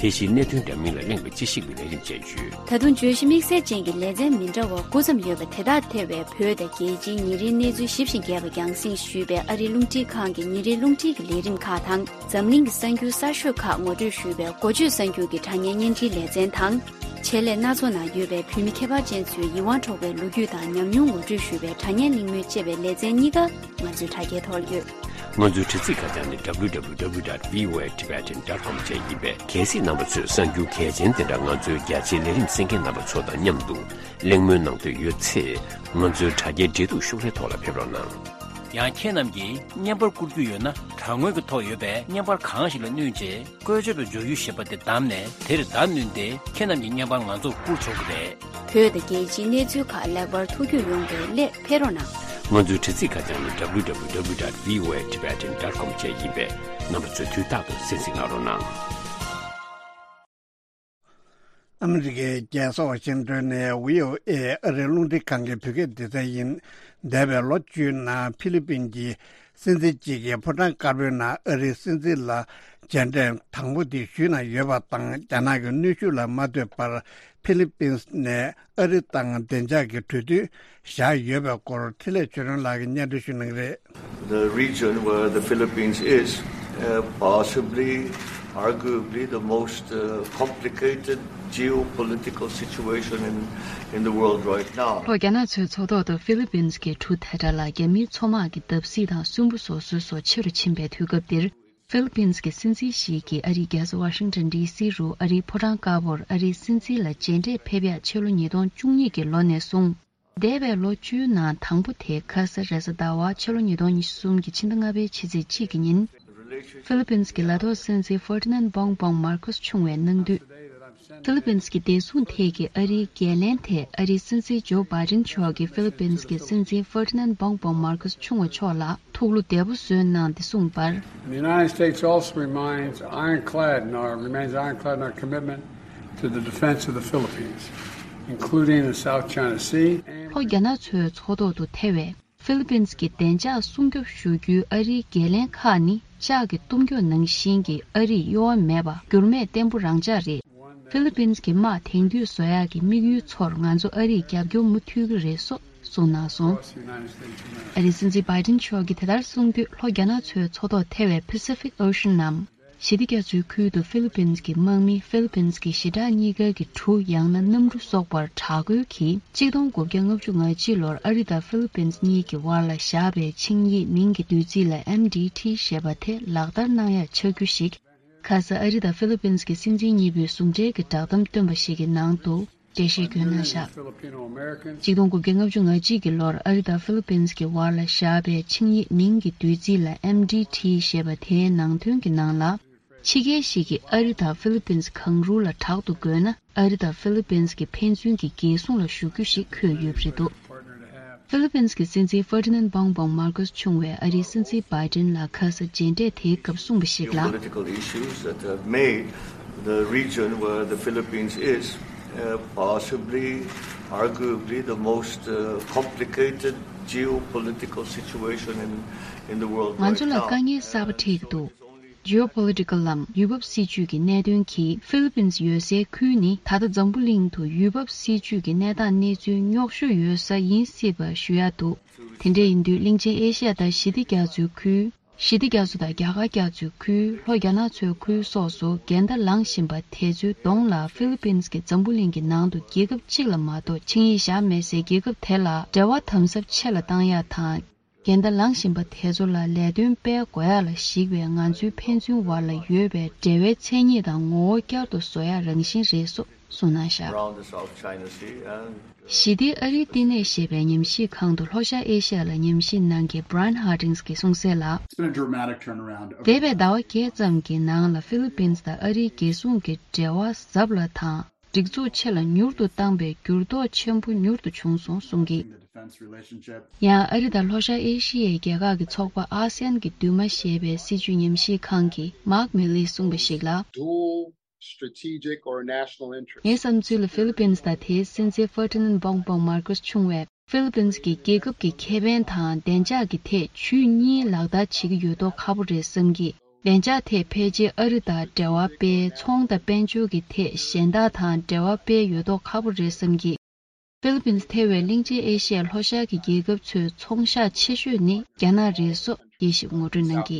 དེ་བཞིན་གནད་དོན་འདྲ་མིན་ལ་གླེང་བའི་དཔྱད་ཞིབ་ཀྱི་ལས་རིམ་སྤྱད་ཡོད། ད་དུང་བརྗོད་གཞི་དམིགས་བསལ་ཅན་གྱི་ལེ་ཚན་མི་འདྲ་བ་དགུ་ཙམ་ཡོད་པ་དེ་དག་ཐེ་བའི་བོད་དང་རྒྱལ་སྤྱིའི་ཉིན་རེའི་གནས་ཚུལ་ཞིབ་ཅིང་རྒྱས་པ་རྒྱང་སྲིང་ཞུས་པའི་ཨ་རིའི་རླུང་འཕྲིན་ཁང་གི་ཉིན་རེའི་རླུང་འཕྲིན་གྱི་ལས་རིམ་ཁག་དང་། འཛམ་གླིང་གི་གསར་འགྱུར་གསར་ཤོས་ཁག་ངོ་སྤྲོད་ཞུས་པའི་འགོ་བརྗོད་གསར་འགྱུར་གྱི་དྲ་བརྙན་བརྙན་འཕྲིན་ལེ་ཚན་དང་། ཆེད་ལས་སྣ་ཚོགས་ནང་ཡོད་པའི་བོད་མི་ཁྱད་པར་ཅན་ཚོའི་ཡིད་དབང་འཕྲོག་པའི་ལོ་རྒྱུས་དང་ཉམས་མྱོང་ངོ་སྤྲོད་ཞུས་པའི་དྲ་བརྙན་གླེང་མོལ་ཅེས་པའི་ལེ་ཚན་གཉིས་ཀ་ང་ཚོའི་དྲ་རྒྱའི་ཐོག་ཡོད། ང་ཚོའི་དྲ་ཚིགས་ཁ་བྱང་ནི་www.voatibetan.com བཅས་ཡིན་པས། གལ་སྲིད་རྣམ་པ་ཚོས་གསར་འགྱུར་གལ་ཆེན་དེ་འདྲ་ང་ཚོའི་རྒྱ་ཆེའི་ལས་རིམ་གསན་མཁན་རྣམ་པ་ཚོ་དང་མཉམ་དུ་གླེང་མོལ་གནང་འདོད་ཡོད་ཚེ། ང་ཚོའི་དྲ་རྒྱའི་འབྲེལ་གཏུག་ཤོག་ལྷེ་ཐོག་ལ་ཕེབས་རོགས་གནང་། ཡང་ཁྱེད་རྣམས་ཀྱིས་བརྙན་པར་བསྐུར་རྒྱུ་ཡོད་ན། དྲ་ངོས་ཀྱི་ཐོག་ཡོད་པའི་བརྙན་པར་གང་ཞིག་ལ་བསྣུན་རྗེས། བཀོལ་སྤྱོད་པའི་བྱ་ཡུལ་ཞེས་པ་དེ་བདམས་ནས། དེར་བརྡ་བསྣུན་ཏེ། ཁྱེད་རྣམས་ཀྱི་བརྙན་པར་ང་ཚོར་བསྐུར་ཆོག་གི་རེད། བོད་དང་རྒྱལ་སྤྱིའི་གནས་ཚུལ་ཁག་ལེགས་པར་ཐུགས་རྒྱུས་ཡོང་བའི་སླད་ཕེབས་རོགས་གནང་། ང་ཚོའི་དྲ་ཚིགས་ཁ་བྱང་ནི་www.voatibetan.com བཅས་ཡིན་པས། རྣམ་པ་ཚོས་དུས་རྟག་ཏུ་གསན་གཟིགས་གནང་རོགས་གནང་། ཨ་མི་རི་ཀའི་རྒྱལ་ས་ཝ་ཤིང་ཏོན་ནས་བྷི་ཨོ་ཨེ་ཨ་རིའི་རླུང་འཕྲིན་ཁང་གི་བོད་སྐད་སྡེ་ཚན་ཡིན། འདས་པའི་ལོ་བཅུའི་ནང་ཧྥི་ལི་པིན་གྱི་སྲིད་འཛིན་གཅིག་གིས་ཕོ་བྲང་དཀར་པོའི་ནང་ཨ་རིའི་སྲིད་འཛིན་ལ་མཇལ་འཕྲད་དང་པོ་དེ་ཞུས་གནང་ཡོད་པ་དང་། རྒྱ་ནག་གི་གནོན་ཤུགས་ལ་མ་ལྟོས་པར་ཧྥི་ལི་པིན་ནས་ཨ་རི་དང་བདེ་འཇགས་ཀྱི་གྲོས་མཐུན་བཞག་ཡོད་པའི་སྐོར་འཕྲིན་ལས་ཆོས་སྒྲོན་ལགས་ཀྱིས་སྙན་སྒྲོན་ཞུ་གནང་གི་རེད། The region where the Philippines is, uh, possibly, arguably, the most, uh, complicated geopolitical situation in, in the world right now. ལྷོ་རྒྱ་ནག་མཚོའི་མཚོ་ཐོག་ཏུ་ཧྥི་ལི་པིན་གྱི་གྲུ་དེ་འདྲ་ལ་རྒྱ་མིའི་མཚོ་དམག་གི་བརྡབ་གསིག་དང་སུན་པོ་བཟོ་སྲོལ་སོགས་ཆེ་རུ་ཕྱིན་པའི་དུས་སྐབས་འདིར། ཧྥི་ལི་པིན་གྱི་སྲིད་འཛིན་ཞིག་གིས་ཨ་རིའི་རྒྱལ་ས་ཝ་ཤིང་ཏོན་ཌི་སི་རུ་ཨ་རིའི་ཕོ་བྲང་དཀར་པོར་ཨ་རིའི་སྲིད་འཛིན་ལ་མཇལ་འཕྲད་ཕེབས་ཡག་ཕྱི་ལོ་ཉིས་སྟོང་བཅུ་གཉིས་ཀྱི་ལོ་ནས་བཟུང་། འདས་པའི་ལོ་བཅུའི་ནང་དང་པོ་དེ་ཁ་ས་རེས་གཟའ་ཟླ་བ་ཕྱི་ལོ་ཉིས་སྟོང་ཉི་ཤུ་གསུམ་གྱི་ཕྱི་ཟླ་ལྔ་པའི་ཕྱི་ཚེས་གཅིག་གི་ཉིན། ཧྥི་ལི་པིན་གྱི་ལ་ཐོག་སྲིད་འཛིན་ཧྥར་ཏི་ནན་བོང་བོང་མར་ཁོས་ཆུང་བས་གནང་དུས། ཧྥི་ལི་པིན་གྱི་བདེ་སྲུང་ཐད་ཀྱི་ཨ་རིའི་འགན་ལེན་ཐད་ཨ་རིའི་སྲིད་འཛིན་ཇོ་བྷའི་ཏིན་མཆོག་གིས་ཧྥི་ལི་པིན་གྱི་སྲིད་འཛིན་ཧྥར་ཏི་ནན་བོང་བོང་མར་ཁོས་ཆུང་བ་མཆོག་ལ་ཐུགས་བློ་བདེ་པོ་གསོས་གནང་སྟེ་གསུངས་པར། The United States also remains ironclad in our, remains ironclad in our commitment to the defense of the Philippines, including the South China Sea and ལྷོ་རྒྱ་ནག་མཚོའི་མཚོ་ཐོག་ཏུ་ཐེ་བའི་ཧྥི་ལི་པིན་གྱི་བདེ་འཇགས་སྲུང་སྐྱོབ་ཞུ་རྒྱུའི་ཨ་རིའི་འགན་ལེན་ཁག་ནི་ལྕགས་ཀྱི་གཏུམ་རྒྱུད་ནང་བཞིན་གྱི་ཨ་རིས་གཡོ་བ་མེད་པ་འགྱུར་མེད་བརྟན་པོ་རང་འཇགས་རེད། ཧྥི་ལི་པིན་གྱི་དམག་དེང་དུས་བཟོ་ཡག་གི་དམིགས་ཡུལ་ཚོར་ང་ཚོ་ཨ་རིས་རྒྱབ་སྐྱོར་མུ་མཐུད་ཀྱི་རེད་སོགས་གསུངས་གནང་སོང་། ཨ་རིའི་སྲིད་འཛིན་བྷའི་ཏིན་མཆོག་གིས་དེ་ལྟར་གསུངས་དུས་ལྷོ་རྒྱ་ནག་མཚོའི་མཚོ་ཐོག་ཐེ་བའི་Pacific Ocean ནམ། ཞི་བདེ་རྒྱ་མཚོའི་ཁུལ་དུ་ཧྥི་ལི་པིན་གྱི་དམག་མི་ཧྥི་ལི་པིན་གྱི་ཞི་དྲག་གཉིས་ཀ་གི་གྲུ་ཡང་ན་གནམ་གྲུ་སོགས་པར་དྲག་རྒོལ་གྱིས་གཅིག་སྟོང་དགུ་བརྒྱ་ལྔ་བཅུ་ང་གཅིག་ལོར་ཨ་རི་དང་ཧྥི་ལི་པིན་གཉིས་ཀྱི་དབར་ལ་བཞག་པའི་ཆིངས་ཡིག་མིང་གི་བསྡུས་ཚིག་ལ་ཨེམ་ཌི་ཊི་ཞེས་པ་དེ་ལག་བསྟར་གནང་ཡག་ཆགས་རྒྱུ་ཞིག་ཁ་ས་ཨ་རི་དང་ཧྥི་ལི་པིན་གྱི་སྲིད་འཛིན་གཉིས་པོས་ཟུང་འབྲེལ་གྱི་བསྒྲགས་གཏམ་བཏོན་པ་ཞིག་གི་ནང་དུ། འགྲེལ་བཤད་བསྐྱོན་གནང་བཞག་གཅིག་སྟོང་དགུ་བརྒྱ་ལྔ་བཅུ་ང་གཅིག་གི་ལོར་ཨ་རི་དང་ཧྥི་ལི་པིན་གྱི་དབར་ལ་བཞག་པའི་ཆིངས་ཡིག་མིང་གི་བསྡུས་ཚིག་ལ་ཨེམ་ཌི་ཊི་ཞེས་པ་དེའི་ནང་དོན་གྱི་ནང་ལ། ཕྱི་རྒྱལ་ཞིག་གིས་ཨ་རི་དང་ཧྥི་ལི་པིན་གང་རུང་ལ་དྲག་ཏུ་རྒོལ་ན། ཨ་རི་དང་ཧྥི་ལི་པིན་གྱི་ཕན་ཚུན་གྱི་རྒྱལ་སྲུང་ལ་ཞུགས་རྒྱུ་ཞིག་འཁོད་ཡོད་པ་རེད་འདུག་ཧྥི་ལི་པིན་གྱི་སྲིད་འཛིན་ཧྥར་ཏི་ནན་བོང་བོང་མར་ཁོས་ཆུང་བས་ཨ་རིའི་སྲིད་འཛིན་བྷའི་ཏིན་ལ་ཁ་ས་མཇལ་འཕྲད་དེའི་སྐབས་གསུངས་པ་ཞིག་ལ། Geopolitical issues that have made the region where the Philippines is, uh, possibly, arguably, the most, uh, complicated geopolitical situation in, in the world right now. ང་ཚོ་ལ་དཀའ་ངལ་གསར་པ་འཕྲད་ཀྱི་འདུག Geopolitical ལམ་ཡུལ་བབ་སྲིད་ཇུས་ཀྱི་གནད་དོན་གྱིས་ཧྥི་ལི་པིན་ཡོད་སའི་ཁུལ་ནི་ད་ལྟ་འཛམ་བུ་གླིང་དུ་ཡུལ་བབ་སྲིད་ཇུས་ཀྱི་གནས་སྟངས་གནས་ཚུལ་རྙོག་ཤོས་ཡོད་ས་ཡིན་སྲིད་པ་ཞུ་ཡག་འདུག་དེ་འདྲ་ཡིན་དུས་གླིང་ཆེན་ཨེ་ཤི་ཡ་དང་ཞི་བདེ་རྒྱ་མཚོའི་ཁུལ། ཞི་བདེ་རྒྱ་མཚོ་དང་རྒྱ་གར་རྒྱ་མཚོའི་ཁུལ། ལྷོ་རྒྱ་ནག་མཚོའི་ཁུལ་སོགས་སུ་འགལ་ཟླ་ལངས་བཞིན་པ་དེ་ཚོའི་གདོང་ལ་ཧྥི་ལི་པིན་གྱིས་འཛམ་བུ་གླིང་གི་ནང་དུ་རྒྱལ་ཁབ་གཅིག་ལ་མ་གཏོགས་ཆིངས་ཡིག་བཞག་མེད་སའི་རྒྱལ་ཁབ་དེ་ལ་འབྲེལ་བ་དམ་ཟབ་ཆེ་ལ་བཏང་ཡག་དང་། འགལ་ཟླ་ལངས་བཞིན་པ་དེ་ཚོ་ལ་ལས་དོན་སྤེལ་དགོས་ཡག་ལ་གཞིགས་པའི་ང་ཚོའི་ཕན་ཚུན་བར་ལ་ཡོད་པའི་འབྲེལ་བའི་མཚན་ཉིད་དང་ངོ་བོ་བསྐྱར་དུ་བཟོ་ཡག་རང་བཞིན་རེད་སོགས་གསུངས་གནང་བཞག Around the South China Sea and ཞི་བདེ་ཨ་རིའི་བསྟི་གནས་ཞེས་པའི་ཉམས་ཞིབ་ཁང་དུ་ལྷོ་ཤར་ཨེ་ཤི་ཡ་ལ་ཉམས་ཞིབ་གནང་མཁན་Brian Harding གྱིས་གསུངས་གསལ་ལ། It's been a dramatic turnaround over འདས་པའི་ཟླ་བ་བརྒྱད་ཙམ་གྱི་ནང་ལ་ཧྥི་ལི་པིན་དང་ཨ་རིའི་རྒྱལ་སྲུང་གི་འབྲེལ་བ་ཟབ་ལ་དང་། སྒྲིག་འཛུགས་ཆེ་ལ་མྱུར་དུ་བཏང་པའི་འགྱུར་ལྡོག་ཆེན་པོ་མྱུར་དུ་བྱུང་སོང་གསུངས་ཀྱིས། ཡང་ཨ་རི་དང་ལྷོ་ཤར་ཨེ་ཤི་ཡའི་རྒྱལ་ཁག་གི་ཚོགས་པ་ཨ་སི་ཡན་གྱི་འདུས་མ་ཞེས་པའི་སྲིད་བྱུས་ཉམས་ཞིབ་ཁང་གི་Mark Milley གསུངས་པ་ཞིག་ལ། Dual strategic or national interest. ངའི་བསམ་ཚུལ་ལ་ཧྥི་ལི་པིན་དང་དེའི་སྲིད་འཛིན་ཧྥར་ཏི་ནན་བོང་བོང་མར་ཁོས་ཆུང་བས་ཧྥི་ལི་པིན་གྱི་རྒྱལ་ཁབ་ཀྱི་ཁེ་ཕན་དང་བདེ་འཇགས་ཀྱི་ཐད་ཇུས་གཉིས་ལག་བསྟར་བྱེད་ཀྱི་ཡོད་མདོག་ཁ་པོ་རེད་བསམ་གྱིས། བདེ་འཇགས་ཐད་ཕལ་ཆེར་ཨ་རི་དང་འབྲེལ་བ་སྤེལ། ཚོང་དང་དཔལ་འབྱོར་གྱི་ཐད་གཞན་དག་དང་འབྲེལ་བ་སྤེལ་ཡོད་མདོག་ཁ་པོ་རེད་བསམ་གི། ཧྥི་ལི་པིན་ཐེ་བའི་གླིང་ཆེན་ཨེ་ཤི་ཡའི་ལྷོ་ཤར་གྱི་རྒྱལ་ཁབ་ཚོའི་ཚོང་ཤག་ཆེ་ཤོས་ནི་རྒྱ་ནག་རེད་སོགས་དབྱེ་ཞིབ་ངོ་སྤྲོད་གནང་གི།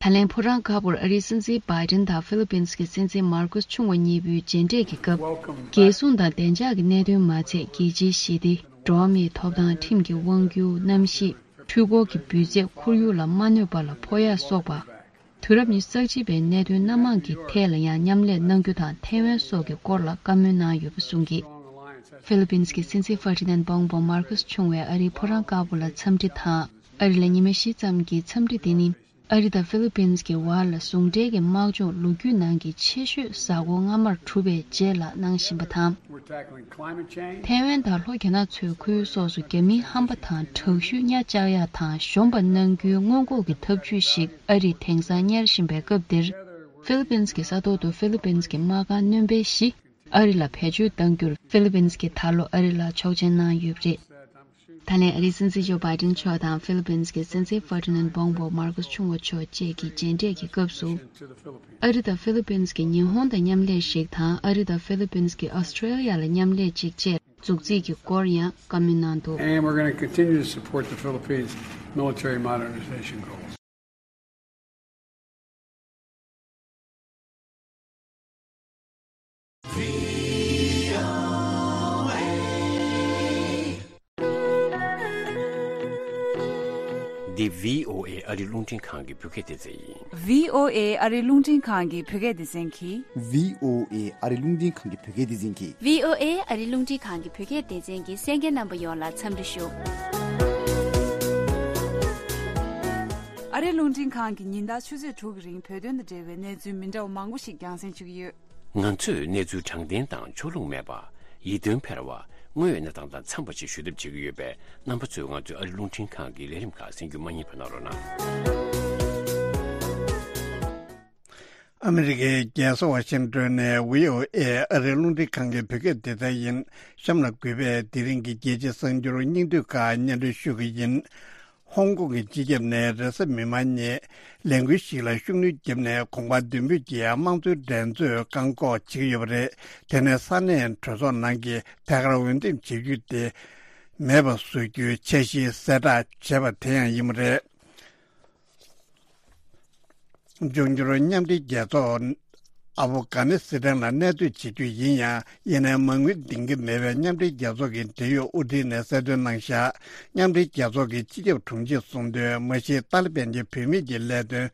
ད་ལན་ཕོ་བྲང་དཀར་པོར་ཨ་རིའི་སྲིད་འཛིན་བྷའི་ཌེན་དང་ཧྥི་ལི་པིན་གྱི་སྲིད་འཛིན་མར་ཀོ་སི་ཆུང་བ་གཉིས་པོའི་མཇལ་འཕྲད་ཀྱི་སྐབས། རྒྱལ་སྲུང་དང་བདེ་འཇགས་ཀྱི་གནད་དོན་མ་ཚད་རྒྱལ་སྤྱིའི་ཞི་བདེ། འགྲོ་བ་མིའི་ཐོབ་ཐང་། ཁྲིམས་ཀྱི་དབང་སྒྱུར། གནམ་གཤིས། འཕྲུལ་འཁོར་གྱི་འབུད་རྫས་ཁོར་ཡུག་ལ་མ་གནོད་པ་ལ་ཕོག་ཡ་སོགས་པ། དུས་རབས་ཉི་ཤུ་རྩ་གཅིག་པའི་གནད་དོན་སྣ་མང་གི་ཐད་ལ་ཡང་མཉམ་ལས་གནང་རྒྱུ་དང་ཐའེ་ཝན་སོགས་ཀྱི་སྐོར་ལ་བཀའ་མོལ་གནང་ཡོད་པ་གསུངས་ཀྱིས། ཧྥི་ལི་པིན་གྱི་སྲིད་འཛིན་ཧྥར་ཏི་ནན་སྦོང་པོ་མར་ཁོ་སི་ཆུང་བས་ཨ་རིའི་ཕོ་བྲང་དཀར་པོ་ལ་འཚམས་འདྲི་དང་། ཨ་རི་ལ་ཉི་མ་བཞི་ཙམ་གྱི་འཚམས་འདྲི་དེ་ནི། ཨ་རི་དང་ཧྥི་ལི་པིན་གྱི་བར་ལ་ཟུང་འབྲེལ་གྱི་དམག་སྦྱོང་ལོ་རྒྱུས་ནང་གི་ཆེ་ཤོས་གཟའ་འཁོར་སྔ་མར་གྲུབ་པའི་རྗེས་ལ་གནང་བཞིན་པ་དང་། We're tackling climate change. ཐའེ་ཝན་དང་ལྷོ་རྒྱ་ནག་མཚོའི་ཁུལ་སོགས་སུ་རྒྱ་མིའི་ཧམ་པ་དང་དྲག་ཤུགས་གཉའ་བཅག་ཡག་དང་གཞོམ་པ་གནང་རྒྱུའི་སྔོན་འགོག་གི་ཐབས་ཇུས་ཤིག་ཨ་རིས་དེང་སང་གཉེར་བཞིན་པའི་སྐབས་འདིར། ཧྥི་ལི་པིན་གྱི་ས་ཐོག་ཏུ་ཧྥི་ལི་པིན་གྱི་དམག་ཁང་སྣོན་པ་བཞི་ཨ་རི་ལ་བེད་སྤྱོད་གཏང་རྒྱུར་ཧྥི་ལི་པིན་གྱིས་ད་ལོ་ཨ་རི་ལ་ཆོག་མཆན་གནང་ཡོད་པ་རེད། ད་ལན་ཨ་རིའི་སྲིད་འཛིན་ཇོ་བྷའི་ཌེན་མཆོག་དང་ཧྥི་ལི་པིན་གྱི་སྲིད་འཛིན་ཧྥར་ཏི་ནན་སྦོང་པོ་མར་ཁོ་སི་ཆུང་བ་མཆོག་བཅས་ཀྱི་མཇལ་འཕྲད་ཀྱི་སྐབས་སུ། ཨ་རི་དང་ཧྥི་ལི་པིན་གྱིས་ཉི་ཧོང་དང་མཉམ་ལས་ཤིག་དང་ཨ་རི་དང་ཧྥི་ལི་པིན་གྱིས་ཨོ་སི་ཀྲེ་ལི་ཡ་ལ་མཉམ་ལས་ཅིག་བཅས་འཛུགས་རྩིས་ཀྱི་སྐོར་ཡང་བཀའ་མོལ་གནང་འདུག And we're going to continue to support the Philippines' military modernization goals. འདི་བྷི་ཨོ་ཨེ་ཨ་རི་རླུང་འཕྲིན་ཁང་གི་བོད་སྐད་སྡེ་ཚན་ཡིན། བྷི་ཨོ་ཨེ་ཨ་རི་རླུང་འཕྲིན་ཁང་གི་བོད་སྐད་སྡེ་ཚན་གྱིས། བྷི་ཨོ་ཨེ་ཨ་རི་རླུང་འཕྲིན་ཁང་གི་བོད་སྐད་སྡེ་ཚན་གྱིས། བྷི་ཨོ་ཨེ་ཨ་རི་རླུང་འཕྲིན་ཁང་གི་བོད་སྐད་སྡེ་ཚན་གྱི་གསན་མཁན་རྣམ་པ་ཡོངས་ལ་འཚམས་འདྲི་ཞུ། ཨ་རི་རླུང་འཕྲིན་ཁང་གི་ཉིན་ལྟར་ཆུ་ཚོད་དྲུག་གི་རིང་བོད་དོན་དང་འབྲེལ་བའི་གནས་ཚུལ་མི་འདྲ་བ་མང་པོ་ཞིག་རྒྱང་སྲིང་ཞུ་གི་ཡོད། ང་ཚོས་གནས་ཚུལ་དྲང་བདེན་དང་ཕྱོགས་ལྷུང་མེད་པ། ཡིད་རྟོན་འཕེར་བ། དངོས་ཡོད་གནས་སྟངས་དང་འཚམས་པ་ཞིག་ཞུ་ཐབས་བྱེད་ཀྱི་ཡོད་པས། རྣམ་པ་ཚོས་ང་ཚོའི་ཨ་རི་རླུང་འཕྲིན་ཁང་གི་ལས་རིམ་ཁག་གསན་རྒྱུ་མ་བསྙེལ་བ་གནང་རོགས་གནང་། ཨ་མི་རི་ཀའི་རྒྱལ་ས་ཝ་ཤིང་ཏོན་ནས་བྷི་ཨོ་ཨེ་ཨ་རིའི་རླུང་འཕྲིན་ཁང་གི་བོད་སྐད་སྡེ་ཚན་ཡིན། གཤམ་ལ་གུས་པས་དེ་རིང་གི་རྒྱལ་སྤྱིའི་གསར་འགྱུར་སྙིང་བསྡུས་ཁག་སྙན་སྒྲོན་ཞུ་གི་ཡིན། ཧོང་ཀོང་གི་སྤྱི་ཁྱབ་ནས་རེས་གཟའ་མིག་དམར་ཉིན་ལས་འགུལ་ཞིག་ལ་ཤུགས་སྣོན་བརྒྱབ་ནས། གོམ་པ་མདུན་སྤོས་ཀྱིས་དམངས་གཙོའི་འགྲན་རྩོད་བཀག་འགོག་བྱེད་ཀྱི་ཡོད་པ་རེད། དེ་ནས་ས་གནས་གྲོས་ཚོགས་ནང་གི་ཐད་ཀར་འོས་འདེམས་བྱེད་རྒྱུ་དེ་མེད་པ་བཟོ་རྒྱུའི་འཆར་གཞི་གསལ་བསྒྲགས་བྱས་པ་དེ་ཡང་ཡིན་པ་རེད། འབྱུང་འགྱུར་མཉམ་འབྲེལ་རྒྱལ་ཚོགས་ཨ་ཕོ་གྷ་ནི་སི་ཐན་ལ་གནས་སྡོད་བྱེད་རྒྱུ་ཡིན་ཡང་། ཡིན་ནའི་མ་དངུལ་འདིང་གི་མེད་པའི་མཉམ་འབྲེལ་རྒྱལ་ཚོགས་ཀྱི་འབྲེལ་ཡོད་དབུ་ཁྲིད་ནས་གསལ་སྟོན་གནང་བཞག་མཉམ་འབྲེལ་རྒྱལ་ཚོགས་ཀྱི་སྤྱི་ཁྱབ་དྲུང་ཆེ་གསུང་དོན། མ་གཞི་ཏཱ་ལི་བན་གྱི་བུད་མེད་ཀྱི་ལས་དོན་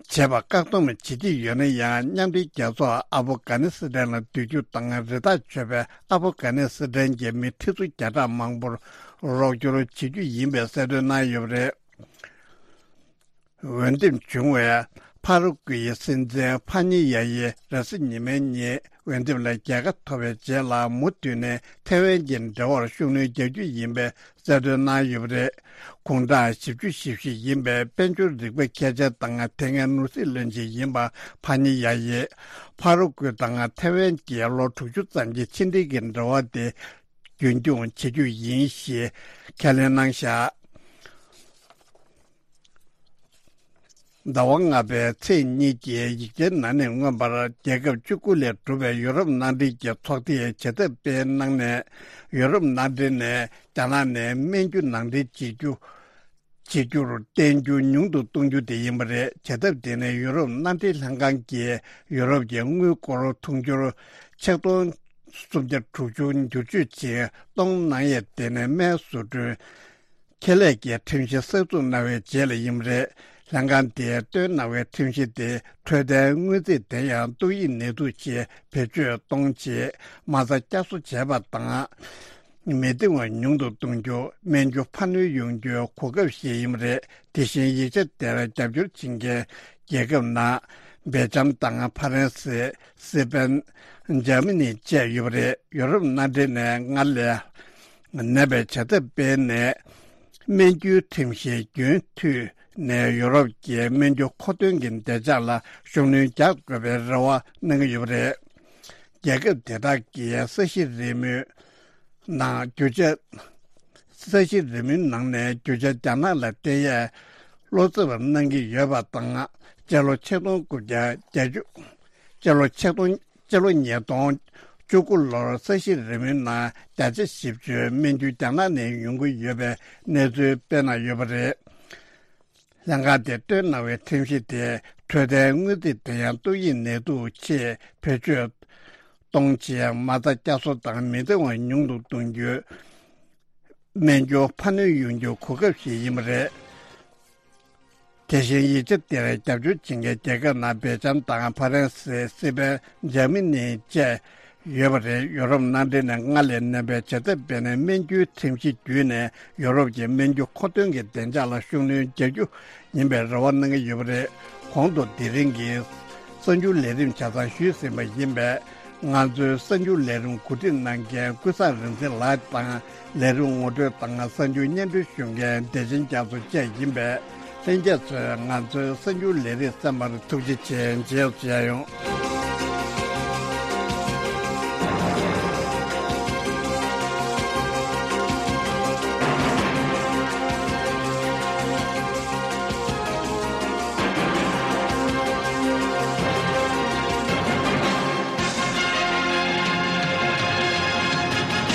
བྱེད་པ་བཀག་སྡོམ་བྱེད་ཀྱི་ཡོད་ན་ཡང་། མཉམ་འབྲེལ་རྒྱལ་ཚོགས་ཨ་ཕོ་གྷ་ནི་སི་ཐན་ལ་སྡོད་རྒྱུ་དང་། རི་དྭགས་གཅོད་པའི་ཨ་ཕོ་གྷ་ནི་སི་ཐན་གྱི་མི་ཁྲི་ཚོ་བརྒྱ་ཕྲག་མང་པོར་རོགས་སྐྱོར་བྱེད་རྒྱུ་ཡིན་པའི་གསལ་སྟོན་གནང་ཡོད་པ་རེད། འོས་འདེམས་བྱུང་བའི་ཕ་རུ་ཀུའི་སྲིད་འཛིན་ཕ་ཉི་ཡ་ཡིས་རེས་གཟའ་ཉི་མའི་ཉིན་འོས་འདེམས་ལ་རྒྱལ་ཁ་ཐོབ་པའི་རྗེས་ལ། མུ་མཐུད་ནས་ཐའེ་ཝན་གྱི་འབྲེལ་བར་ཤུགས་སྣོན་རྒྱག་རྒྱུ་ཡིན་པའི་གསལ་སྟོན་གནང་ཡོད་པ་རེད། དགུང་གྲངས་བཞི་བཅུ་ཞེ་བཞི་ཡིན་པའི་དཔལ་འབྱོར་རིག་པ་མཁས་མཆན་དང་དེ་སྔའི་ནོར་སྲིད་བློན་ཆེན་ཡིན་པ་ཕ་ཉི་ཡ་ཡིས། ཕ་རུ་ཀུའི་དང་ཐའེ་ཝན་གྱི་ལོ་དྲུག་ཅུ་ཙམ་གྱི་ཕྱི་འབྲེལ་གྱི་འབྲེལ་བ་དེ་རྒྱུན་འཁྱོངས་བྱེད་རྒྱུ་ཡིན་ཞེས་ཁས་ལེན་གནང་བཞག་ཟླ་བ་ལྔ་པའི་ཚེས་གཉིས་ཀྱི་ཡིག་ཆའི་ནང་ནས་མངོན་པར། རྒྱལ་ཁབ་བཅུ་དགུ་ལས་གྲུབ་པའི་ཡུ་རོབ་མནའ་འབྲེལ་གྱི་ཚོགས་སྡེས་བྱེད་ཐབས་སྤེལ་གནང་ནས། ཡུ་རོབ་མནའ་འབྲེལ་ནས་རྒྱ་ནག་ནས་སྨན་རྒྱུ་ནང་འདྲེན་བྱེད་རྒྱུ། བྱེད་རྒྱུར་བརྟེན་རྒྱུ་ཉུང་དུ་གཏོང་རྒྱུ་དེ་ཡིན་པ་རེད། བྱེད་ཐབས་དེ་ནི་ཡུ་རོབ་མནའ་འབྲེལ་ལྷན་ཁང་གིས་ཡུ་རོབ་ཀྱི་དངུལ་སྒོར་དུང་ཕྱུར་ཆིག་སྟོང་སུམ་བརྒྱ་དྲུག་ཅུ་བསྒྱུར་བཅོས་ཅིག་གཏོང་གནང་ཡས། དེ་ནི་སྨན་བཟོ་སྐྲུན་ཁེ་ལས་ཀྱི་ཁྲིམས་གཞི་གསར་འཛུགས་གནང་བའི་རྗེས་ལ་ཡིན་པ་རེད། ལྷན་ཁང་དེས་བཏོན་གནང་བའི་ཁྲིམས་གཞི་དེ། འཕྲོད་བསྟེན་དངོས་རྫས་དེ་ཡང་ཏོག་དབྱིབས་ནད་དུག་ཆེད་བེད་སྤྱོད་གཏོང་ཆེད་མ་རྩ་བསྐྱར་གསོ་བྱས་པ་དང་། མི་འདང་བ་ཉུང་དུ་གཏོང་རྒྱུ། སྨན་རྒྱུ་འཕར་སྣོན་ཡོང་རྒྱུའི་གོ་སྐབས་ཤིག་ཡིན་པ་རེད། དེ་བཞིན་ཡིག་ཆ་དེར་རྒྱབ་སྐྱོར་བྱེད་མཁན་རྒྱལ་ཁབ་ནང་། སྦེལ་ཇམ་དང་ཕ་རན་སི། སི་པན། འཇར་མ་ནི་བཅས་ཡོད་པ་རེད། ཡུ་རོབ་མནའ་འབྲེལ་ནས་སྔར་ལས་ནད་པའི་བྱ་ཐབས་སྤེལ་ནས། སྨན་རྒྱུའི་ཁྲིམས་གཞི་རྒྱུན་མཐུད་ནས་ཡུ་རོབ་ཀྱི་སྨན་རྒྱུ་མཁོ་འདོན་གྱི་བདེ་འཇགས་ལ་ཤུགས་སྣོན་རྒྱག་དགོས་པའི་རེ་བ་གནང་གི་ཡོད་པ་རེད། རྒྱལ་ཁབ་དེ་དག་གིས་ས་གཞི་རིལ་མོའི་ནང་རྒྱུ་ཆ། ས་གཞི་རིལ་མོའི་ནང་ནས་རྒྱུ་ཆ་རྒྱ་ནག་ལ་སྟེར་ཡས་ བློ་འཚབ་གནང་གི་ཡོད་པ་དང་། སྤྱི་ལོ་ཆིག་སྟོང་དགུ་བརྒྱ་བརྒྱད་ཅུ། སྤྱི་ལོ་ཆིག་སྟོང་། སྤྱི་ལོ་ཉིས་སྟོང་བཅུ་དགུ་ལོར་ས་གཞི་རིམ་པའི་ནང་བརྒྱ་ཆ་བཞི་བཅུ་སྨན་རྒྱུ་རྒྱ་ནག་ནས་ཡོང་གི་ཡོད་པའི་གནས་ཚུལ་སྤེལ་གནང་ཡོད་པ་རེད། ལྷན་ཁང་དེས་བཏོན་གནང་བའི་ཁྲིམས་གཞི་དེ་འཕྲོད་བསྟེན་དངུལ་རྩིས་དེ་ཡང་ཏོག་དབྱིབས་ནད་དུག་ཆེད་བེད་སྤྱོད་གཏོང་ཆེད་མ་རྩ་བསྐྱར་གསོ་དང་མི་བདེ་བ་ཉུང་དུ་གཏོང་རྒྱུ། སྨན་སྦྱོར་འཕར་སྣོན་ཡོང་རྒྱུ་གོ་སྐབས་ཤིག་ཡིན་པ་རེད། དེ་བཞིན་ཡིག་ཆ་དེར་རྒྱབ་སྐྱོར་བྱེད་མཁན་རྒྱལ་ཁབ་ནང་སྦེལ་ཇམ་དང་ཕ་རན་སི། སི་པན། འཇར་མ་ནི་བཅས་ཡོད་པ་རེད། ཡོ་རོབ་མནའ་འབྲེལ་ནས་སྔར་ལས་ནན་པའི་བྱེད་ཐབས་སྤེལ་ནས་སྨན་རྒྱུའི་ཁྲིམས་གཞི་བརྒྱུད་ནས་ཡོ་རོབ་ཀྱི་སྨན་རྒྱུ་མཁོ་འདོན་གྱི་བདེ་འཇགས་ལ་ཤུགས་སྣོན་རྒྱག་རྒྱུ་ཡིན་པའི་རེ་བ་གནང་གི་ཡོད་པ་རེད། གོང་དུ་དེ་རིང་གི་གསར་འགྱུར་ལས་རིམ་ཆ་ཚང་ཞུས་ཟིན་པ་ཡིན་པས། ང་ཚོའི་གསར་འགྱུར་ལས་རིམ་གོ་སྒྲིག་གནང་མཁན་ཀུན་བཟང་རིག་འཛིན་ལགས་དང་། ལས་རིམ་ངོ་སྤྲོད་དང་གསར་འགྱུར་སྙན་སྒྲོན་ཞུ་མཁན་བདེ་ཆེན་རྒྱ་མཚོ་བཅས་ཡིན་པས། ལྷན་རྒྱས་ཚོས་ང་ཚོའི་གསར་འགྱུར་ལས་རིམ་གསན་པར་ཐུགས་རྗེ་ཆེ། མཇལ་ཡོང་།